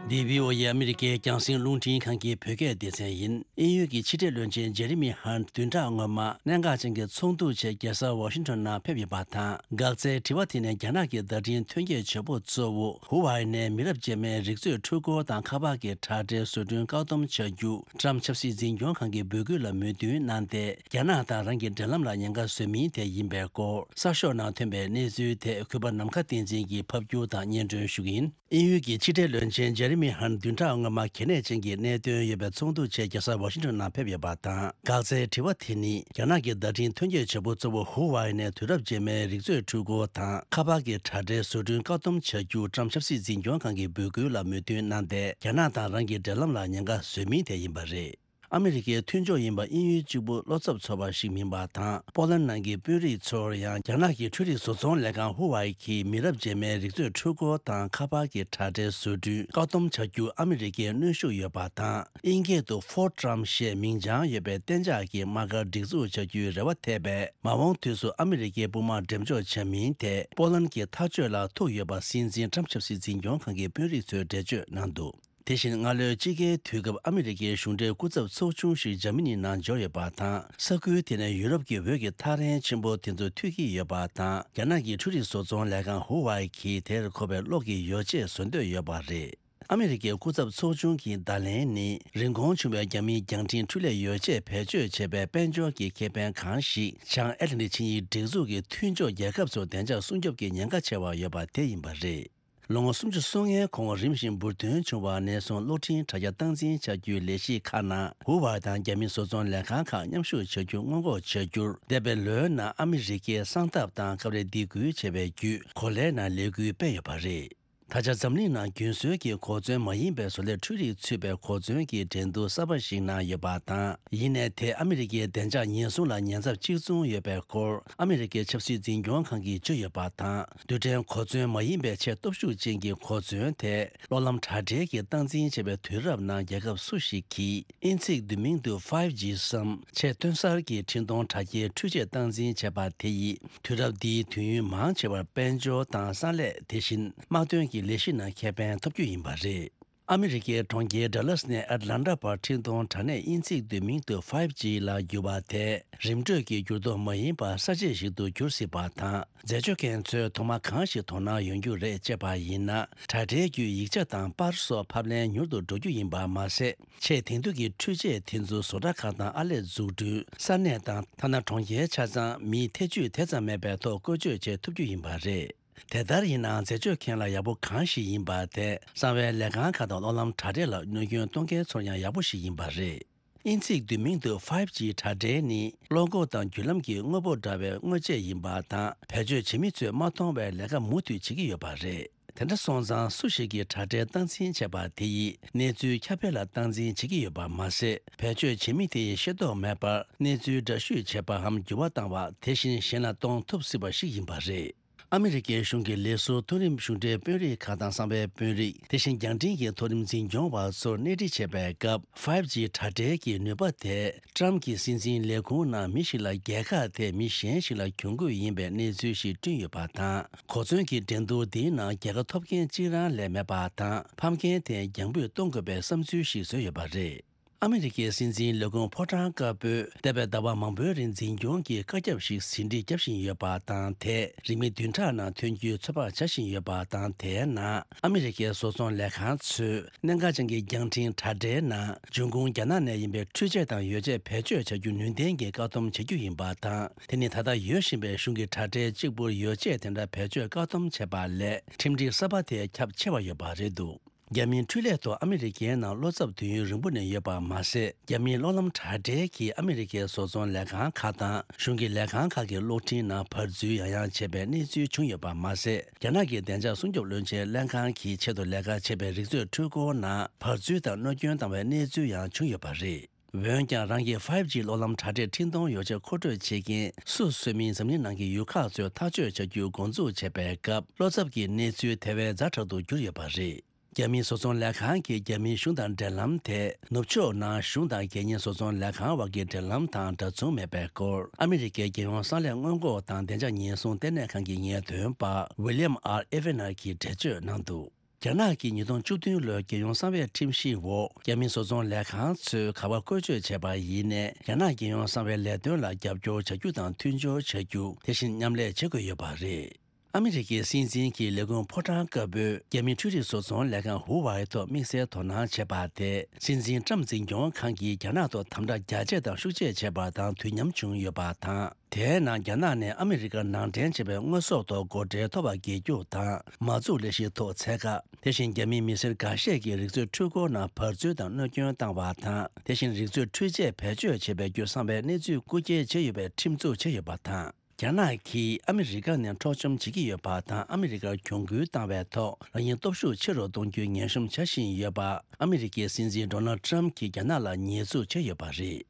འདི་བྷི་ཨོ་ཨེ་ཨ་མི་རི་ཀའི་རྒྱང་སྲིང་རླུང་འཕྲིན་ཁང་གི་བོད་སྐད་སྡེ་ཚན་ཡིན། དབྱིན་ཡུལ་གྱི་ཕྱི་འབྲེལ་བློན་ཆེན་ཇེ་རི་མི་ཧན་བདུན་ཕྲག་སྔོན་མ་གནད་འགག་ཅན་གྱི་ཚོགས་འདུ་ཆེད་རྒྱལ་ས་ཝ་ཤིང་ཊོན་ནང་ཕེབས་ཡོད་པ་དང་། འགག་རྩའི་དྲི་བ་དེ་ནི་རྒྱ་ནག་གི་བརྡ་འཕྲིན་ཐོན་སྐྱེད་བྱེད་པོ་གཙོ་བོ་ཧུ་ཝའེ་ནས་མི་རབས་རྗེས་མའི་རིག་མཛོད་འཕྲུལ་འཁོར་དང་ཁ་པར་གྱི་དྲ་སྦྲེལ་བཟོ་སྐྲུན་བཀག་སྡོམ་བྱ་རྒྱུ་ཊམ་ཆབ་སྲིད་འཛིན་སྐྱོང་ཁང་གི་འབོད་སྐུལ་ལ་མོས་མཐུན་གནང་སྟེ། རྒྱ་ནག་དང་རང་གི་འབྲེལ་ལམ་ལ་ཉེན་ཁ་བཟོ་མིན་དེ་ཡིན་པའི་སྐོར་གསར་ཤོག་ནང་ཐོན་པའི་གནས་ཚུལ་དེ་གུས་པ་ནམ་མཁའ་བསྟན་འཛིན་གྱིས་ཕབ་སྒྱུར་དང་སྙན་སྒྲོན་ཞུ་གི་ཡིན། དབྱིན་ཡུལ་གྱི་ཕྱི་འབྲེལ་བློན་ཆེན་ཇེ་རི་མི་ཧན་བདུན་ཕྲག་སྔོན་མ་གལ་གནད་ཅན་གྱི་གནད་དོན་ཡོད་པའི་ཚོགས་འདུ་ཆེད་རྒྱལ་ས་ཝ་ཤིང་ཊོན་ནང་ཕེབས་ཡོད་པ་དང་། འགག་རྩའི་དྲི་བ་དེ་ནི་རྒྱ་ནག་གི་བརྡ་འཕྲིན་ཐོན་སྐྱེད་བྱེད་པོ་གཙོ་བོ་ཧུ་ཝའེ་ནས་དུས་རབས་རྗེས་མའི་རིག་མཛོད་འཕྲུལ་འཁོར་དང་ཁ་པར་གྱི་དྲ་སྦྲེལ་བཟོ་སྐྲུན་བཀག་སྡོམ་བྱ་རྒྱུ་ཊམ་ཆབ་སྲིད་འཛིན་སྐྱོང་ཁང་གི་འབོད་སྐུལ་ལ་མོས་མཐུན་གནང་སྟེ། རྒྱ་ནག་དང་རང་གི་འབྲེལ་ལམ་ལ་ཉེན་ཁ་བཟོ་མིན་དེ་ཡིན་པ་རེད། ཨ་མི་རི་ཀའི་མཐུན་ཕྱོགས་ཡིན་པ་དབྱིན་ཡུལ་གཅིག་པུ་བློ་འཚབ་ཚོར་བ་ཞིག་མིན་པ་དང་། པོ་ལན་ནང་གི་དཔོན་རིགས་ཚོར་ཡང་རྒྱ་ནག་གི་འཕྲུལ་རིག་བཟོ་ཚོང་ལས་ཁང་ཧུ་ཝའེ་གིས་མི་རབས་རྗེས་མའི་རིག་མཛོད་འཕྲུལ་འཁོར་དང་ཁ་པར་གྱི་དྲ་སྦྲེལ་བཟོ་སྐྲུན་བཀག་སྡོམ་བྱ་རྒྱུ་ཨ་མི་རི་ཀའི་གནོན་ཤུགས་ཡོད་པ་དང་། དབྱིན་སྐད་དུ་ཕོར་ཊམ་ཞེས་མིང་བྱང་ཡོད་པའི་གཏན་འཇགས་ཀྱི་དམག་སྒར་སྒྲིག་འཛུགས་བྱ་རྒྱུའི་རེ་བ་ཐེབས་པས། མ་འོངས་དུས་སུ་ཨ་མི་རི་ཀའི་དཔུང་དམག་འགྲེམས་འཇོག་བྱ་མིན་ཐད་པོ་ལན་གྱི་ཐག་གཅོད་ལ་ཐུག་ཡོད་པ་སྲིད་འཛིན་ཊམ་ཆབ་སྲིད་འཛིན་སྐྱོང་ཁང་གི་དཔོན་རིགས་ཚོས་འགྲེལ་བརྗོད་གནང་འདུག་དེ་བཞིན་སྔ་ལོའི་དཔྱིད་ཀའི་དུས་སྐབས་ཨ་མི་རི་ཀའི་གཞུང་འབྲེལ་སྐུ་ཚབ་ཚོགས་ཆུང་ཞིག་འཇར་མ་ནི་ནང་འབྱོར་ཡོད་པ་དང་། ས་ཁུལ་དེ་ནས་ཡུ་རོབ་ཀྱི་འོས་ཀྱི་ཐག་རིང་ཆེན་པོ་དེ་ཚོ་མཐུད་ཀྱི་ཡོད་པ་དང་། རྒྱ་ནག་གི་འཕྲུལ་རིག་བཟོ་ཚོང་ལས་ཁང་ཧུ་ཝའེ་གིས་དེར་མཁོ་བའི་གློག་གི་ཡོ་བྱད་བཟོ་འདོད་ཡོད་པ་རེད། ཨ་མི་རི་ཀའི་སྐུ་ཚབ་ཚོགས་ཆུང་གི་བརྡ་ལན་ནི། རིན་གོང་ཆུང་བའི་རྒྱ་མིའི་རྒྱང་འཕྲིན་འཕྲུལ་ལས་ཡོ་བྱད་བེད་སྤྱོད་བྱེད་པའི་དཔལ་འབྱོར་གྱི་ཁེ་ཕན་གང་ཞིག་བྱང་ཨེ་ཊ་ལན་ཊིག་ཆིངས་ཡིག་སྒྲིག་འཛུགས་ཀྱི་མཐུན་ཕྱོགས་རྒྱལ་ཁབ་ཚོར་བདེ་འཇགས་སྲུང་སྐྱོབ་ཀྱི་ཉེན་ཁ་ཆེ་བ་ཡོད་པ་དེ་ཡིན་པ་རེད། ལོ་ངོ་སུམ་ཅུ་སོ་ལྔའི་གོང་རིམ་བཞིན་འབུར་ཐོན་བྱུང་བ་ནས་བཟུང་གློག་འཕྲིན་དྲ་རྒྱ་སྟངས་འཛིན་བྱ་རྒྱུའི་ལས་གཞི་ཁག་ནང་ཧུ་ཝའེ་དང་རྒྱ་མིའི་བཟོ་ཚོང་ལས་ཁང་ཁག་མཉམ་ཞུགས་བྱ་རྒྱུ་སྔོན་འགོག་བྱ་རྒྱུར། འདས་པའི་ལོའི་ནང་ཨ་མི་རི་ཀས་གསང་ཐབས་དང་སྐབས་རེ་སྡིགས་སྐུལ་བྱས་པའི་བརྒྱུད་གོ་ལའི་ནང་ལས་འགུལ་སྤེལ་ཡོད་པ་རེད། ད་ཆ་འཛམ་གླིང་ནང་རྒྱུན་སྲོལ་གྱི་གོ་མཚོན་མ་ཡིན་པའི་བཟོ་ལས་འཕྲུལ་རིག་ཚུད་པའི་གོ་མཚོན་གྱི་འགྲན་བསྡུར་གསར་པ་ཞིག་ནང་ཡོད་པ་དང་། ཡིན་ནའི་དེ་ཨ་མི་རི་ཀའི་བདེ་འཇགས་ཉེན་སྲུང་ལ་ཉེན་ཚབས་གཅིག་མཚུངས་ཡོད་པའི་སྐོར་ཨ་མི་རི་ཀའི་ཆབ་སྲིད་འཛིན་སྐྱོང་ཁང་གིས་བརྗོད་ཡོད་པ་དང་། རྡུལ་ཕྲན་གོ་མཚོན་མ་ཡིན་པའི་ཆེས་སྟོབས་ཤུགས་ཅན་གྱི་གོ་མཚོན་དེ་གློག་ལམ་དྲ་སྦྲེལ་གྱི་སྟངས་འཛིན་བྱས་པའི་དུས་རབས་ནང་རྒྱལ་ཁབ་སུ་ཞིག་གིས་དབྱིན་ཚིག་བསྡུས་མིང་དུ་ཕའིབ་ཇི་སམ་ཆེས་ཐོན་གསར་གྱི་འཕྲིན་གཏོང་དྲ་རྒྱའི་འཕྲུལ་ཆས་སྟངས་འཛིན་བྱས་པ་དེ་ཡིས། དུས་རབས་འདིའི་དུས་ཡུན་མང་ཆེ་བར་དཔལ་འབྱོར་དང་ས་གནས། དེ་བཞིན་དམག་དོན་གྱི་ལས་གཞི་ནང་ཁེ་ཕན་ཐོབ་རྒྱུ་ཡིན་པ་རེད། ཨ་མི་རི་ཀའི་གྲོང་ཁྱེར་ཌ་ལཱ་སི་ནས་ཨེཊ་ལན་ཊ་བར་འཕྲིན་གཏོང་དྲ་གནས་དབྱིན་ཚིག་བསྡུས་མིང་དུ་ཕའིབ་ཇི་ལ་བསྒྱུར་བ་དེ་རིམ་གྲོས་ཀྱི་འགྱུར་ལྡོག་མ་ཡིན་པར་གསར་བརྗེ་ཞིག་ཏུ་འགྱུར་སྲིད་པ་དང་། འཛད་སྤྱོད་མཁན་ཚོས་ཐོག་མ་གང་ཞིག་དོ་སྣང་ཡོང་རྒྱུ་རེད་ཅེས་པ་ཡིན་ན། དྲ་སྦྲེལ་བརྒྱུད་ཡིག་ཆ་དང་པར་སོགས་ཕབ་ལེན་མྱུར་དུ་འགྲོ་རྒྱུ་ཡིན་པ་མ་ཟད། ཆེས་དེང་དུས་ཀྱི་འཕྲུལ་ཆས་དེ་ཚོ་བཟོ་གྲྭ་ཁག་དང་ཨར་ལས་འཛུགས་སྐྲུན་ས་གནས་དང་། ཐ་ན་གྲོང་ཁྱེར་ཆ་ཚང་མིའི་ཐེ་ཇུས་དེ་ཙམ་མེད་པའི་ཐོག་བཀོལ་སྤྱོད་བྱེད་ཐུབ་རྒྱུ་ཡིན་པ་རེད། དེ་ལྟར་ཡིན་ནའང་འཛད་སྤྱོད་མཁན་ལ་ཡག་པོ་གང་ཞིག་ཡིན་པ་དེ་གསང་བའི་ལས་ཁང་ཁག་དང་གློག་ལམ་དྲ་སྦྲེལ་ལ་གནོད་སྐྱོན་གཏོང་མཁན་ཚོར་ཡང་ཡག་པོ་ཞིག་ཡིན་པ་རེད། དབྱིན་ཚིག་བསྡུས་མིང་དུ་ཕའིབ་ཇི་དྲ་སྦྲེལ་ནི་བློ་འགོག་དང་བརྒྱུད་ལམ་གྱི་དངོས་པོ་འདྲ་བའི་དངོས་ཆས་ཡིན་པ་དང་། བེད་སྤྱོད་བྱེད་མི་ཚོས་མ་མཐོང་བའི་ལས་ཀ་མུ་མཐུད་བྱེད་ཀྱི་ཡོད་པ་རེད། དེ་འདྲ་སོང་ཙང་སུ་ཞིག་གིས་དྲ་སྦྲེལ་སྟངས་འཛིན་བྱས་པ་དེ་ཡིས་གནས་ཚུལ་ཁྱབ་སྤེལ་ལ་སྟངས་འཛིན་བྱེད་ཀྱི་ཡོད་པ་མ་ཟད། བེད་སྤྱོད་བྱེད་མི་དེ་ཡིས་ཤེས་རྟོགས་མེད་པར་གནས་ཚུལ་འདྲ་བཤུས་བྱེད་པའམ་འགྱུར་བ་བཏང་བ། དེ་བཞིན་གཞན་ལ་གཏོང་ཐུབ་སྲིད་པ་ཞིག་ཡིན་པ་རེད། ཨ་མི་རི་ཀའི་གཞུང་གི་ལས་ཟུར་མཐོ་རིམ་གཞུང་འབྲེལ་དཔོན་རིགས་ཁག་དང་གསང་བའི་དཔོན་རིགས། དེ་བཞིན་རྒྱང་འཕྲིན་གྱི་མཐོ་རིམ་འཛིན་སྐྱོང་བ་ཚོར་གནས་འདྲི་བྱེད་པའི་སྐབས། ཕའིབ་ཇི་དྲ་སྦྲེལ་གྱི་ནུས་པ་དེ་ཀྲམ་གྱི་སྲིད་འཛིན་ལས་ཁུངས་ནང་མི་ཞིག་ལ་རྒྱལ་ཁ་དེ་མི་གཞན་ཞིག་ལ་གྱོང་གུད་ཡིན་པའི་གནས་ཚུལ་ཞིག་བསྐྲུན་ཡོད་པ་དང་། གོ་མཚོན་གྱི་འགྲན་བསྡུར་འདིའི་ནང་རྒྱལ་ཁ་ཐོབ་མཁན་གཅིག་རང་ལས་མེད་པ་དང་། ཕམ་མཁན་དེ་རྒྱང་འབུད་གཏོང་དགོས་པའི་བསམ་ཚུལ་ཞིག་བཟོས་ཡོད་པ་རེད། ཨ་མི་རི་ཀའི་སྲིད་འཛིན་ལས་ཁུངས་ཕོ་བྲང་དཀར་པོས་འདས་པའི་ཟླ་བ་མང་པོའི་རིང་འཛིན་སྐྱོང་གི་བཀའ་ཁྱབ་ཞིག་ཟིན་བྲིས་བརྒྱབ་བཞིན་ཡོད་པ་དང་། དེས་རིང་མིན་བདུན་ཕྲག་ནང་ཐོན་རྒྱུའི་ཚོད་དཔག་བྱ་བཞིན་ཡོད་པ་དང་། དེའི་ནང་ཨ་མི་རི་ཀའི་བཟོ་ཚོང་ལས་ཁང་ཚོས་གནད་འགག་ཅན་གྱི་རྒྱང་འཕྲིན་དྲ་སྦྲེལ་ནང་འབྱུང་ཁུངས་རྒྱ་ནག་ནས་ཡིན་པའི་འཕྲུལ་ཆས་དང་ཡོ་བྱད་བེད་སྤྱོད་བྱ་རྒྱུ་ནུས་ལྡན་གྱི་བཀག་སྡོམ་བྱེད་རྒྱུ་ཡིན་པ་དང་། དེ་ནི་ད་ལྟ་ཡོད་བཞིན་པའི་གཞུང་གི་དྲ་སྦྲེལ་གཅིག་པུར་ཡོ་བྱད་དེ་འདྲ་བེད་སྤྱོད་བཀག་སྡོམ་བྱས་པ་ལས་ཁྲིམས་སྒྲིག་གསར་པ་དེ་ཁྱབ་ཆེ་བ་ཡོད་པ་རེད་འདུག་རྒྱ་མིའི་འཕྲུལ་ལས་ཐོག་ཨ་མི་རི་ཀའི་ནང་བློ་འཚབ་དུས་ཡུན་རིང་པོ་ནས་ཡོད་པ་མ་ཟད། རྒྱ་མིའི་གློག་ལམ་དྲ་སྦྲེལ་གྱིས་ཨ་མི་རི་ཀའི་བཟོ་ཚོང་ལས་ཁང་ཁག་དང་གཞུང་གི་ལས་ཁང་ཁག་གི་གློག་འཕྲིན་ནང་བར་འཛུལ་ཡང་ཡང་བྱས་པའི་གནས་ཚུལ་བྱུང་ཡོད་པ་མ་ཟད། རྒྱ་ནག་གི་བདེ་འཇགས་སྲུང་སྐྱོབ་བློན་ཆེན་ལྷན་ཁང་གི་ཆེད་དུ་ལས་ཀ་བྱེད་པའི་རིག་མཛོད་འཕྲུལ་འཁོར་ནང་བར་འཛུལ་དང་གནོད་སྐྱོན་བཏང་བའི་གནས་ཚུལ་ཡང་བྱུང་ཡོད་པ་རེད། འོན་ཀྱང་རང་གི་ཕའིབ་ཇི་གློག་ལམ་དྲ་སྦྲེལ་འཕྲིན་གཏོང་ཡོ་བྱད་མཁོ་སྤྲོད་བྱེད་མཁན་སུ་གསོད་མིན་འཛམ་གླིང་ནང་གི་ཡུལ་ཁག་ཚོས་ཐག་གཅོད་བྱ་རྒྱུའི་འགོ་འཛུགས་བྱས་པའི་སྐབས། བློ་འཚབ་ཀྱི་གནས་ཚུལ་དེ་བས་ཛ་དྲག་ཏུ་གྱུར་ཡོད་པ་རེད། རྒྱ་མིའི་བཟོ་ཚོང་ལས་ཁང་གིས་རྒྱ་མིའི་གཞུང་དང་འབྲེལ་ལམ་དེ་ནུབ་ཕྱོགས་ནང་གཞུང་དང་རྒྱལ་གཉེར་བཟོ་ཚོང་ལས་ཁང་བར་གྱི་འབྲེལ་ལམ་དང་འདྲ་མཚུངས་མེད་པའི་སྐོར། ཨ་མི་རི་ཀའི་རྒྱལ་ཡོངས་གསང་ལས་སྔོན་འགོག་དང་བདེ་འཇགས་ཉེན་སྲུང་ལྟེ་གནས་ཁང་གི་ངེས་སྟོན་པ་ཝི་ལི་ཡམ་ཨར་ཨེ་ཝེ་ནར་གྱིས་འགྲེལ་བརྗོད་གནང་འདུག་རྒྱ་ནག་གིས་ཉིས་སྟོང་བཅུ་བདུན་ལོའི་རྒྱལ་ཡོངས་གསང་བའི་ཁྲིམས་གཞིའི་འོག་རྒྱ་མིའི་བཟོ་ཚོང་ལས་ཁང་ཚོས་ག་པར་བཀོལ་སྤྱོད་བྱས་པ་ཡིན་ནའི། རྒྱ་ནག་རྒྱལ་ཡོངས་གསང་བའི་ལས་དོན་ལ་རྒྱབ་སྐྱོར་བྱ་རྒྱུ་དང་མཐུན་སྦྱོར་བྱ་རྒྱུ། དེ་བཞིན་མཉམ་ལས་བྱེད་དགོས་ཡོད་པ་རེད། ཨ་མི་རི་ཀའི་སྲིད་འཛིན་གྱི་ལས་ཁུངས་ཕོ་བྲང་དཀར་པོས་རྒྱ་མིའི་འཕྲུལ་རིག་བཟོ་ཚོང་ལས་ཁང་ཧུ་ཝའེ་ཐོག་དམིགས་བསལ་དོ་སྣང་བྱས་པ་དེ། སྲིད་འཛིན་ཀྲམ་འཛིན་སྐྱོང་ཁང་གིས་རྒྱ་ནག་ཐོག་དམ་དྲག་རྒྱ་སྐྱེད་དང་ཤུགས་སྐྱེད་བྱས་པ་དང་དུས་མཉམ་བྱུང་ཡོད་པ་དང་། དེའི་ནང་རྒྱ་ནག་ནས་ཨ་མི་རི་ཀར་ནང་འདྲེན་བྱས་པའི་དངོས་ཟོག་ཐོག་སྒོ་ཁྲལ་མཐོ་བ་འགེལ་རྒྱུ་དང་། མ་འཛུགས་ལས་གཞིའི་ཐོག་ཚད་བཀག་དེ་བཞིན་རྒྱ་མིའི་མི་སེར་འགའ་ཤས་ཀྱི་རིག་མཛོད་འཕྲུལ་འཁོར་ནང་བར་འཛུལ་དང་གནོད་སྐྱོན་བཏང་བ་དང་། དེ་བཞིན་རིག་མཛོད་འཕྲུལ་ཆས་བེད་སྤྱོད་བྱས་པའི་བརྒྱུད་གསང་བའི་གནས་ཚུལ་རྐུ་འཁྱེར་བྱས་ཡོད་པའི་ཁྲིམས་འཛུགས་བྱས་ཡོད་པ་དང་། རྒྱ་ནག་གིས་ཨ་མི་རི་ཀ་ནས་འཕྲོག་བཅོམ་བྱེད་ཀྱི་ཡོད་པ་དང་། ཨ་མི་རི་ཀར་གྱོང་གུན་བཏང་བའི་ཐོག་རང་ཉིད་སྟོབས་ཤུགས་ཆེ་རུ་གཏོང་རྒྱུའི་ངན་གཤོམ་བྱ་བཞིན་ཡོད་པ། ཨ་མི་རི་ཀའི་སྲིད་འཛིན་ཌོ་ནལ་ཊམ་གྱིས་རྒྱ་ནག་ལ་ཉེས་འཛུགས་བྱས་ཡོད་པ་རེད།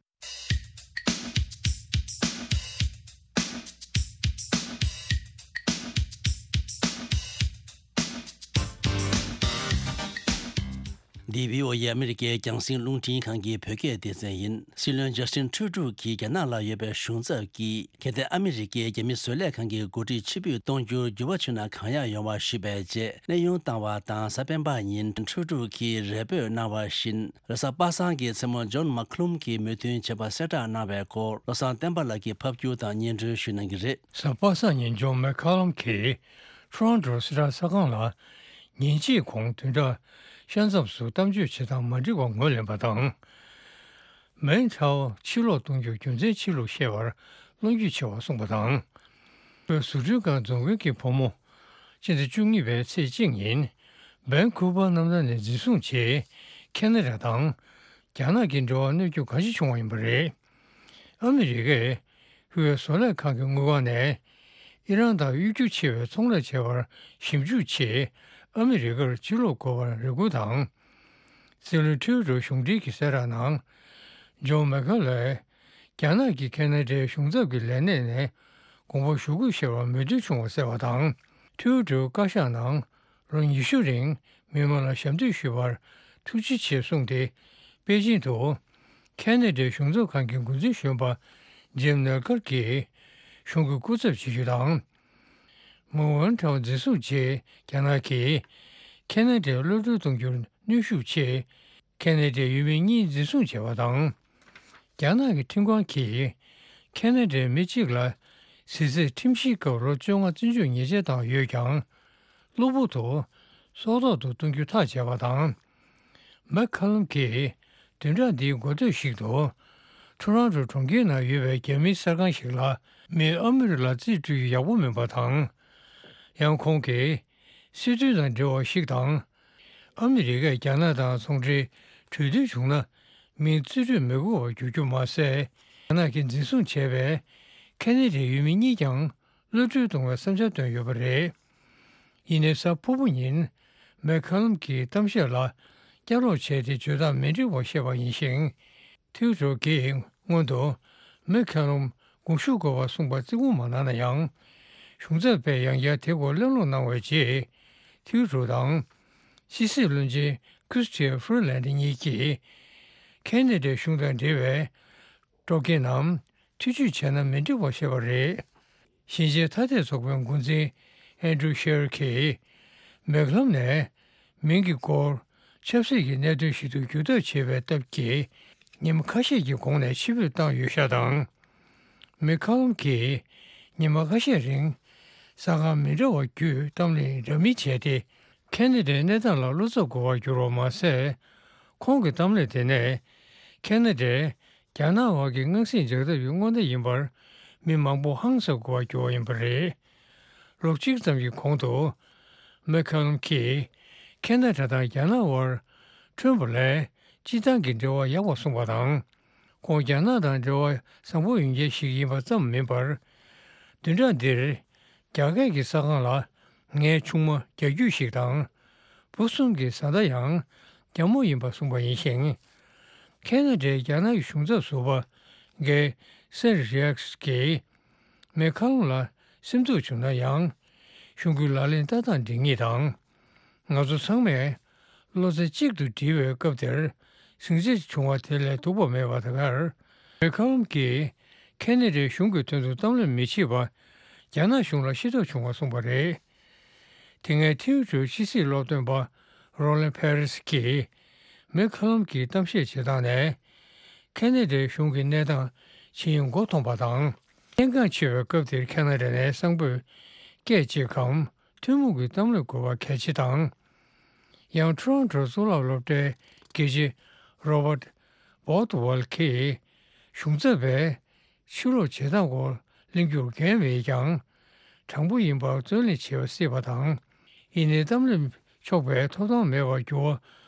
འདི་བྷི་ཨོ་ཨེ་ཨ་མི་རི་ཀའི་རྒྱང་སྲིང་རླུང་འཕྲིན་ཁང་གི་བོད་སྐད་སྡེ་ཚན་ཡིན། སྲིད་བློན་ཇ་སི་ཊིན་ཁྲུ་ཌོ་གིས་རྒྱ་ནག་ལ་ཡོད་པའི་གཞུང་ཚབ་ཀྱིས་གལ་ཏེ་ཨ་མི་རི་ཀའི་རྒྱ་མི་བཟོ་ལས་ཁང་གི་འགོ་ཁྲིད་ཕྱིར་འབུད་གཏོང་རྒྱུར་འགྱུར་བ་བྱུང་ན་གང་ཡག་ཡོང་བ་ཞུས་པའི་རྗེས་གནས་དབྱུང་བཏང་བ་དང་། གཟའ་སྤེན་པ་ཉིན་ཁྲུ་ཌོ་གིས་རེ་འབོད་གནང་བ་བཞིན། རེས་གཟའ་པ་སངས་ཀྱི་མཚན་མོ་ཇོན་མ་ཁུ་ལུམ་གྱིས་མོས་མཐུན་བྱས་པ་གསལ་བསྒྲགས་གནང་བའི་སྐོར། བློ་བཟང་བསྟན་པ་ལགས་ཀྱིས་ཕབ་སྒྱུར་དང་སྙན་སྒྲོན་ཞུ་གནང་གི་རེད། གཟའ་པ་སངས་ཉིན་ཇོན་མེག་ཁ་ལམ་གྱིས་ཊོ་རོན་ཊོ་སྲིད་ཁྲག་གསར་ཁང་ལ་ཉིན་གཅིག་གོང་བདུན་ཕྲག་ཤར་མཚམས་སུ་གཏམ་བརྗོད་བྱེད་སྟངས་མ་འགྲིག་པ་ངོས་ལེན་པ་དང་། མེན་ཁྲའོ་ཕྱིར་ལོག་གཏོང་རྒྱུར་རྒྱུ་མཚན་ཕྱིར་ལོག་བཤད་པར་བློ་འགྱོད་ཆེ་བར་གསུངས་པ་དང་། བཟོ་སྐྲུན་ཁང་རྫོང་དཔོན་གྱི་བུ་མོ། སྤྱི་ཟླ་བཅུ་གཉིས་པའི་ཚེས་གཅིག་ཉིན། བན་ཁུ་བར་གནམ་ཐང་ནས་འཛིན་བཟུང་བྱས། ཁེ་ན་ཌ་དང་རྒྱ་ནག་གི་འབྲེལ་བ་གནོད་སྐྱོན་གང་ཞིག་བྱུང་བ་ཡིན་པ་རེད། ཨ་མི་རི་ཀས་ཧུའེ་བཟོ་ལས་ཁང་གི་དངུལ་ཁང་ནས་ཨི་རན་དང་གཡོ་སྒྱུ་ཆེ་བའི་ཚོང་ལས་བྱེད་པར་ཞིབ་འཇུག་ཆེད་ཨ་མི་རི་ཀར་ཕྱིར་ལོག་དགོས་པར་རེ་སྐུལ་དང་། སྲིད་བློན་ཁྲུ་ཌོ་གཞུང་འབྲེལ་གྱི་གསལ་བསྒྲགས་ནང་། ཇོན་མེ་ཁ་ལོས་རྒྱ་ནག་གིས་ཁེ་ན་ཌའི་གཞུང་ཚབ་ཀྱི་ལས་གནས་ནས་དགོངས་པ་ཞུ་དགོས་ཞེས་པར་མོས་མཐུན་བྱུང་བ་གསལ་བ་དང་། ཁྲུ་ཌོའི་བཀའ་ཤག་ནང་ལོ་ཉི་ཤུ་རིང་མི་མང་ལ་ཞབས་འདེགས་ཞུས་པར་ཐུགས་རྗེ་ཆེ་གསུངས་ཏེ། པེ་ཅིང་དུ་ཁེ་ན་ཌའི་གཞུང་ཚབ་ཁང་གི་འགོ་འཛིན་གཞོན་པ་ཇིམ་ནེལ་ཀར་གྱིས་གཞུང་གི་སྐུ་ཚབ་བྱེད་རྒྱུ་དང་། མོ་ཝན་ཁྲའོ་འཛིན་བཟུང་རྗེས་རྒྱ་ནག་གིས་ཁེ་ན་ཌར་གློད་གྲོལ་གཏོང་རྒྱུར་གནོན་ཤུགས་ཆེད། ཁེ་ན་ཌའི་ཡུལ་མི་གཉིས་འཛིན་བཟུང་བྱས་པ་དང་། རྒྱ་ནག་གི་ཁྲིམས་ཁང་གིས་ཁེ་ན་ཌའི་མི་གཅིག་ལ་གཟི་རྩའི་ཁྲིམས་གཞིའི་སྐབས་ལོ་བཅོ་ལྔ་བཙོན་འཇུག་ཉེས་ཆད་བཏང་ཡོད་ཀྱང་། གློ་བུར་དུ་སྲོག་ཐོག་ཏུ་གཏོང་རྒྱུ་ཐག་བཅད་པ་དང་། མེག་ཁ་ལམ་གྱིས་བདུན་ཕྲག་འདིའི་འགོ་སྟོད་ཞིག་ཏུ་ཐོ་རོན་ཊོ་གྲོང་ཁྱེར་ནང་ཡོད་པའི་རྒྱ་མིའི་གསར་ཁང་ཞིག་ལ་མི་ཨ་མི་རི་ལ་རྩིས་སྤྲོད་རྒྱུ་ཡག་པོ་མིན་པ་དང་། ཡང་ཁོང་གིས་སྲིད་དོན་དང་འབྲེལ་བ་ཞིག་དང་། ཨ་མི་རི་ཀས་རྒྱ་ནག་དང་ཚོང་འབྲེལ་གྲོས་མཐུན་བྱུང་ན་མིང་རྩིས་སྤྲོད་མི་དགོས་པར་འགྱུར་རྒྱུ་མ་ཟད། རྒྱ་ནག་གིས་འཛིན་བཟུང་བྱས་པའི་ཁེ་ན་ཌའི་ཡུལ་མི་གཉིས་ཀྱང་གློད་གྲོལ་གཏོང་བའི་བསམ་འཆར་བཏོན་ཡོད་པ་རེད། ཡིན་ནའི་གཟའ་ཕུར་བུ་ཉིན་མེག་ཁ་ལམ་གྱིས་གཏམ་བཤད་ལ་བསྐྱར་ལོག་བྱས་ཏེ་བརྗོད་སྟངས་མི་འགྲིག་པ་བཤད་པ་ཡིན་ཞིང་། ཐིའུ་ཀྲོ་གིས་སྔོན་དུ་མེག་ཁ་ལམ་དགོངས་ཞུ་དགོས་པ་གསུངས་པ་བརྩི་བཀུར་མ་གནང་ན་ཡང་། གཞུང་ཚབ་པས་ཡང་བསྐྱར་དེ་སྐོར་གླེང་སློང་གནང་བའི་རྗེས། ཐིའུ་ཀྲོ་དང་ཕྱི་སྲིད་བློན་ཆེན་ཁྲིས་ཊི་ཡ་ཧྥུ་རི་ལན་ཌི་གཉིས་ཀྱིས་ཁེ་ན་ཌའི་གཞུང་དང་འབྲེལ་བའི་སྤྲོ་སྐྱིད་ནམ་ཐེ་བྱུས་བྱས་ན་མི་འགྲིག་པ་ཞེས་པ་རེད། ཞིང་ཆེན་ཐ་དད་ཚོགས་པའི་འགོ་འཛིན་ཨན་ཌྲུ་ཤེར་གྱིས་མེག་ལམ་ནས་མིང་གི་སྐོར་ཆབ་སྲིད་ཀྱི་གནད་དོན་ཞིག་ཏུ་བསྒྱུར་ཐབས་བྱས་པའི་སྟབས་ཀྱིས་ཉིན་མ་ཁ་ཤས་ཀྱི་གོང་ནས་ཕྱིར་འབུད་བཏང་ཡོད་ཤག་དང་། མེག་ཁ་ལམ་གྱིས་ཉིན་མ་ཁ་ཤས་རིང་གསར་ཁང་མི་འདྲ་བ་བརྒྱུད་གཏམ་གླེང་འདྲ་མིན་བྱས་ཏེ། ཁེ་ན་ཌའི་གནས་སྟངས་ལ་བློ་འཚབ་དགོས་པར་གྱུར་བ་མ་ཟད། ཁོང་གི་གཏམ་གླེང་དེ་ནས་ཁེ་ན་ཌས་རྒྱ་ནག་བར་གྱི་མངའ་སྲིད་འཇགས་ཐབས་ཀྱི་སྔོན་བརྡ་ཡིན་པར་མི་མང་པོ་ཧང་སངས་དགོས་པར་གྱུར་བ་ཡིན་པ་རེད། ལོ་གཅིག་ཙམ་གྱི་གོང་དུ་མེག་ཁ་ལམ་གྱིས་ཁེ་ན་ཌ་དང་རྒྱ་ནག་བར་ཁྲོན་པ་ལས་སྤྱིར་བཏང་གི་འབྲེལ་བ་ཡག་པ་གསུངས་པ་དང་། ཁོང་རྒྱ་ནག་དང་འབྲེལ་བ་བཟང་པོ་ཡོད་མཁན་ཞིག་ཡིན་པ་ཙམ་མིན་པར། བདུན་ཕྲག་འདིར་རྒྱ་སྐད་ཀྱི་གསར་ཁང་ལ་ངའི་ཆུང་མ་རྒྱ་རྒྱུད་ཞིག་དང་། བུ་གསུམ་གྱི་བཟའ་ཟླ་ཡང་རྒྱ་མོ་ཡིན་པ་གསུངས་པ་ཡིན་ཞིང་། ཁེ་ན་ཌའི་རྒྱ་ནག་གི་གཞུང་ཚབ་ཟུར་པ་གེ་སེར་རི་ཨེག་སི་གིས་མེག་ཁ་ལམ་ལ་སེམས་སྡུག་བྱུང་ན་ཡང་། གཞུང་གི་ལག་ལེན་ལྟ་སྟངས་འགྲིག་ངེས་དང་། ང་ཚོ་ཚང་མས་བློ་རྩེ་གཅིག་ཏུ་སྒྲིལ་བའི་སྐབས་དེར་ཟིང་ཆ་བྱུང་བ་དེ་ལས་སྡུག་པ་མེད་པ་དེ་གར། མེག་ཁ་ལམ་གྱིས་ཁེ་ན་ཌའི་གཞུང་གི་དོན་དུ་གཏམ་གླེང་མི་བྱེད་པ་རྒྱ་ནག་གཞུང་ལ་ཤེས་རྟོགས་བྱུང་བ་གསུངས་པ་རེད། དེ་སྔའི་ཐེའུ་ཀྲོའི་ཕྱི་སྲིད་སློབ་སྟོན་པ་རོ་ལན་ཕེ་རེས་ཀྱིས་མེག་ཁ་ལམ་གྱི་གཏམ་བཤད་བྱེད་སྟངས་ནས་ཁེ་ན་ཌའི་གཞུང་གི་གནས་སྟངས་ཇི་ཡིན་མགོ་མཐོང་པ་དང་། གནད་འགག་ཆེ་བའི་སྐབས་དེར་ཁེ་ན་ཌ་ནས་གསང་ཕོད་སྐད་ཅིག་གམ་ཐུན་མོང་གི་གཏམ་གླེང་དགོས་པ་གལ་ཆེ་དང་། ཡང་ཊོ་རོན་ཊོ་གཙུག་ལག་སློབ་གྲྭའི་དགེ་ཆེ་རོ་བར་ཊི་བོར་ཌི་ཝེལ་གྱིས་གཞུང་ཚབ་པས་ཕྱིར་ལོག་བྱེད་སྟངས་སྐོར་གླེང་རྒྱུར་འགན་མེད་ཀྱང་། དྲང་པོ་ཡིན་པར་བརྩོན་ལེན་བྱེད་པ་སྲིད་པ་དང་། ཡིན་ནའི་གཏམ་གླེང་ཆོག་པའི་ཐོབ་ཐང་མེད་པར་འགྱུར་བ་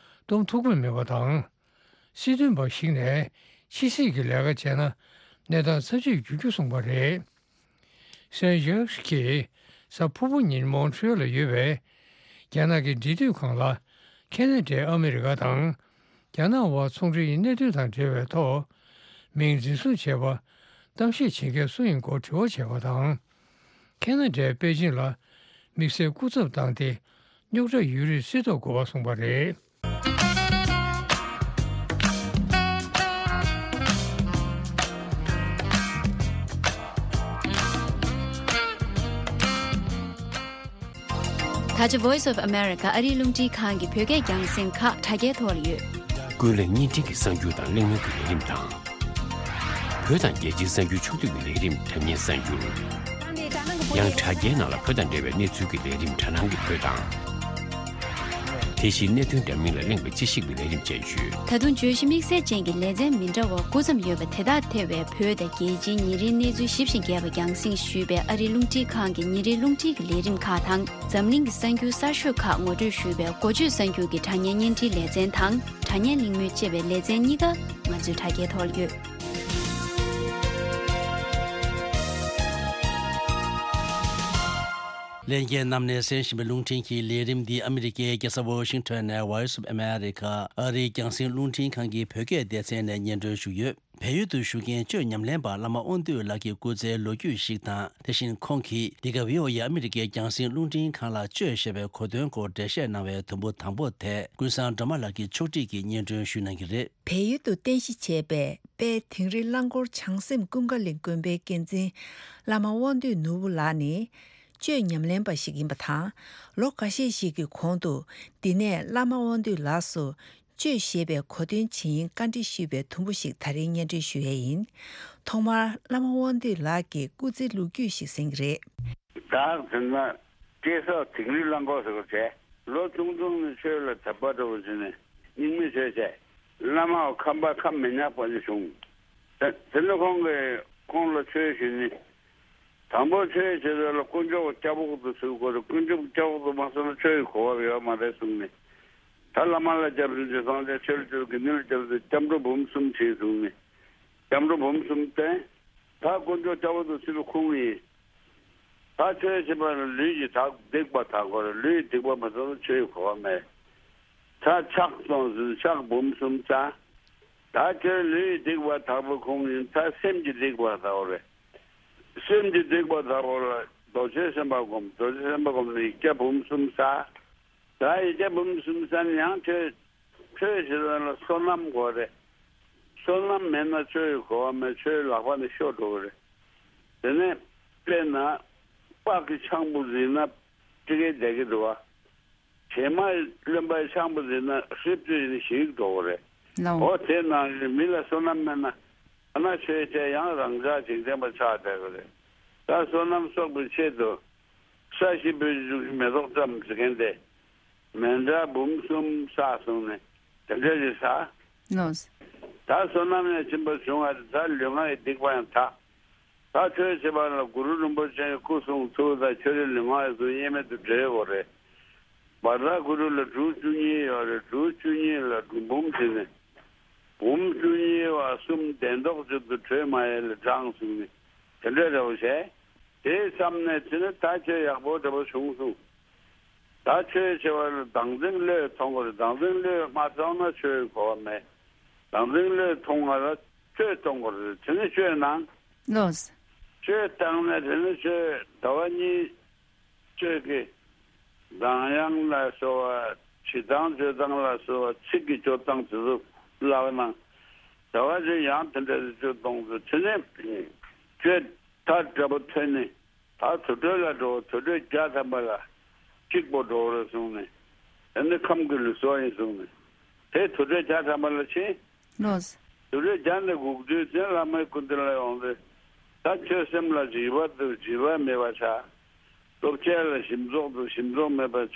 གཏོང་ཐུབ་ཀྱི་མེད་པ་དང་། སྲིད་དོན་པ་ཞིག་ནས་ཕྱི་སྲིད་ཀྱི་ལས་ཀ་བྱས་ན་གནས་སྟངས་ཚབས་ཆེར་འགྱུར་རྒྱུ་གསུངས་པ་རེད། སན་ཇཱག་གིས་གཟའ་ཕུར་བུ་ཉིན་མོན་ཊི་རི་ཡལ་ལ་ཡོད་པའི་རྒྱ་ནག་གི་འབྲེལ་མཐུད་ཁང་ལ་ཁེ་ན་ཌས་ཨ་མི་རི་ཀ་དང་རྒྱ་ནག་དབར་ཚོང་འབྲེལ་གྱི་གནད་དོན་དང་འབྲེལ་བའི་ཐོག་མིང་འཛིན་བཟུང་བྱས་པ་གཏམ་བཤད་བྱེད་མཁན་སུ་ཡིན་སྐོར་དྲི་བ་བྱས་པ་དང་། ཁེ་ན་ཌས་པེ་ཅིང་ལ་དམིགས་བསལ་སྐུ་ཚབ་བཏང་སྟེ་རྙོག་དྲ་ཡོད་རིགས་སེལ་ཐབས་དགོས་པ་གསུངས་པ་རེད། ད་ཆ་Voice of America ཨ་རིའི་རླུང་འཕྲིན་ཁང་གི་བོད་སྐད་རྒྱང་སྲིང་ཁག་དྲ་རྒྱའི་ཐོག་ལ་ཡོད། ཀུན་གླེང་བརྙན་འཕྲིན་གྱི་གསར་འགྱུར་དང་གླེང་མོལ་གྱི་ལས་རིམ་དང་། བོད་དང་རྒྱལ་སྤྱིའི་གསར་འགྱུར་ཕྱོགས་བསྡུས་ཀྱི་ལས་རིམ་དྲ་བརྙན་གསར་འགྱུར། ཡང་དྲ་རྒྱའི་ནང་ལ་བོད་དང་འབྲེལ་བའི་གནས་ཚུལ་གྱི་ལས་རིམ་དྲ་སྣང་གི་བོད་དང་། དེ་བཞིན་གནད་དོན་འདྲ་མིན་ལ་གླེང་བའི་དཔྱད་ཞིབ་ཀྱི་ལས་རིམ་བཅས་ཡོད། ད་དུང་བརྗོད་གཞི་དམིགས་བསལ་ཅན་གྱི་ལེ་ཚན་མི་འདྲ་བ་དགུ་ཙམ་ཡོད་པ་དེ་དག་ཐེ་བའི་བོད་དང་རྒྱལ་སྤྱིའི་ཉིན་རེའི་གནས་ཚུལ་ཞིབ་ཅིང་རྒྱས་པ་རྒྱང་སྲིང་ཞུས་པའི་ཨ་རིའི་རླུང་འཕྲིན་ཁང་གི་ཉིན་རེའི་རླུང་འཕྲིན་གྱི་ལས་རིམ་ཁག་དང་། འཛམ་གླིང་གི་གསར་འགྱུར་གསར་ཤོས་ཁག་ངོ་སྤྲོད་ཞུས་པའི་འགོ་བརྗོད་གསར་འགྱུར་གྱི་དྲ་བརྙན་བརྙན་འཕྲིན་ལེ་ཚན་དང་། དྲ་བརྙན་གླེང་མོལ་ཅེས་པའི་ལེ་ཚན་གཉིས་ཀ་ང་ཚོའི་དྲ་རྒྱའི་ཐོག་ལ་ཡོད། ལྷན་རྒྱས་རྣམས་ནས་གསན་བཞིན་པའི་རླུང་འཕྲིན་གྱི་ལས་རིམ་འདི་ཨ་མི་རི་ཀའི་རྒྱལ་ས་ཝོ་ཤིང་ཊོན་ནས་Voice of America ཨ་རིའི་རྒྱང་སྲིང་རླུང་འཕྲིན་ཁང་གི་བོད་སྐད་སྡེ་ཚན་ནས་སྙན་སྒྲོན་ཞུས་ཡོད། བལ་ཡུལ་དུ་བཞུགས་མཁན་གཅོད་ཉམས་ལེན་པ་བླ་མ་དབང་འདུས་ལགས་ཀྱི་སྐུ་ཚེའི་ལོ་རྒྱུས་ཤིག་དང་། དེ་བཞིན་ཁོང་གིས་འདི་ག་བྷི་ཨོ་ཨེ་ཨ་མི་རི་ཀའི་རྒྱང་སྲིང་རླུང་འཕྲིན་ཁང་ལ་གཅོད་ཞེས་པའི་གོ་དོན་སྐོར་འགྲེལ་བཤད་གནང་བའི་དུམ་བུ་དང་པོ་དེ་ཀུན་བཟང་སྒྲོལ་མ་ལགས་ཀྱིས་ཕྱོགས་སྒྲིག་གིས་སྙན་སྒྲོན་ཞུ་གནང་གི་རེད། བལ་ཡུལ་དུ་རྟེན་གཞི་བྱས་པའི་དཔལ་དིང་རི་རླངས་འཁོར་བྱང་སེམས་ཀུན་དགའ་གླིང་དགོན་པའི་འགན་འཛིན་བླ་མ་དབང་འདུས་ནོར་བུ་ལགས་ནི་གཅོད་ཉམས་ལེན་པ་ཞིག་ཡིན་པ་དང་། ལོ་འགའ་ཤས་ཤིག་གི་གོང་དུ་འདི་ནས་བླ་མ་དབང་འདུས་ལགས་སུ་གཅོད་ཞེས་པའི་གོ་དོན་ཇི་ཡིན་བཀའ་འདྲི་ཞུས་པའི་དུམ་བུ་ཞིག་ད་རིང་སྙན་སྒྲོན་ཞུ་ཡས་ཡིན། ཐོག་མར་བླ་མ་དབང་འདུས་ལགས་ཀྱི་སྐུ་ཚེའི་ལོ་རྒྱུས་ཤིག་གསན་གྱི་རེད། བདག་དེ་ན་སྐྱེས་ས་དིང་རི་རླངས་འཁོར་ཟེར་བ་བྱས། ལོ་ཆུང་ཆུང་ནས་ཆོས་ལ་དད་པ་འདྲ་བོ་བྱས་ནས་རྙིང་མའི་ཆོས་བྱས། བླ་མའི་ཁམས་པ་ཁམས་མི་ཉག་པ་ཞིག་བྱུང་། དེ་དེ་ནས་ཁོང་གིས་ཁོང་ལ་ཆོས་ཞུས་ནས། དང་པོ་ཆོས་བྱེད་དུས་ལ་དཀོན་མཆོག་གི་སྐྱབས་འོག་ཏུ་ཚུད་དགོས་རེད། དཀོན་མཆོག་གི་སྐྱབས་འོག་ཏུ་མ་ཚུད་ན་ཆོས་ཀྱི་གོ་བ་ཡོད་མ་རེད་གསུངས་ནས། ད་བླ་མ་ལ་སྐྱབས་སུ་མཆི། སངས་རྒྱས་ཆོས་ལ་སྐྱབས་སུ། དགེ་འདུན་ལ་སྐྱབས་སུ། སྐྱབས་འགྲོ་འབུམ་གསུམ་བྱེད་གསུངས་ནས། སྐྱབས་འགྲོ་འབུམ་གསུམ་བསྟན། ད་དཀོན་མཆོག་སྐྱབས་འོག་ཏུ་ཚུད་པའི་ཁུངས་ཡིན། ད་ཆོས་བྱེད་པ་ལ་ལུས་ཀྱི་དག་སྡིག་པ་དག་དགོས་རེད། ལུས་ཀྱི་སྡིག་པ་མ་དག་ན་ཆོས་ཀྱི་གོ་བ་མེད། ད་ཕྱག་སོང་ཟིན། ཕྱག་འབུམ་གསུམ་བཙལ། ད་ཁྱོད་ལུས་ཀྱི་སྡིག་པ་དག་པའི་ཁུངས་ཡིན། ད་སེམས་ཀྱི་སྡིག་པ་དག་རེད། སེམས་ཀྱི་སྡིག་པ་དག་པ་ལ་རྡོ་རྗེ་སེམས་དཔའ་སྒོམ། རྡོ་རྗེ་སེམས་དཔའ་སྒོམ་ནས་ཡིག་བརྒྱ་འབུམ་གསུམ་བསགས། ད་ཡིག་བརྒྱ་འབུམ་གསུམ་བསགས་ནས་ཡང་ཆོས་ཆོས་བྱེད་ས་ལ་བསོད་ནམས་དགོས་རེད། བསོད་ནམས་མེད་ན་ཆོས་ཀྱི་གོ་བ་མེད། ཆོས་ལག་པ་ནས་ཤོར་འགྲོ་གི་རེད། དེ་ནས་དཔེར་ན་སྤགས་ཀྱི་ཆང་བུ་བཟི་ན་སྤྲི་གེ་བསྡད་ཀྱི་འདུག་བ། བྱེ་མ་རློན་པའི་ཆང་བུ་བཟི་ན་ཧྲིབ་ཏུ་ཡིན་ཞིག་འགྲོ་གི་རེད། ལའོ། འོ་དེ་ནང་བཞིན་མི་ལ་བསོད་ནམས་མེད་ན། ཨ་ན་ཆོས་བྱས་ཡང་རང་ཅག་འཇིག་རྟེན་པ་ཆགས་བསྡད་པ་རེད། ད་བསོད་ནམས་གསོག་པའི་ཆེད་དུ་ས་གཞི་སྤོས་ཀྱི་མེ་ཏོག་བཀྲམ་ཟེར་མཁན་དེ། མཎྜལ་འབུམ་གསུམ་བསགས་གསུངས་ནས་དེ་འདྲ་ཞིག་བསགས། ལོས། ད་བསོད་ནམས་ཡང་ཕྱིན་པ་བྱུང་བ་རེད། ད་ལུས་ངག་གི་སྡིག་པ་ཡང་དག། ད་ཆོས་བྱེད་པ་ལ་གུ་རུ་རིན་པོ་ཆེའི་སྐུ་གསུང་ཐུགས་དང་ཆོས་རིག་ལུས་ངག་ཡོངས་སུ་དབྱེར་མེད་དུ་འབྲེལ་དགོས་རེད། བར་དག་གུ་རུ་ལ་འབྲུ་བཅུ་གཉིས་ཡོད་རེད། འབྲུ་བཅུ་གཉིས་ལ་འབྲུ་འབུམ་བྱས་ནས། འབུམ་བཅུ་གཉིས་པ་གསུམ་གདན་ཐོག་གཅིག་ཏུ་གྲོལ་མ་ཡལ་ལ་བགྲངས་གསུངས་ནས་དེ་འདྲ་འདྲ་བོ་བྱས། དེའི་མཚམས་ནས་དེ་ནི་ད་ཆོས་ཡག་པོ་འདྲ་བོ་བྱུང་སོང་། ད་ཆོས་བྱེད་པ་ལ་བདག་འཛིན་བློས་ཐོངས་དགོས་རེད། བདག་འཛིན་བློས་མ་ཐོངས་ན་ཆོས་གོ་བ་མེད། བདག་འཛིན་བློས་ཐོངས་པ་ལ་ཆོས་གཏོང་དགོས་རེད། དེ་ནི་ཆོས་ནང་། ལོས། ཆོས་བཏང་ནས་དེ་ནི་ཆོས་ཟླ་བ་གཉིས། ཆོས་ཀྱི་གདངས་དབྱངས་ལ་སོགས་པ། བྱེད་སྟངས་སྤྱོད་སྟངས་ལ་སོགས་པ། ཚིག་གི་སྤྱོད་སྟངས་དེ་ཚོ་བསླབ་གནང་། ཟླ་བ་གཅིག་ཡང་དེ་འདྲ་ཞིག་སྤྱོད་གཏོང་དུས་དེ་ནས་ཆོས་ཐག་འདྲ་པོ་ཐོན་ནས་ད་དུར་ཁྲོད་ལ་འགྲོ། དུར་ཁྲོད་བརྒྱ་ཐམ་པ་ལ་གཅིག་པོ་འགྲོ་རེད་གསུངས་ནས། དེ་ནི་ཁམས་ཀྱི་ལུགས་སྲོལ་ཡིན་གསུངས་ནས། དེ་དུར་ཁྲོད་བརྒྱ་ཐམ་པ་ལ་ཕྱིན། ལོས། དུར་ཁྲོད་བརྒྱ་ནས་སྒུག་དུས་ཙམ་བླ་མའི་སྐུ་མདུན་ལ་ཡོང་དུས། ད་ཁྱོད་སེམས་ལ་འཇིགས་པ་འདུག་འཇིགས་པ་མེད་པ་བྱ། སྟོབས་ཆེ་ལ་ཞིམ་ཚོགས་འདུག་ཞིམ་ཚོགས་མེད་པ་བྱ།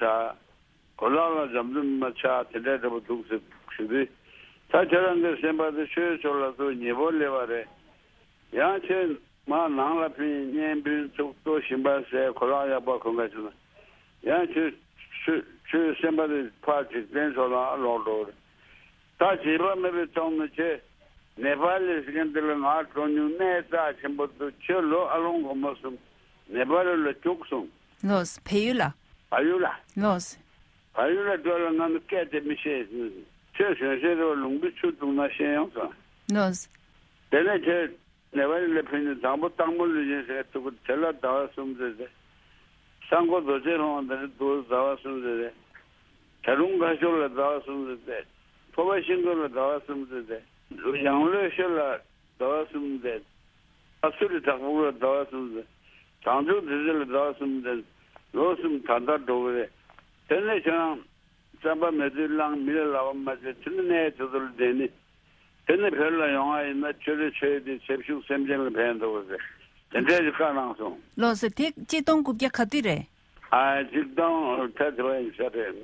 གོ་ལག་ལ་འཇམ་འཇམ་མ་ཆགས། དེ་འདྲ་འདྲ་པོ་འདུག་ཟེར་ཞུ་དུས། ད་ཁྱོད་རང་གི་སེམས་པ་དེ་ཆོས་ཕྱོགས་ལ་ཚུར་ཉེ་པོ་སླེབས་པ་རེད། ཡང་ཁྱོད་མར་ནང་ལ་ཕྱིན། གཉེན་སྤུན་ཚོགས་གཙོ་ཞིམ་པ་ཟས་གོ་ལག་ཡག་པ་གོན་ག་བྱུང་ན། ཡང་ཁྱོད་ཁྱོད་ཁྱོད་སེམས་པ་དེ་ཕར་འཇིག་རྟེན་ཕྱོགས་ལ་ལོག་འགྲོ་གི་རེད། ད་བྱིས་པ་མེད་པའི་ཐོག་ནས་ཁྱོད་ནེ་པ་ལི་ཟེར་མཁན་འདི་ལ་ང་འགྲོ་མྱོང་། གནས་རྩ་ཆེན་པོ་འདུག་ཁྱོད་ལོ་ཨ་ལོང་སྒོར་མོ་གསུམ་ནེ་པ་ལི་ལ་རྒྱུགས་སོང་། ལོས། བལ་ཡུལ་ལ། བལ་ཡུལ་ལ། ལོས། བལ་ཡུལ་ལ་འགྲོ་ལ་ང་ནི་སྐད་དེ་མི་ཤེས། ཁྱོད་གཞོན་ཤེས་རེད་པ། ལུང་པའི་ཆུ་བཏུང་ན་ཤེས་ཡོང་སོང་། ལོས། དེ་ནས་ཁྱོད་ནེ་པ་ལི་ལ་ཕེབས་ནས་དང་པོ་སྟག་མོ་ལུས་སྦྱིན་ཟེར་ཐུག་གི། དེ་ལ་ཟླ་བ་གསུམ་ཙམ་བསྡད། ས་འགོ་རྡོ་རྗེ་ལྷུང་བ་དེ་འདྲ་འདུག་ཟླ་བ་གསུམ་ཙམ་བསྡད། བྱ་རུང་ཁ་ཤོར་ལ་ཟླ་བ་གསུམ་ཙམ་བསྡད། ཕོ་བ་ཤིང་ཀུན་ལ་ཟླ་བ་གསུམ་ཙམ་བསྡད། ཡང་ལོས་ཤོད་ལ་ཟླ་བ་གསུམ་བསྡད། ཨ་སུ་རི་བྲག་ཕུག་ལ་ཟླ་བ་གསུམ་ཙམ། བྱང་ཆུབ་རྫི་རྩེ་ལ་ཟླ་བ་གསུམ་ཙམ། ལོ་གསུམ་ད་ལྟ་འགྲོ་གི་རེད། དེ་ནས་ཁྱེད་རང་རྩམ་པ་མེ་ཐུར་བླངས། མི་ལ་ལབ་པ་མ་བྱེད། དེ་ནས་གནས་དེ་ཚོ་ལ་བསྡད་ནི། དེ་ནས་བོད་ལ་ཡོང་བ་ཡིན་ན་ཁྱོད་རའི་ཆོས་དེ་ཆབ་ཞུགས་སེམས་ཅན་ལ་ཕན་འདུག་ཟེར། དེ་འདྲའི་ཞིག་བཀའ་གནང་སོང་། ལགས་སོ། དེ་གཅིག་སྟོང་དགུ་བརྒྱ་ག་དུས་རེད། ཨ། གཅིག་སྟོང་ད་དེ་བ་ཡིན་ས་རེད།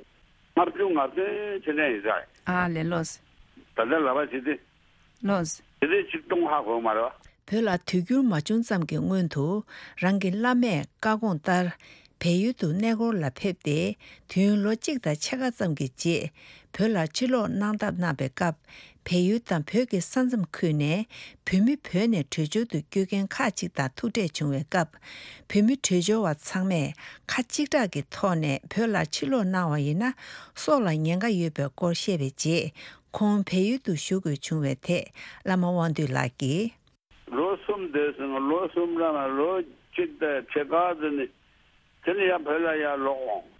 ལྔ་བཅུ་ང་བདུན་དེ་འདྲ་ཡིན་ས་རེད། ཨ་ལས། ལགས་སོ། ད་ལྟ་ལབ་པ་བྱེད་དུས། ལགས་སོ། དེ་དུས་གཅིག་སྟོང་ཧ་གོ་མ་རེད་བ། བོད་ལ་དུས་འགྱུར་མ་བྱུང་ཙམ་གྱི་སྔོན་དུ། རང་གི་བླ་མས་བཀའ་དགོངས་ལྟར། བལ་ཡུལ་དུ་གནས་སྐོར་ལ་ཕེབས་ཏེ། དུས་ཡུན་ལོ་གཅིག་དང་ཕྱེད་ཀ་ཙམ་གྱི་རྗེས། བོད་ལ་ཕྱིར་ལོག་གནང་ཐབས་གནང་བའི་སྐབས། བལ་ཡུལ་དང་བོད་ཀྱི་ས་མཚམས་ཁུལ་ནས། བོད་མི་བོད་ནས་བྲོས་བྱོལ་དུ་བསྐྱོད་མཁན་ཁག་ཅིག་དང་ཐུག་འཕྲད་བྱུང་བའི་སྐབས། བོད་མི་བྲོས་བྱོལ་བ་ཚང་མས་ཁ་གཅིག་གྲགས་ཀྱི་ཐོག་ནས་བོད་ལ་ཕྱིར་ལོག་གནང་བ་ཡིན་ན། སྲོག་ལ་ཉེན་ཁ་ཡོད་པའི་སྐོར་བཤད་པའི་རྗེས། ཁོང་བལ་ཡུལ་དུ་བཞུགས་དགོས་བྱུང་བའི་ཐད། བླ་མ་དབང་འདུས་ལགས་ཀྱིས། ལོ་གསུམ་སྡོད་སོང་། ལོ་གསུམ་རང་ལ་ལོ་གཅིག་དང་ཕྱེད་ཀ་ཙམ་ནས། དེ་ནས་ཡང་བོད་ལ་ཡར་ལོག་འོང་།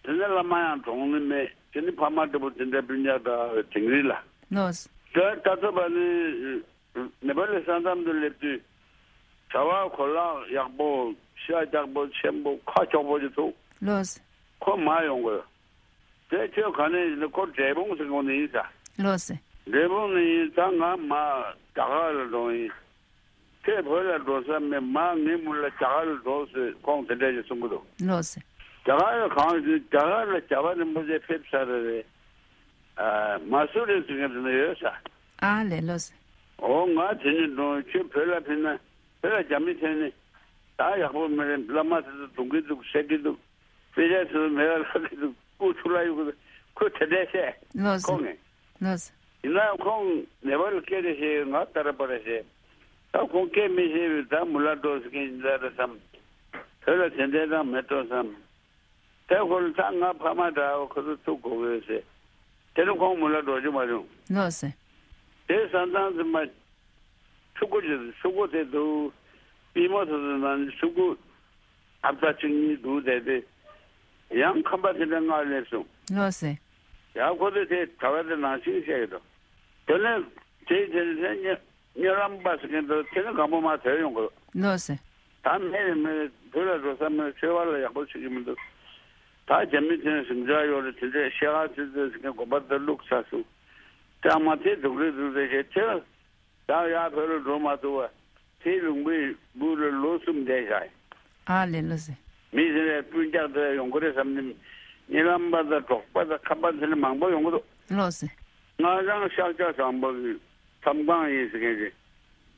དེ་ནས་བླ་མ་ཡང་གྲོངས་ནི་མེད། དེ་ནས་ཕ་མ་འདྲ་པོ་དེ་འདྲ་སྤུན་ཀྱག་འདྲ་བའི་དིང་རི་ལ། ལགས་སོ། དེ་ད་ཚོ་བ་ནི་ནེ་པ་ལི་ས་མཚམས་དུ་སླེབས་དུས། གྲྭ་བ་གོ་ལག་ཡག་པོ། ཤ་རྒྱགས་པོ། ཆེན་པོ། ཁ་ཕྱོགས་པོ་ཅིག་འདུག། ལགས་སོ། ཁོ་མར་ཡོང་དགོས། དེ་ཁྱོད་ག་ནས་ཡིན་ན། ཁོ་འབྲས་སྤུངས་ཟེར་གོ་ནས་ཡིན་ས། ལགས་སོ། འབྲས་སྤུངས་ནས་ཡིན་ཙང་ང་མར་རྒྱ་གར་ལ་འགྲོ་ཡིན། ཁྱོད་བོད་ལ་འགྲོ་ས་མེད། མར་ངས་མུ་ལ་རྒྱ་གར་ལ་འགྲོ་ཟེར། ཁོང་དེ་འདྲ་ཞིག་གསུང་གི་འདུག། ལགས་སོ། རྒྱ་གར་ལ་གང་ཞིག། རྒྱ་གར་ལ་རྒྱལ་བ་རིན་པོ་ཆེ་ཕེབས་ཚར་རེད། ཨ། མ་སུ་རི་ཟེར་མཁན་དེ་ན་ཡོད་ས། ཨ་ལས། ལགས་སོ། འོ་ང་དེ་ནས་འགྲོ། ཁྱོད་བོད་ལ་ཕེབས་ན། བོད་ལ་རྒྱ་མི་ཐོན་ནས་ད་ཡག་པོ་མི་རེད། བླ་མ་དེ་ཚོ་རྡུང་གི་འདུག། བསད་ཀྱི་འདུག། དཔེ་ཆ་དེ་ཚོ་མེད་པ་ལབ་ཀྱི་འདུག། སྐུ་ཚུར་ལ་གཡུག་གི་འདུག། ཁོས་དེ་འདྲ་བཤད། ལགས་སོ། ཁོང་ངས། ལགས་སོ། ཡིན་ནའང་ཁོང་ནེ་པ་ལ་སྐད་རེ་བཤད། ང་ཏ་ར་པ་ར་བཤད། ད་ཁོང་སྐད་མི་ཤེས་པས། ད་མུ་ལ་འགྲོ་ཟེར་མཁན་ཡིན་ད་རེད་བསམ། བོད་ལ་དེ་འདྲའི་རང་མེད་འགྲོ་བསམ། དེ་ཁོ་ལ་ད་ང་ཕ་མ་འདྲ་བོ་ཁོ་ཚོ་ཐུག་དགོས་གི་ཟེར། དེ་ནས་ཁོང་མུ་ལ་འགྲོ་རྒྱུ་མ་བྱུང་། ལགས་སོ། དེ་ས་མཚམས་ཙམ་པ། ཕྲུ་གུ་ཅིག་ཕྲུ་གུ་དེ་འདུག། པུས་མོ་དེ་ཚོ་ནང་ཕྲུ་གུ་ཨ་ཕ་གཅིག་གཉིས་འདུག་དེ་དེ། ཡང་ཁམས་པ་དེ་འདྲ་ལྔ་སླེབས་སོང་། ལགས་སོ། ཡང་ཁོ་ཚོས་དེ་གྲྭ་པ་དེ་ནང་བཞིན་བཤད་ཀྱི་འདུག། དེ་ནས་དེ་དེ་དེ་གཉའ་གཉའ་ལམ་པ་ཟེར་མཁན་འདུག། དེ་ནས་སྒམ་པོ་མར་ཐོན་ཡོང་གི་འདུག། ལགས་སོ། ད་མེད་རེད། མེད་རེད། བོད་ལ་འགྲོ་ས་མེད། ཆོས་པ་ལ་ཡག་པོ་བྱེད་ཀྱི་མི་འདུག། ད་རྒྱ་མི་དེ་ནས་ཟིང་ཆ་ཡོད་རེད། དེ་འདྲའི་ཤ་ཁ་ཚིག་ཚིག་ཟེར་མཁན་དགོན་པ་དེ་བླུགས་ཚར་སོང་། ད་མ་དེ་སྡུག་རེད་སྡུག་རེད་བྱས། དེ་ད་ཡར་བོད་ལ་འགྲོ་མ་ཐུབ་པ། དེ་ལུང་པའི་སྦུག་ལ་ལོ་གསུམ་བསྡད་བཞག་ཡིན། ཨ་ལས། ལགས་སོ། མི་དེ་ལས་སྤུན་ཀྱག་དེ་ཡོང་གི་རེད་བསམ་ནས། གཉའ་ལམ་པ་དང་འབྲོག་པ་དང་ཁམས་པ་དེ་ལས་མང་པོ་ཡོང་གི་འདུག། ལགས་སོ། སྔ་ལང་ཤཱཀྱ་བཟང་པོ་གི་མཚམས་ཁང་ཡིན་ཟེར་མཁན་གྱི།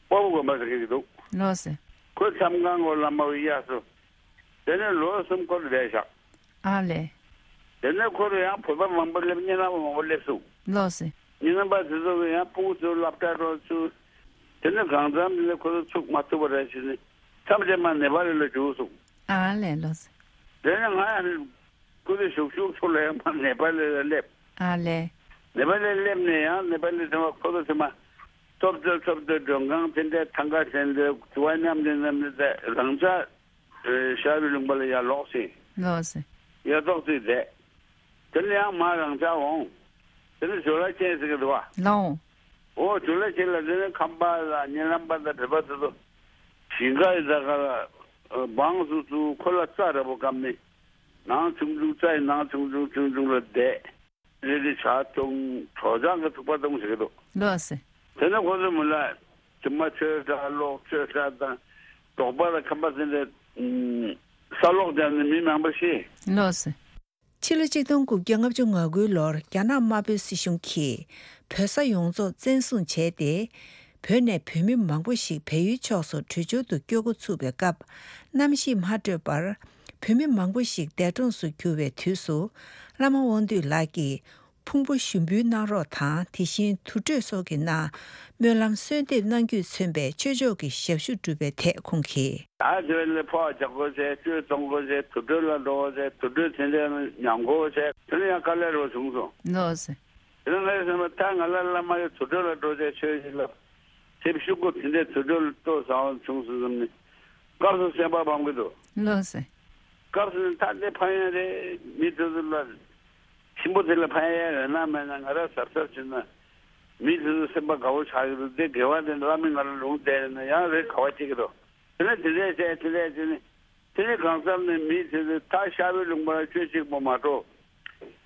སྤོ་བོ་དགོན་པ་ཟེར་མཁན་གྱི་འདུག། ལགས་སོ། ཁོའི་མཚམས་ཁང་གོ་བླ་མ་གཡས་སུ། དེ་ནས་ལོ་གསུམ་ཁོ་ལ་བསྡད་བཞག། ཨ་ལས། དེ་ནས་ཁོ་ལ་ཡང་བོད་པ་མང་པོ་སླེབས། གཉའ་ལམ་པ་མང་པོ་སླེབས་སོང་། ལགས་སོ། གཉའ་ལམ་པ་དེ་ཚོ་གིས་ཡང་སྤུ་གུ་ཚོ་སློབ་གྲྭ་འགྲོ་ཚུགས། དེ་ནས་གང་འཚམ་དེ་ནས་ཁོ་ཚོ་ཚུགས་མ་ཐུབ་པ་རེད་ཟེར་ནས། མཚམས་རེ་མར་ནེ་པ་ལི་ལ་རྒྱུགས་སོང་། ཨ་ལས། ལགས་སོ། དེ་ནས་ང་ཡང་ཁོ་ཚོ་བཞུགས་བཞུགས་ཚུར་ལ་ཡང་མར་ནེ་པ་ལི་ལ་སླེབས། ཨ་ལས། ནེ་པ་ལི་སླེབས་ནས་ཡང་ནེ་པ་ལི་དེ་མ་ཁོ་ཚོ་དེ་མ་ཐོབ་ཐོབ་ཐོབ་ཐོབ་མགྲོན་ཁང་དེ་འདྲ་ཐང་ག་དེ་འདྲ་དུ་བ་མཉམ་དེ་མཉམ་དེ་རང་ཅག་ཨེ་ཤར་པའི་ལུང་པ་ལ་ཡར་ལོག་ཟིན། ལགས་སོ། ཡར་ལོག་ཚུར་བསྡད། དེ་ནས་ཡང་མར་རང་ཅག་འོང་། དེ་ནས་ཇོ་ལ་ཅན་ཟེར་གྱི་འདུག་བ། ལགས་འོང་། འོ་ཇོ་ལ་ཅན་ལ་དེ་ནས་ཁམས་པ་ལ་གཉའ་ལམ་པ་དང་བོད་པ་དེ་ཚོ་ཞིང་ཁ་ཡི་ད་ག་ལ་འབངས་སུ་ཚུར་ཁོ་ལ་རྩྭ་འདྲ་པོ་བསྐམས་ནས། ནང་ཆུང་ཆུང་། རྩྭ་ཡི་ནང་ཆུང་ཆུང་ཆུང་ཆུང་ལ་བསྡད། རེ་རེ་ཇ་འཐུང་། གྲོ་ཆང་གི་ཐུག་པ་འཐུང་ཟེར་གྱི་འདུག། ལགས་སོ། དེ་ནས་ཁོ་ཚོ་མི་ལ་དེ་མ་ཆོས་གྲྭ་ལོག། ཆོས་གྲྭ་དང་འབྲོག་པ་དང་ཁམས་པ་དེ་འདྲ་ས་སློག་བརྒྱབ་ནས་མི་མང་པོ་ཤི། ལགས་སོ། ཕྱི་ལོ་ཆིག་སྟོང་དགུ་བརྒྱ་ལྔ་བཅུ་ང་དགུའི་ལོར་རྒྱ་ནག་དམར་པོའི་སྲིད་གཞུང་གིས་བོད་ས་ཡོངས་རྫོགས་བཙན་བཟུང་བྱས་ཏེ། བོད་ནས་བོད་མི་མང་པོ་ཞིག་བལ་ཡུལ་ཕྱོགས་སུ་བྲོས་བྱོལ་དུ་བསྐྱོད་འགོ་ཚུགས་པའི་སྐབས། གནམ་གཤིས་མ་སྤྲོད་པར་བོད་མི་མང་པོ་ཞིག་འདས་གྲོངས་སུ་གྱུར་བའི་དུས་སུ། བླ་མ་དབང་འདུས་ལགས་ཀྱིས་ཕུང་པོ་ཞུགས་འབུལ་གནང་རོགས་དང་། དེ་བཞིན་དུར་ཁྲོད་སོགས་ཀྱི་ནང་སྨོན་ལམ་གསོལ་འདེབས་གནང་རྒྱུས་མཚོན་པའི་ཆོས་ཕྱོགས་ཀྱི་ཞབས་ཞུ་བསྒྲུབས་པའི་ཐད་ཁོང་གིས། ད་དེ་བས་ལས་ཕོགས་རྒྱག་དགོས་ཟེར། བཅོས་གཏོང་དགོས་ཟེར། དུར་ཁྲོད་ལ་འགྲོ་དགོས་ཟེར། དུར་ཁྲོད་དེ་འདྲའི་ཉམས་དགོས་ཟེར། དེ་ནས་ཡང་དཀའ་ལས་རོགས་བྱུང་སོང་། ལགས་སོ། དེ་ནས་ངས་བསམ་པ། ད་ང་ལ་བླ་མ་ཡི་དུར་ཁྲོད་ལ་འགྲོ་ཟེར། ཆོས་ཞིག་ལ་ཐེབས་ཤུགས་སྐོར་དེ་འདྲའི་དུར་ཁྲོད་ལ་ལྟོ་བཟང་བ་བྱུང་སོང་བསམ་ནས། སྐབས་སུ་སེམས་པ་ཕམ་གྱི་འདུག། ལགས་སོ། སྐབས་སུ་ད་འདི་ཕན་ཡོན་རེད། མི་དེ་ཚོ་ལ་ཆེན་པོ་དེ་ལ་ཕན་ཡོན་ཡོད་ན་མེད་ན། ང་རང་གཟབ་གཟབ་བྱས་ན། མི་དེ་ཚོ་སེམས་པ་དགའ་བོ་ཆགས་ཀྱི་འདུག། དེ་དགེ་བ་དེ་བླ་མས་ང་ལ་ལུང་བསྟན་ན་ཡང་རེ་དགའ་བ་སྐྱེ་གི་འདུག། དེ་ནས་དེ་འདྲས་བྱས། དེ་འདྲས་བྱས་ནས། དེ་ནས་གང་འཚམ་ནས་མི་དེ་ཚོས་ད་ཤར་པའི་ལུང་པ་ལ་ཆོས་གཅིག་པོ་མ་གཏོགས།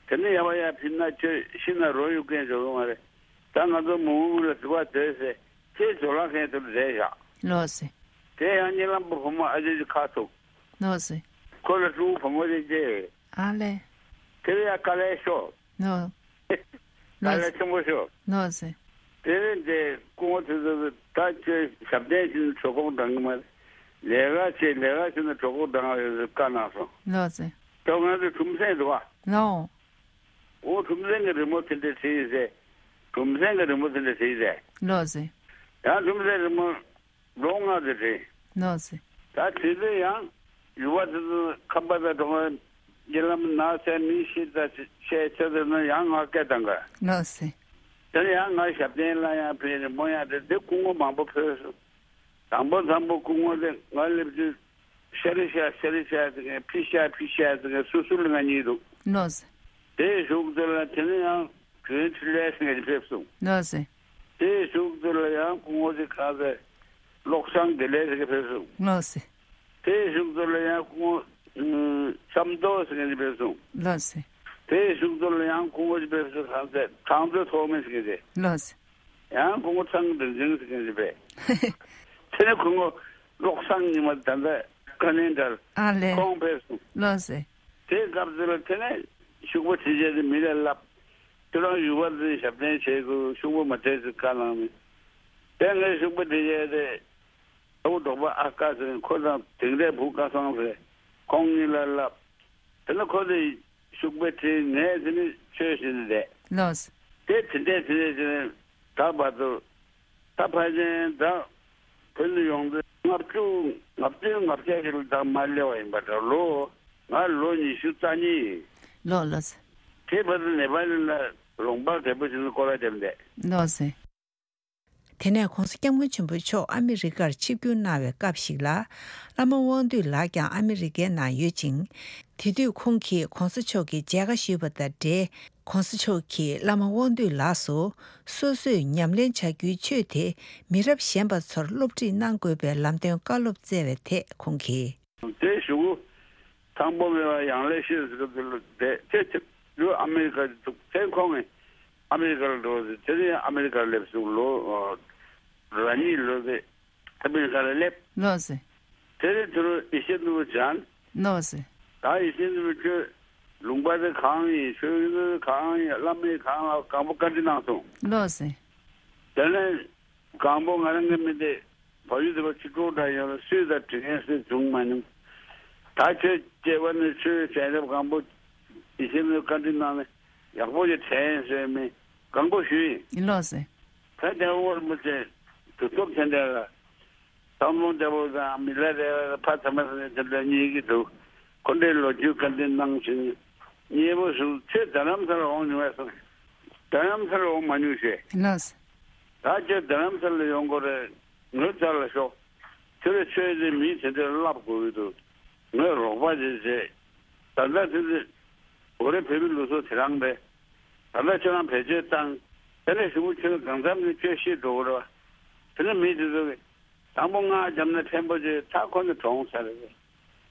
དེ་ནས་ཡར་བ་ཡར་ཕིན་ན་ཁྱོད་ཤི་ན་རོ་ཡུག་མཁན་འགྲོ་གི་མ་རེད། ད་ང་ཚོ་མུ་མུ་ལ་དུ་བ་སྡོད་ཟེར། ཁྱེད་ཇོ་ལགས་མཁན་དུ་རེད་བཞག། ལགས་སེ། དེ་ཡང་གཉིད་ལམ་པོ་བུ་མོ་ཨ་ཅེ་ཅི་ཁ་ཐུག། ལགས་སེ། ཁོ་ལ་ཕྲུ་གུ་བུ་མོ་ཅིག་སྐྱེས། ཨ་ལས། དེ་ལ་ཡ་དཀའ་ལས་ཤོར། ལགས། དཀའ་ལས་ཆེན་པོ་ཤོར། ལགས་སེ། དེ་རིང་དེ་སྐུ་ངོ་དེ་ཚོ་ད་ཁྱོད་ཞབས་བརྟན་ཞིག་ནས་གྲོད་ཁོག་འགྲང་གི་མ་རེད། ལས་ཀ་བྱེད་ལས་ཀ་བྱེད་ན་གྲོད་ཁོག་འགྲང་བ་ཡོད་ཟེར་བཀའ་གནང་སོང་། ལགས་སེ། ད་ང་ཚོ་གྲུམ་སེང་འདུག་བ། ལགས། འོ་གྲུམ་སེང་གི་རི་མོ་དེ་འདྲ་བྲིས་ཟེར། གྲུམ་སེང་གི་རི་མོ་དེ་འདྲ་བྲིས་ཟེར། ལགས་སེ། ཡང་གྲུམ་སེང་རི་མོ་ལོ་ལྔ་དེ་བྲིས། ལགས་སེ། ད་དེ་ཚོ་ཡང་ཡུ་བ་དེ་ཚོ་ཁམས་པ་དང་འགྲོ་བ་རྒྱ་ལམ་ནགས་ཚལ་མི་ཤི་ད་ཆེ་ཆེ་ཚོ་དེ་ཚོ་ཡང་ང་སྐད་བཏང་ག། ལགས་སེ། དེ་ནས་ཡང་ང་ཞབས་བརྟན་ལ་ཡང་ཕེབས་རི་མོ་ཡང་དེ་དེ་སྐུ་ངོ་མང་པོ་ཕེབས་སོང་། དང་པོ་དང་པོ་སྐུ་ངོ་དེ་ང་སླེབས་དུས་ཤ་རི་ཤ་ཤ་རི་ཤ་ཟེར་མཁན་ཕི་ཤ་ཕི་ཤ་ཟེར་མཁན་སུ་སུ་ལ་ང་གཉིས་འདུག། ལགས་སེ། དེའི་གཞུག་དེ་ལ་དེ་ནས་ཡང་བོན་འཕྲིན་ལས་ཟེར་མཁན་ཅིག་ཕེབས་སོང་། ལགས་སེ། དེའི་གཞུག་དེ་ལ་ཡང་སྐུ་ངོ་དེ་གང་ཟེར་བློ་བཟང་བདེ་ལེགས་ཟེར་མཁན་ཕེབས་སོང་། ལགས་སེ། དེའི་གཞུག་དེ་ལ་ཡང་སྐུ་ངོ་ཨུམ་བསམ་རྡོ་ཟེར་མཁན་ཅིག་ཕེབས་སོང་། ལགས་སེ། དེའི་གཞུག་དེ་ལ་ཡང་སྐུ་ངོ་ཅིག་ཕེབས་སོང་། གང་ཟེར་གྲངས་མཛོད་ཐོགས་མེད་ཟེར་མཁན་དེ། ལགས་སེ། ཡང་སྐུ་ངོ་ཚང་འདྲེན་ཅིང་ཟེར་མཁན་ཅིག་ཕེབས། དེ་ནས་སྐུ་ངོ་བློ་བཟང་ཉི་མ་ད་ལྟ་བཀའ་བློན་འདྲ་ཨ་ལས། ཁོང་ཕེབས་སོང་། ལགས་སེ། དེའི་སྐབས་དེ་ལ་དེ་ནས་ཤུག་པ་དྲི་བྱས་ཏེ་མི་ལ་ལབ། ཁྱོད་རང་ཡུ་བ་ཚོའི་ཞབས་བརྟན་བྱེད་དགོས། ཤུག་པ་མ་སྤྲད་ཟེར་བཀའ་གནང་ནས། དེ་ངས་ཤུག་པ་དྲི་བྱས་ཏེ་ཨ་བུ་འབྲོག་པ་ཨ་ཀ་ཟེར་ཁོ་དང་དེང་རབས་བུ་ཀ་སང་ཟེར་ཁོང་གཉིས་ལ་ལབ། དེ་ནས་ཁོ་ཚོས་ཤུག་པ་དྲིས། ངས་དེ་ནས་ཆོས་བྱས་ནས་བསྡད། ལགས། དེ་དེ་འདྲས་དེ་འདྲས་བྱས་ནས་ད་བར་དུ་ད་ཕལ་ཆེར་ད་བོད་དུ་ཡོང་དུས་ལྔ་བཅུ་ང་བདུན་ང་བརྒྱད་ཅིག་ལ་ད་མར་སླེབས་པ་ཡིན་པ་འདྲ། ལོ་ང་ལོ་ཉི་ཤུ་རྩ་གཉིས་ཡིན། ལགས་ལགས། དེ་བར་དུ་ནེ་པ་ལི་ལ་ལུང་པ་རྒད་པོ་ཞིག་ལ་སྐོར་ར་བརྒྱབ་བསྡད། ལགས་སེ། དེ་ནས་༧གོང་ས་༧སྐྱབས་མགོན་ཆེན་པོ་མཆོག་ཨ་མི་རི་ཀར་ཆིབས་བསྒྱུར་གནང་བའི་སྐབས་ཤིག་ལ། བླ་མ་དབང་འདུས་ལགས་ཀྱང་ཨ་མི་རི་ཀའི་ནང་ཡོད་ཅིང་། དེ་དུས་ཁོང་གིས་༧གོང་ས་མཆོག་གི་མཇལ་ཁ་ཞུས་པ་དང་འབྲེལ། ༧གོང་ས་མཆོག་གིས་བླ་མ་དབང་འདུས་ལགས་སུ་སོ་སོས་ཉམས་ལེན་བྱ་རྒྱུའི་ཆོས་དེ་མི་རབས་གཞོན་པ་ཚོར་སློབ་ཁྲིད་གནང་དགོས་པའི་ལམ་སྟོན་བཀའ་སློབ་སྩལ་བའི་ཐད་ཁོང་གིས། དེ་གཞུག་གུ་ཐང་པོ་མེད་པ་ཡང་ལེ་ཤོད་ཟེར་གི་འདུག་ལ། དེ་དེ་དེ་ལོ་ཨ་མེ་རི་ཀ་འདུག། དེ་ཁོང་གིས་ཨ་མེ་རི་ཀ་ལ་འགྲོ་ཟེར། དེ་ནས་ཨ་མེ་རི་ཀ་ལ་སླེབས་སོང་། ལོ་ར་གཉིས་ལོ་དེ་ཨ་མེ་རི་ཀ་ལ་སླེབས། ལགས་སེ། དེ་ནས་དེ་རུ་ཡེ་ཤེས་ནོར་བུ་མཇལ། ལགས་སེ། ད་ཡེ་ཤེས་ནོར་བུ་ཁྱོད་ལུང་པ་དེ་གང་ཡིན། ཆོས་ཡིན་གང་ཡིན། བླ་མ་གང་ལ་གང་པོ་བཀའ་འདྲི་གནང་སོང་། ལགས་སེ། དེ་ནས་གང་པོ་ང་རང་གི་མི་དེ་བལ་ཡུལ་དུ་བ་ཕྱི་དྲོ་འདྲ་ཡོད་ལ་སུས་ད་དྲི་མཁན་སུས་བྱུང་མ་མྱོང་། ད་ཁྱོད་སྐྱེ་བ་ནས་ཆོས་བྱས་རབས་གང་པོ་ཡེ་ཤེས་ནོར་བུ་བཀའ་འདྲི་གནང་ནས་ཡག་པོ་ཞིག་དྲན་སོང་མི་གང་པོ་ཞུས་ཡིན། ལགས་སེ། ད་དེ་འོར་མི་ཚེ་དུས་ཚོད་དེ་འདྲ་ལ། ཚང་མ་འདྲ་པོ་དང་མི་ལ་རེ་བ་ཕ་ཚ་མ་ཚ་དེ་འདྲ་རྙེད་ཀྱི་འདུག། ཁོ་འདྲའི་ལོ་རྒྱུས་བཀའ་འདྲི་གནང་བཞིན། མཉེས་པོ་ཞུ། ཁྱོད་རྡ་རམ་ས་ལ་འོང་མྱོང་བས་སོང་། རྡ་རམ་ས་ལ་འོང་མ་མྱོང་ཞེས། ལགས། ད་ཁྱོད་རྡ་རམ་ས་ལ་ཡོང་དགོས་རེད། ངའི་རྩ་ལ་ཤོག། ཁྱོད་རའི་ཆོས་དེ་མི་དེ་འདྲར་བསླབ་དགོས་ཀྱི་འདུག། ངས་རོགས་པ་ཞིག་བྱེད། ད་ལྟ་དེ་ཚོ་འོ་རེ་བོད་པའི་ལུགས་སྲོལ་དེ་རང་རེད། ད་ལྟ་ཁྱོད་རང་བེད་སྤྱོད་བཏང་། དེ་ནས་གཞུག་གུ་ཁྱོད་གང་འཚམ་ནས་ཁྱོད་ཤི་འགྲོ་གི་རེད་བ། དེ་ནས་མི་དེ་ཚོ་གིས་དང་པོ་སྔགས་བརྒྱབ་ན་ཕན་པོ་ཅིག། ད་ཁོ་ནི་གྲོངས་ཚར་རེད།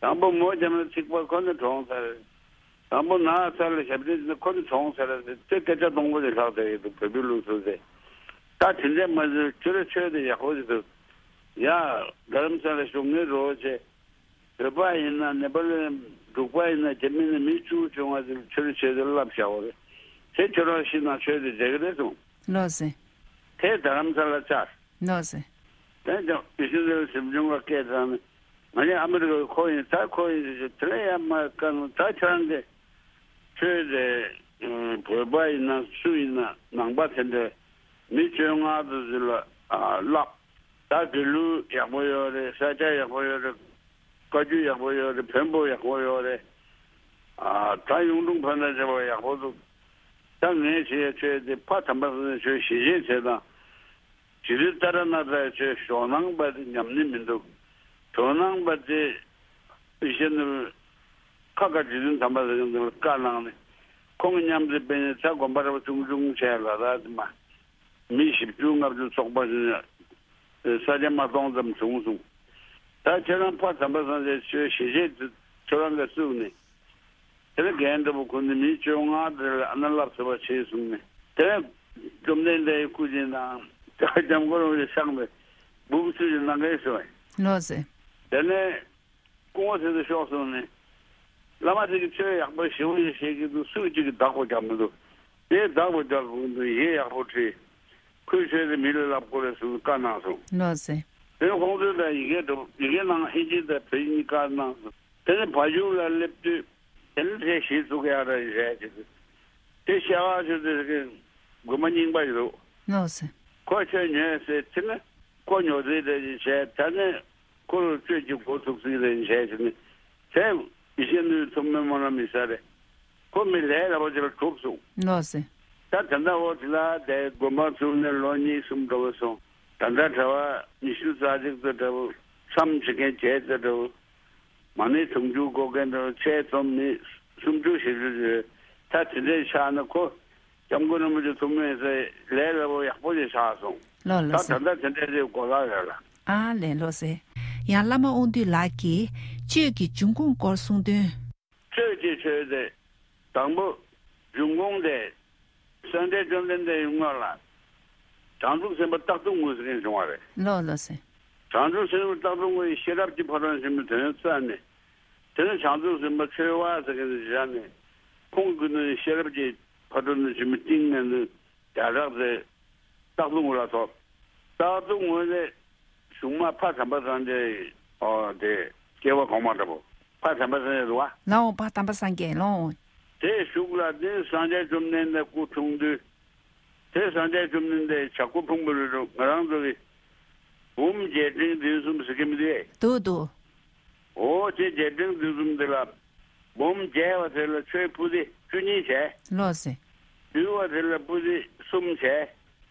དང་པོ་མོ་བརྒྱབ་ན་ཚིག་པ། ཁོ་ནི་གྲོངས་ཚར་རེད། དང་པོ་ནགས་ཚལ་ལ་ཞབས་བརྟན་བྱས་ན་ཁོ་ནི་གྲོངས་ཚར་རེད། དེ་སྐད་ཆ་སྟོང་པ་ཅིག་ལྷག་བསྡད་ཡོད་འདུག། བོད་པའི་ལུགས་སྲོལ་དེ། ད་དེ་འདྲས་མ་བྱུང་། ཁྱོད་རའི་ཆོས་དེ་ཡག་པོ་ཞིག་འདུག། ཡ། རྡ་རམ་ས་ལ་བཞུགས། ངའི་རོགས་བྱེད། བོད་པ་ཡིན་ན་ནེ་པ་ལི་འབྲུག་པ་ཡིན་ན་རྒྱ་མི་ནི་མི་བཅུ་བྱུང་བ་དེ་ཆོས་ཆོས་དེ་བསླབ་བཞག་པ་རེད། དེ་ཁྱོད་རང་ཤི་ན་ཆོས་དེ་མཇལ་གི་རེད་གསུངས། ལགས་སེ། དེ་རྡ་རམ་ས་ལ་བཅར། ལགས་སེ། དེ་ཀྱང་ཡེ་ཤེས་ནོར་བུ་གཟིམ་ཆུང་ག་སྐད་བཏང་ནས། ང་ནི་ཨ་མི་རི་ཀའི་ཁོ་ཡིན། ད་ཁོ་ཡིན་ཟེར་དེ་ལ་ཡ་མ་དཀའ་ནོ། ད་ཁྱོད་རང་གི་ཆོས་དེ་བོད་པ་ཡིན་ན་སུ་ཡིན་ན་ནང་པ་དེ་འདྲ་མི་བཅོ་ལྔ་དེ་ཚོ་ལ་བསླབ། ད་དགེ་ལུགས་ཡག་པོ་ཡོད་རེད། ས་སྐྱ་ཡག་པོ་ཡོད་རེད། བཀའ་བརྒྱུད་ཡག་པོ་ཡོད་རེད། བོན་པོ་ཡག་པོ་ཡོད་རེད། ཨ། ད་གཡུང་དྲུང་བོན་དང་བཅས་པ་ཡག་པོ་འདུག། ད་ངས་བྱེད་ཡ་ཆོས་དེ་ཕ་དམ་པ་སངས་རྒྱས་ཆོས་ཞི་བྱེད་ཆེ་དང་། རྗེ་བཙུན་ཏཱ་ར་ནཱ་ཐའི་ཆོས་ཞོགས་སྣང་པ་དེ་ཉམས་ནི་མི་འདུག། དོན་སྣང་པ་དེ་ཡེ་ཤེས་ནོར་བུས་ཁ་ཁ་རྗེ་བཙུན་དམ་པ་སངས་རྒྱས་ལ་བཀའ་གནང་ནས། ཁོང་གི་མཉམ་དུ་སྤེལ་ནས་ད་དགོན་པ་རབ་ཆུང་ཆུང་བྱས་ལ་ར་དེ་མ། མི་བཞི་བཅུ་ལྔ་བཅུ་ཚོགས་པ་ཞིག་ནས་ས་ཆ་མ་སྟོང་ཙམ་བྱུང་སོང་། ད་ཁྱེད་རང་ཕ་དམ་པ་སངས་རྒྱས་ཆོས་ཞི་བྱེད་དེ་ཁྱོད་རང་གིས་བཙུགས་ནས། དེ་ལ་རྒན་འདྲ་པོ་ཁོ་ནི་མི་བཅོ་ལྔ་དེ་ལ་ཨ་ན་ལབ་ཟེར་བ་བྱས་སོང་ནས། དེ་ལ་བཅོམ་ལྡན་འདས་ཀྱི་སྐུ་མདུན་དང་དེ་ལ་སྐྱབས་མགོན་རིན་པོ་ཆེ་ཤངས་པའི་སྦུག་ཚུལ་གྱི་གནང་མཁན་སོང་བས། ལགས་སེ། དེ་ནས་སྐུ་ངོ་ཚེ་ཏུ་ཤོག་སོང་ནས། བླ་མ་དེ་གི་ཆོས་ཡག་པོ་ཞེ་པོ་ཞིག་བཤད་ཀྱི་འདུག་སུ་གཅིག་གིས་བདག་པོ་རྒྱག་མི་འདུག་དེ་བདག་པོ་རྒྱག་དགོས་འདུག་ཡིག་ཡག་པོ་བྲིས། ཁོའི་ཆོས་དེ་མི་ལ་ལབ་དགོས་རེད་ཟེར་བཀའ་གནང་སོང་། ལགས་སེ། དེ་ནས་ཁོང་ཚོས་ད་ཡི་གེ་འདྲ་པོ་ཡི་གེ་ནང་ཨིན་ཇི་དང་བོད་ཡིག་གཉིས་བཀའ་གནང་སོང་། དེ་ནས་བ་ཕྱུགས་ལ་སླེབས་དུས། དེ་ནས་དེ་གཞི་བཙུགས་ཡག་རེད་བྱས་བྱས་ཏེ། དེ་ཤ་ཁ་ཆུ་དེ་གི་དགོན་པ་རྙིང་པ་ཞིག་འདུག་ལགས་སེ། ཁོ་ཆོས་ཉན་ཟེར་དེ་ནས་ཁོ་ཉོ་རྩིས་དེ་བྱས། ད་ནས་ཁོ་ལ་སྤྱོད་ཀྱི་འགོ་ཚུགས་རྩིས་རེད་བྱས་བྱས་ནས། དེ་ཡེ་ཤེས་ནུས་མཐོ་དམན་སྨོན་ལམ་ཡིན་ས་རེད། ཁོ་མི་ལས་སླ་པོ་ཅིག་ལ་གྲུབ་སོང་། ལགས་སེ། ད་དེ་འདྲ་འོ་དེ་ལ་དེ་དགོན་པ་བཙུགས་ནས་ལོ་གཉིས་གསུམ་འགྲོ་བ་སོང་། ད་ལྟ་གྲྭ་པ་ཉི་ཤུ་རྩ་གཅིག་ཙམ་འདྲ་བོ། མཚམས་བྱེད་མཁན་བརྒྱད་ཙམ་འདྲ་བོ། མ་ཎི་དུང་ཕྱུར་འགོད་མཁན་འདྲ་བོ། ཆེད་རྩོམ་མི་སུམ་ཅུ་བཞི་བཅུ་ཡོད། ད་དེ་འདྲའི་ཆགས་ན་ཁོ་སྐྱབས་མགོན་རིན་པོ་ཆེ་ཐུགས་སྨོན་ཟེར་ལས་སླ་པོ་ཡག་པོ་ཞིག་ཆགས་སོང་། ལགས་ལགས་ད་སེ། ད་ལྟ་དེ་འདྲའི་རེ་གོ་ལག་ཡོད་ལ། ཨ་ལས་ལགས་སེ། ཡང་བླ་མ་དབང་འདུས་ལགས་ཀྱིས་ཆོས་ཀྱི་འབྱུང་ཁུངས་སྐོར་གསུང་དོན། ཆོས་ཀྱི་ཆོས་དེ་དང་པོ་འབྱུང་ཁུངས་དེ། སངས་རྒྱས་བཅོམ་ལྡན་འདས་ཡི་སྔོན་ལ། བྱང་ཆུབ་སེམས་དཔའ་སྟག་ཐུང་ངུ་ཟེར་མཁན་བྱུང་བ་རེད། ལགས་ལགས་སེ། བྱང་ཆུབ་སེམས་དཔའ་སྟག་ཐུང་ངུ་ཡིས་ཤེས་རབ་ཀྱི་ཕ་རོལ་ཕྱིན་པའི་དོན་བཙལ་ནས། དེ་ནས་བྱང་ཆུབ་སེམས་དཔའ་ཆོས་དབང་ཟེར་མཁན་དེ་བཞག་ནས། ཁོང་གི་ནི་ཤེས་རབ་ཀྱི་ཕ་རོལ་ནས་ཕྱིན་པའི་ཏིང་ངེ་འཛིན་རྒྱ་གྲགས་དེ་སྟག་ཐུང་ངུ་ལ་ཐོབ། སྟག་ཐུང་ངུ་ནས་གཞུག་མ་ཕ་དམ་པ་སངས་རྒྱས་ཡི་ཨོ་དེ་སྐྱེ་བ་གོང་མ་འདྲ་པོ། ཕ་དམ་པ་སངས་རྒྱས་རེད་བ། ལའོ་ཕ་དམ་པ་སངས་རྒྱས་ལོ། དེའི་གཞུག་ལ་དེ་སངས་རྒྱས་བཅོམ་ལྡན་འདས་སྐུ་འཁྲུངས་དུས། དེ་སངས་རྒྱས་བཅོམ་ལྡན་འདས་བྱ་རྒོད་ཕུང་པོའི་རི་རུ་ང་རང་ཚོ་གི་འབུམ་རྒྱས་འབྲིང་བདུན་གསུམ་ཟེར་གྱི་མི་འདུག་གས། འདུག་འདུག་འོ་དེ་རྒྱས་འབྲིང་བདུན་གསུམ་དེ་ལ། འབུམ་རྒྱས་པ་དེ་ལ་ཆོས་པོ་ཏི་བཅུ་གཉིས་བྱས། ལགས་སེ། བསྡུས་པ་དེ་ལ་པོ་ཏི་གསུམ་བྱས།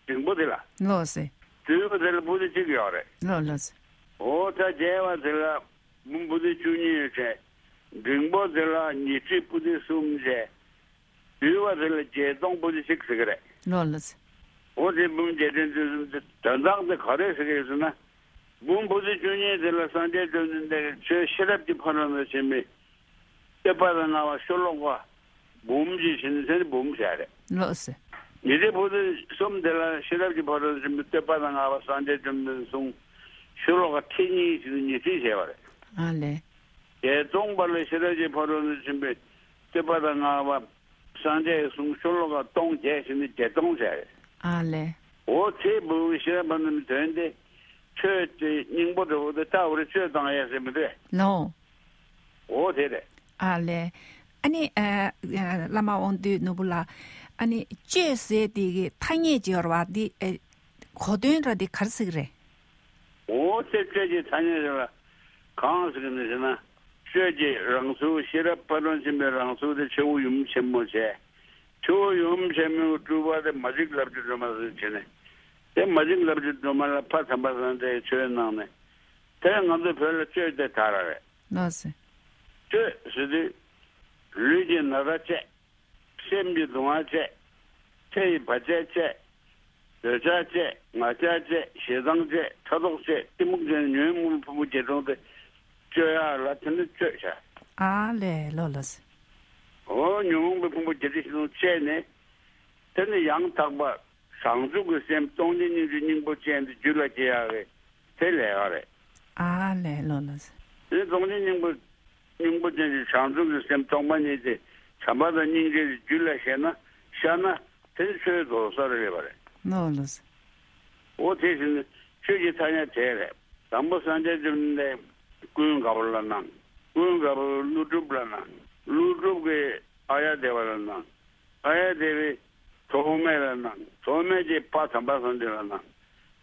འབྲིང་པོ་དེ་ལ། ལགས་སེ། བསྡུས་པ་དེ་ལ་པོ་ཏི་གཅིག་ཡོད་རེད། ལགས་ལགས་སེ། འོ་ད་རྒྱས་པ་དེ་ལ་འབུམ་པོ་ཏི་བཅུ་གཉིས་བྱས། འབྲིང་པོ་དེ་ལ་ཉི་ཁྲི་པོ་ཏི་གསུམ་བྱས། བསྡུས་པ་དེ་ལ་བརྒྱད་སྟོང་པོ་ཏི་གཅིག་ཟེར་གི་རེད། ལགས་ལགས་སེ། འོ་དེ་འབུམ་རྒྱས་འབྲིང་བདུན་གསུམ་དེ་དོན་དག་དེ་ག་རེ་ཟེར་གི་ཡོད་ཟེར་ན། འབུམ་པོ་ཏི་བཅུ་གཉིས་དེ་ལ་སངས་རྒྱས་བཅོམ་ལྡན་འདས་ཀྱིས་ཆོས་ཤེས་རབ་ཀྱི་ཕ་རོལ་ཏུ་ཕྱིན་པའི་བསྟོད་པ་དང་བསྔགས་པ་ཤོ་ལོ་ཀ་འབུམ་གྱིས་ཕྱིན་ཚེ་འབུམ་བྱས་རེད། ལགས་སེ། ཉི་ཁྲི་པོ་ཏི་གསུམ་དེ་ལ་ཤེས་རབ་ཀྱི་ཕ་རོལ་ཏུ་ཕྱིན་པའི་བསྟོད་པ་དང་བསྔགས་པ་སངས་རྒྱས་བཅོམ་ལྡན་འདས་གསུང་ཤོ་ལོ་ཀ་ཁྲི་གཉིས་ཕྱིན་ཉི་ཁྲི་བྱས་པ་རེད། ཨ་ལས། བརྒྱད་སྟོང་པ་ལ་ཤེས་རབ་ཀྱི་ཕ་རོལ་ཏུ་ཕྱིན་པའི་བསྟོད་པ་དང་བསྔགས་པ་སངས་རྒྱས་གསུང་ཤོ་ལོ་ཀ་སྟོང་བརྒྱད་ཕྱིན་ནས་བརྒྱད་སྟོང་བྱས་རེད། ཨ་ལས། འོ་དེ་འབུམ་ཤེས་རབ་པ་རྣམས་དོན་དེ། ཆོས་དེ་སྙིང་པོ་འདྲ་བོ་དེ་ལྟ་བུར་སྤྱོད་བཏང་ཡས་ཟེར་མི་འདུག་གས། ལོ། འོ་དེ་རེད། ཨ་ལས། ཨ་ནི་ཨ་ཨ་བླ་མ་དབང་འདུས་ནོར་བུ་ལགས། ཨ་ནི་སྤྱོད་ཟེར་དེ་གི་ཐ་སྙད་ཅིག་ཡོད་རེད་བ། དེ་ཨ་གོ་དོན་ར་དེ་ག་རེ་ཟེར་གི་རེད། འོ་དེ་སྤྱོད་ཀྱི་ཐ་སྙད་རེད་ལ། གང་ཟེར་གི་འདུག་ཟེར་ན། སྤྱོད་ཀྱི་རང་ཚུགས་ཤེས་རབ་ཕ་རོལ་ཕྱིན་པའི་རང་ཚུགས་དེ་ཆེ་བོ་ཡུམ་ཆེན་མོ་བྱས། ཆུ་བོ་ཡུམ་ཆེན་མོའི་སྤྲུལ་པ་དེ་མ་གཅིག་ལབ་རྒྱུ་སྒྲོལ་མ་ཟེར་བྱས་ནས། དེ་མ་གཅིག་ལབ་རྒྱུ་སྒྲོལ་མ་ལ་ཕ་དམ་པ་སངས་རྒྱས་ཆོས་གནང་ནས། དེ་ང་ཚོ་བོད་ལ་སྤྱོད་དེ་དར་བ་རེད། ལགས་སེ། སྤྱོད་ཟེར་དུས། ལུས་ཀྱི་ན་ཚ་བཅད། སེམས་ཀྱི་སྡུག་བསྔལ་བཅད། ཚེ་ཡི་བར་ཆད་བཅད། འདོད་ཆགས་བཅད། ང་རྒྱལ་བཅད། ཞེ་སྡང་བཅད། ཕྲག་དོག་བཅད། གཏི་མུག་བཅད། ཉོན་མོངས་ཕུང་པོ་བརྒྱད་སྟོང་དེ་སྤྱོད་ཡག་ལ་དེ་ནི་སྤྱོད་བྱ། ཨ་ལས་ལོ་ལགས་སེ། འོ་ཉོན་མོངས་པའི་ཕུང་པོ་བརྒྱད་ཁྲི་བཞི་སྟོང་བཅད་ནས། དེ་ནི་ཡང་དག་པ་བྱང་ཆུབ་ཀྱི་སེམས་སྟོང་ཉིད་སྙིང་རྗེའི་སྙིང་པོ་ཅན་དེ་རྒྱུད་ལ་སྐྱེ་ཡག་གི་དེ་ལས་ཡག་རེད། ཨ་ལས་ལོ་ལགས་སེ། དེ་ནི་སྟོང་ཉིད་སྙིང་པོ་སྙིང་པོ་ཅན་གྱི་བྱང་ཆུབ་ཀྱི་སེམས་སྟོང་པ་ཉིད་དེ་བྱམས་པ་དང་སྙིང་རྗེ་གི་རྒྱུད་ལ་ཤར་ན་ཤར་ན་དེ་ནི་ཆོས་རྫོགས་ས་རེད་པ་རེད། ལོ་ལགས་སེ། འོ་དེ་བཞིན་ཆོས་ཀྱི་ཐ་སྙད་དེ་རེད། དང་པོ་སངས་རྒྱས་བཅོམ་ལྡན་འདས་ཀུན་དགའ་བོ་ལ་གནང་། ཀུན་དགའ་བོ་ཀླུ་སྒྲུབ་ལ་གནང་། ཀླུ་སྒྲུབ་ཀྱིས་ཨཱརྱ་དེ་བ་ལ་གནང་། ཨཱརྱ་དེ་བས་ཐོགས་མེད་ལ་གནང་། ཐོགས་མེད་ཀྱིས་ཕ་དམ་པ་སངས་རྒྱས་ལ་གནང་།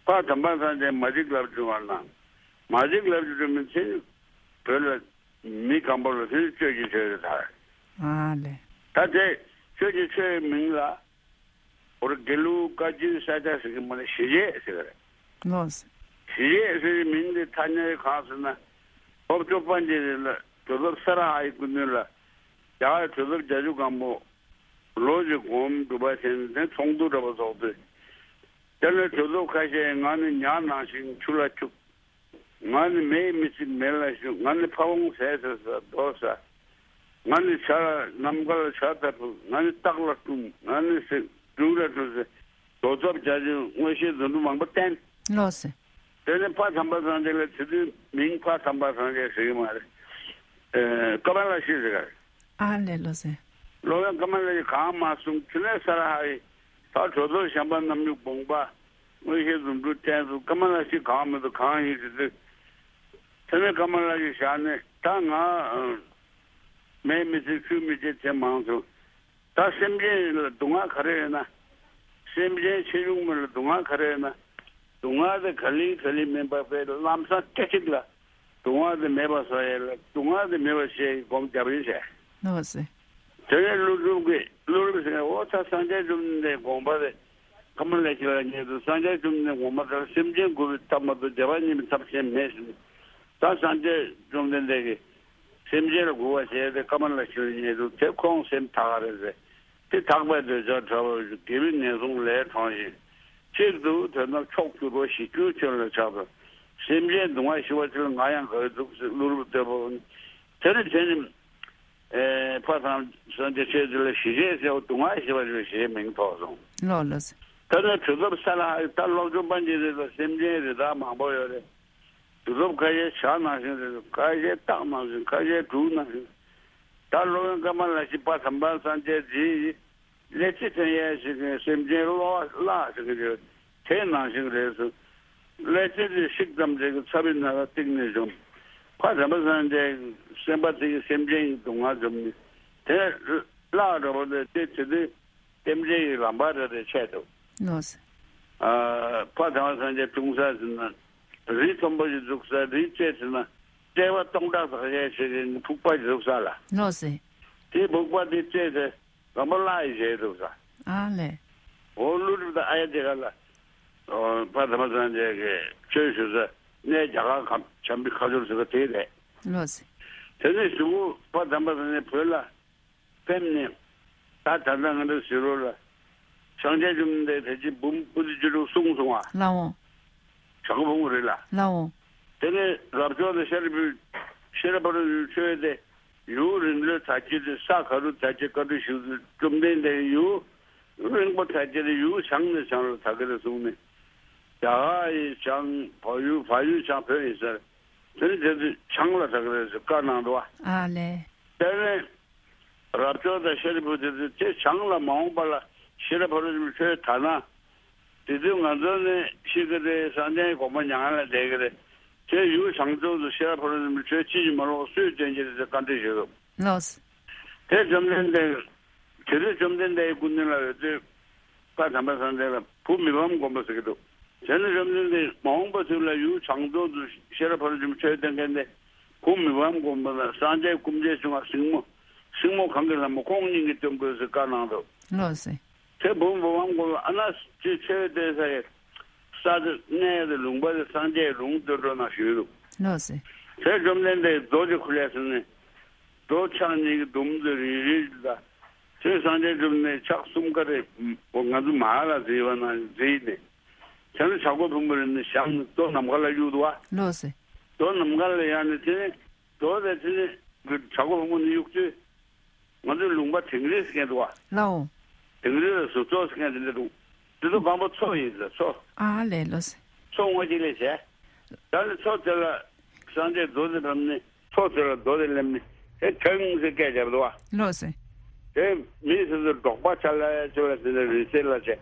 ཕ་དམ་པ་སངས་རྒྱས་མ་གཅིག་ལབ་རྒྱུ་སྒྲོལ་མ་ལ་གནང་། མ་གཅིག་ལབ་རྒྱུ་སྒྲོལ་མ་ཚེ་བོད་ལ་མི་སྒམ་པོ་ལ་དེ་ནི་སྤྱོད་ཀྱི་ཆོས་རེད་ད། ཨ་ལས། ད་དེ་སྤྱོད་ཀྱི་ཆོས་མིང་ལ། འོ་དགེ་ལུགས་བཀའ་བརྒྱུད་ས་སྐྱ་ཟེར་གྱི་མ་རེད། ཞི་བྱེད་ཟེར་གྱི་རེད། ལགས་སེ། ཞི་བྱེད་ཟེར་བའི་མིང་འདི་ཐ་སྙད་གང་ཟེར་ན། འོབ་ཅོ་པཎ་ཆེན་ལ་གྲུབ་ཐོབ་ས་ར་ཧའི་སྐུ་མདུན་ལ་རྒྱ་གར་གྲུབ་ཐོབ་བརྒྱད་ཅུ་གང་པོ་ལོ་གཅིག་གོང་སྒྲུབ་པ་བྱས་ནས་དེ་ཚོགས་འདུ་འདྲ་པོ་ཚོགས་དུས། དེ་ནས་གྲུབ་ཐོབ་ཁ་ཤས་ང་ནི་ཉ་ནང་བཞིན་ཆུ་ལ་སྐྱུག་ང་ནི་མེ་ཡི་མི་ཚིག་མེ་ལ་ཞུགས། ང་ནི་ཕ་བོང་ཟས་ཟ་ཟ་རྡོ་ཟ། ང་ནི་བྱ་ལ་ནམ་མཁའ་ལ་བྱ་ལྟ་བུ། ང་ནི་སྟག་ལ་སྤྲུམ། ང་ནི་སེང་འབྲུག་ལ་སྤྲུམ་ཟེར། རྡོ་ཚབ་བྱ་ཆེན་མངོན་ཤེས་རྫུ་འཕྲུལ་མང་པོ་བསྟན། ལགས་སོ། དེ་ནས་ཕ་དམ་པ་སངས་རྒྱས་ལ་དེ་དུས་མིང་ཕ་དམ་པ་སངས་རྒྱས་ཟེར་གྱི་མ་རེད། ཨེ། ཀ་མ་ལ་ཤི་ཟེར་ག་རེད། ཨ་ལས། ལགས་སོ། སློབ་དཔོན་ཀ་མ་ལ་ཤི་གང་མ་གསུངས། དེ་ནས་ས་ར་ཧ་ཡིས་ད་གྲོ་ཐོར་བྱམས་པ་རྣམ་གཉིས་དགོངས་པ་མངོན་ཤེས་རྫུ་འཕྲུལ་བསྟན་སོང་། ཀ་མ་ལ་ཤི་གང་མི་འདུག་གང་ཡིན་ཟེར་དུས། དེ་ནས་ཀ་མ་ལ་ཤི་བཞག་ནས་ད་ང་མེ་མི་སྲེག་ཆུ་མི་འཁྱེར་བྱས་མང་སོང་། ད་སེམས་ཅན་ལ་སྡུག་བསྔལ་ག་རེ་ཡོད་ན། སེམས་ཅན་ཆེ་ཆུང་མི་ལ་སྡུག་བསྔལ་ག་རེ་ཡོད་ན། སྡུག་བསྔལ་དེ་ག་ལེ་ག་ལེ་མིན་པ་དཔེ་ལམ་སང་སྐད་ཅིག་ལ་སྡུག་བསྔལ་དེ་མེད་པ་བཟོ་ཡས་ལ་སྡུག་བསྔལ་དེ་མེད་པ་བྱེད་ཡས་སྒོམ་རྒྱབ་ཡིན་ཟེར། ལགས་སོ། དེ་ནས་ཀླུ་སྒྲུབ་ཀྱིས་ཀླུ་སྒྲུབ་ཟེར་ནས་འོ་ད་སངས་རྒྱས་བཅོམ་ལྡན་འདས་དགོངས་པ་དེ་ཀ་མ་ལ་ཤི་ལ་ཉེ་དུ་སངས་རྒྱས་བཅོམ་ལྡན་དགོངས་པ་ལྟར་སེམས་ཅན་མགུ་བའི་ཐབས་མ་གཏོགས་བདེ་བ་རྙེད་པའི་ཐབས་གཞན་མེད་ཟེར། ད་སངས་རྒྱས་བཅོམ་ལྡན་འདས་ཀྱིས་སེམས་ཅན་ལ་མགུ་བ་བྱས་ཏེ་ཀ་མ་ལ་ཤི་ལ་ཉེ་དུ་དེ་ཁོང་སེམས་ཐག་རེད་ཟེར། དེ་ཐག་པའི་འདོད་ཆགས་བྲལ་བར་ཤོག་དགེ་བའི་ངན་སོང་ལས་གྲོལ་ཞིང་། གཅིག་ཏུ་དོན་དམ་མཆོག་གྱུར་པ་ཞི་ཁྱོད་ཁྱོད་ལ་ཕྱག་འཚལ། སེམས་ཅན་སྡུག་བསྔལ་ཞི་བར་བྱེད་ལ་ང་ཡང་དགའ་བའི་འདུག་ཟེར་ཀླུ་སྒྲུབ་བསྟོད་པ། དེ་ནི་དེ་ནི། ཨེ། ཕ་དམ་པ་སངས་རྒྱས་ཆོས་འདི་ལ་ཞི་བྱེད་ཟེར་བ་སྡུག་བསྔལ་ཞི་བར་བྱེད་ཞེས་མིང་ཐོགས་སོང་། ལགས་ལགས། ད་ནི་གྲུབ་ཐོབ་ས་ལ་ད་ལོག་འཇོམས་པ་འདི་རེད་ལ་སེམས་ཅན་རི་དྭགས་མང་པོ་ཡོད་རེད། གྲུབ་ཐོབ་ཁ་ཤས་བྱ་ནང་བཞིན་རེད། ཁ་ཤས་སྟག་ནང་བཞིན། ཁ་ཤས་འབྲུག་ནང་བཞིན། ད་སློབ་དཔོན་ཀ་མ་ལ་ཤི་ཕ་དམ་པ་སངས་རྒྱས་འདིས་ཀླད་རྩི་འཐེན་ཡས་ཞིག་གིས་སེམས་ཅན་བསླུ་བ་བརླག་ཟེར་གྱི་རེད། དེ་ནང་བཞིན་རེད་ཟེར། ཀླད་རྩི་དེ་བཤིག་ཙམ་ཞིག་གིས་ཚ་བའི་ན་ཚ་གཏིང་ནས་འཇོམས། ཕ་དམ་པ་སངས་རྒྱས་སེམས་པ་དེ་གིས་སེམས་ཅན་གྱི་སྡུག་བསྔལ་འཇོམས་ནི་དེ་བརླག་འགྲོ་བ་དེ་དེ་དེ་དུས་རྟེན་འབྲེལ་གྱི་ལམ་པ་རེ་རེ་ཆད་འདུག་ལགས་སོ། ཨ། ཕ་དམ་པ་སངས་རྒྱས་འཁྲུངས་ས་ཟེར་ན་རི་མཐོན་པོ་ཞིག་འཛུགས་ས། རི་རྩེ་ཟེར་ན་བྲེ་བ་སྟོང་ཕྲག་ཟག་ཡས་ཞིག་གི་ཕུག་པ་ཞིག་འཛུགས་ས་ལ། ལགས་སོ། དེ་ཕུག་པ་དེ་རྩེ་དེ་ལམ་པ་བརླག་ཡས་བྱས་འདུག་ས། ཨ་ལས། འོ་ཀླུ་སྒྲུབ་དང་ཨ་ཡ་དེ་ག་ལ། ཨོ། ཕ་དམ་པ་སངས་རྒྱས་ཀྱིས་ཆོས་ཞུ་ས་གནས་རྒྱ་གར་ཁམས་བྱམས་པའི་ཁ་སྦྱོར་ཟེར་བ་དེ་རེད། ལགས་སོ། དེ་ནས་གཞུག་གུ་ཕ་དམ་པ་སངས་རྒྱས་བོད་ལ་ཕེབས་ནས། ད་ད་ལྟ་ང་ཚོ་ཟེར་རོ་ལ། སངས་རྒྱས་བཅོམ་ལྡན་འདས་ད་ཅི་འབུམ་པོ་ཏི་བཅུ་དྲུག་གསུངས་སོང་བ། ལགས་འོང་། བྱ་རྒོད་ཕུང་པོ་རེད་ལ། ལགས་འོང་། དེ་ནས་རབ་འབྱོར་དང་ཤཱ་རིའི་བུ། ཤེས་རབ་ཕ་རོལ་ཏུ་ཕྱིན་ཆོས་དེ་ཡུན་རིང་ལོས་དར་རྒྱས་ཏེ་ས་ག་རུ་དར་རྒྱས་བཀའ་འདྲི་ཞུ་དུས་བཅོམ་ལྡན་འདས་ཡུན་རིང་པོ་དར་རྒྱས་ཏེ་ཡུལ་བྱང་ནས་བྱང་ལ་དར་གི་རེད་གསུངས་ནས། རྒྱ་གར་ཡི་བྱང་བལ་ཡུལ། བལ་ཡུལ་བྱང་བོད་ཡིན་ཟེར། དེ་ནས་དེ་ཚོས་བྱང་ལ་དར་གི་རེད་ཟེར་བཀའ་གནང་འདུག་བ། ཨ་ལས། དེ་ནས་རབ་འབྱོར་དང་ཤཱ་རིའི་བུ་དེ་ཚོས་དེ་བྱང་ལ་མ་འོངས་པ་ལ་ཤེས་རབ་ཕ་རོལ་ཏུ་ཕྱིན་ཆོས་དར་ན། དེ་དུས་ང་ཚོ་ནི་ཤི་གི་རེད། སངས་རྒྱས་ཀྱི་གོ་འཕང་མྱ་ངན་ལས་འདས་ཀྱི་རེད། དེ་ཡུལ་བྱང་ཕྱོགས་སུ་ཤེས་རབ་ཕ་རོལ་ཏུ་ཕྱིན་ཆོས་ཅི་ཡིན་མ་ལོག་སུས་སྟོན་གྱི་རེད་ཟེར་བཀའ་འདྲི་ཞུས་འདུག་ལགས། དེ་བཅོམ་ལྡན་འདས། དེ་དུས་བཅོམ་ལྡན་འདས་ཀྱི་སྐུ་མདུན་ལ་ཡོད་དུས། ཕ་དམ་པ་སངས་རྒྱས་ལ་བུ་མི་ཕམ་སྒོམ་པ་ཟེར་གྱི་འདུག་དེ་ནས་བཅོམ་ལྡན་འདས་མ་འོངས་པ་དུས་ལ་ཡུལ་བྱང་ཕྱོགས་སུ་ཤེས་རབ་ཕ་རོལ་ཏུ་ཕྱིན་ཆོས་སྟོན་མཁན་དེ། བུ་མི་ཕམ་སྒོམ་པ་དང་སངས་རྒྱས་སྐུ་མཆེད་བྱུང་བ་སྲིང་མོ། སྲིང་མོ་གང་གི་ལྷ་མོ་ཁོང་གཉིས་ཀྱིས་སྟོན་དགོས་ཟེར་བཀའ་གནང་འདུག་ལགས་སོ། དེ་བུ་མི་ཕམ་སྒོམ་པ་ཨ་ན་ཅེས་ཆོས་སྟོན་ས་ཡི་ས་དེ་གནས་དེ་ལུང་པ་དེ་སངས་རྒྱས་ལུང་སྟོན་གྲོལ་ན་ཞུས་འདུག་ལགས་སོ། དེ་བཅོམ་ལྡན་འདས་རྡོ་ཅིག་ཁུར་ལས་ཟིན་ནས། རྡོ་ཕྱག་གཉིས་ཀྱིས་བརྡུངས་ཏེ་རིལ་རིལ་ལ། དེ་སངས་རྒྱས་བཅོམ་ནས་ཕྱག་གསུམ་ཀ་རེ། ང་ཚོ་མ་ཧཱ་ལ་ཟེར་བ་ན་མཛེས་ནས། བྱང་བྱ་རྒོད་ཕུང་པོ་རེ་ནས་བཞེངས་ནས་རྡོ་ནམ་མཁའ་ལ་གཡུགས་འདུག་བ། ལགས་སོ། རྡོ་ནམ་མཁའ་ལ་ཡར་ནས་དེ་ནས་རྡོ་དེ་དེ་ནས་བྱ་རྒོད་ཕུང་པོ་ནས་གཡུགས་དུས། ང་ཚོའི་ལུང་པ་དིང་རི་ཟེར་མཁན་འདུག་བ། ལགས་འོང་། དིང་རི་ལ་གཟུགས་ཚོགས་ཟེར་མཁན་དེ་འདྲ་འདུག་དེ་ཚོ་གང་པོ་མཚོ་ཡིན་ཟེར་མཚོ། ཨ་ལས་ལོ་ཟེར། མཚོ་དངོས་གཅིག་ལས་བྱས། ད་ནི་མཚོ་དེ་ལ་སངས་རྒྱས་རྡོ་དེ་བབས་ནས་མཚོ་དེ་ལ་རྡོ་དེ་སླེབས་ནས་དེ་ཐང་ཟེར་སྐད་བརྒྱབ་འདུག་བ། ལོ་ཟེར། དེ་མི་སོ་སོ་འབྲོག་པ་ཆ་ལ་ཆ་ལ་དེ་ནས་རི་སེལ་ལ་བྱས།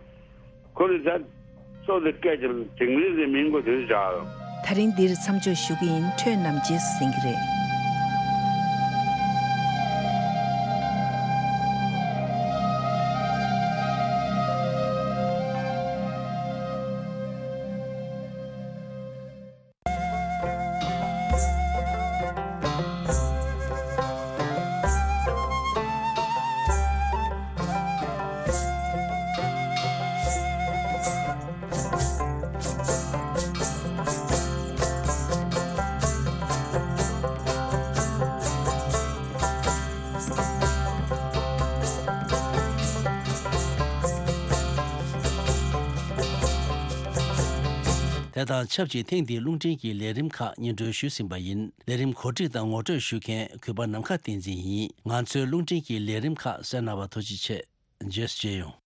ཁོ་ནི་ད་མཚོ་དེ་སྐད་བརྒྱབ་ནས་དིང་རི་ཟེར་མིང་གོ་དེ་བཞག་ཡོད། ད་རིང་འདིར་མཚམས་འཇོག་ཞུ་གི་ཡིན། ཁྱོད་རྣམས་རྗེས་སུ་གཟིགས་ཀྱི་རེད། དེ་དང་ཆབས་ཅིག་ཐེངས་འདིའི་རླུང་འཕྲིན་གྱི་ལས་རིམ་ཁག་སྙན་སྒྲོན་ཞུས་ཟིན་པ་ཡིན། ལས་རིམ་གོ་སྒྲིག་དང་ངོ་སྤྲོད་ཞུ་མཁན་གུས་པ་ནམ་མཁའ་བསྟན་འཛིན་ཡིན། ང་ཚོའི་རླུང་འཕྲིན་གྱི་ལས་རིམ་ཁག་གསན་གནང་བར་ཐུགས་རྗེ་ཆེ། རྗེས་སུ་མཇལ་ཡོང་།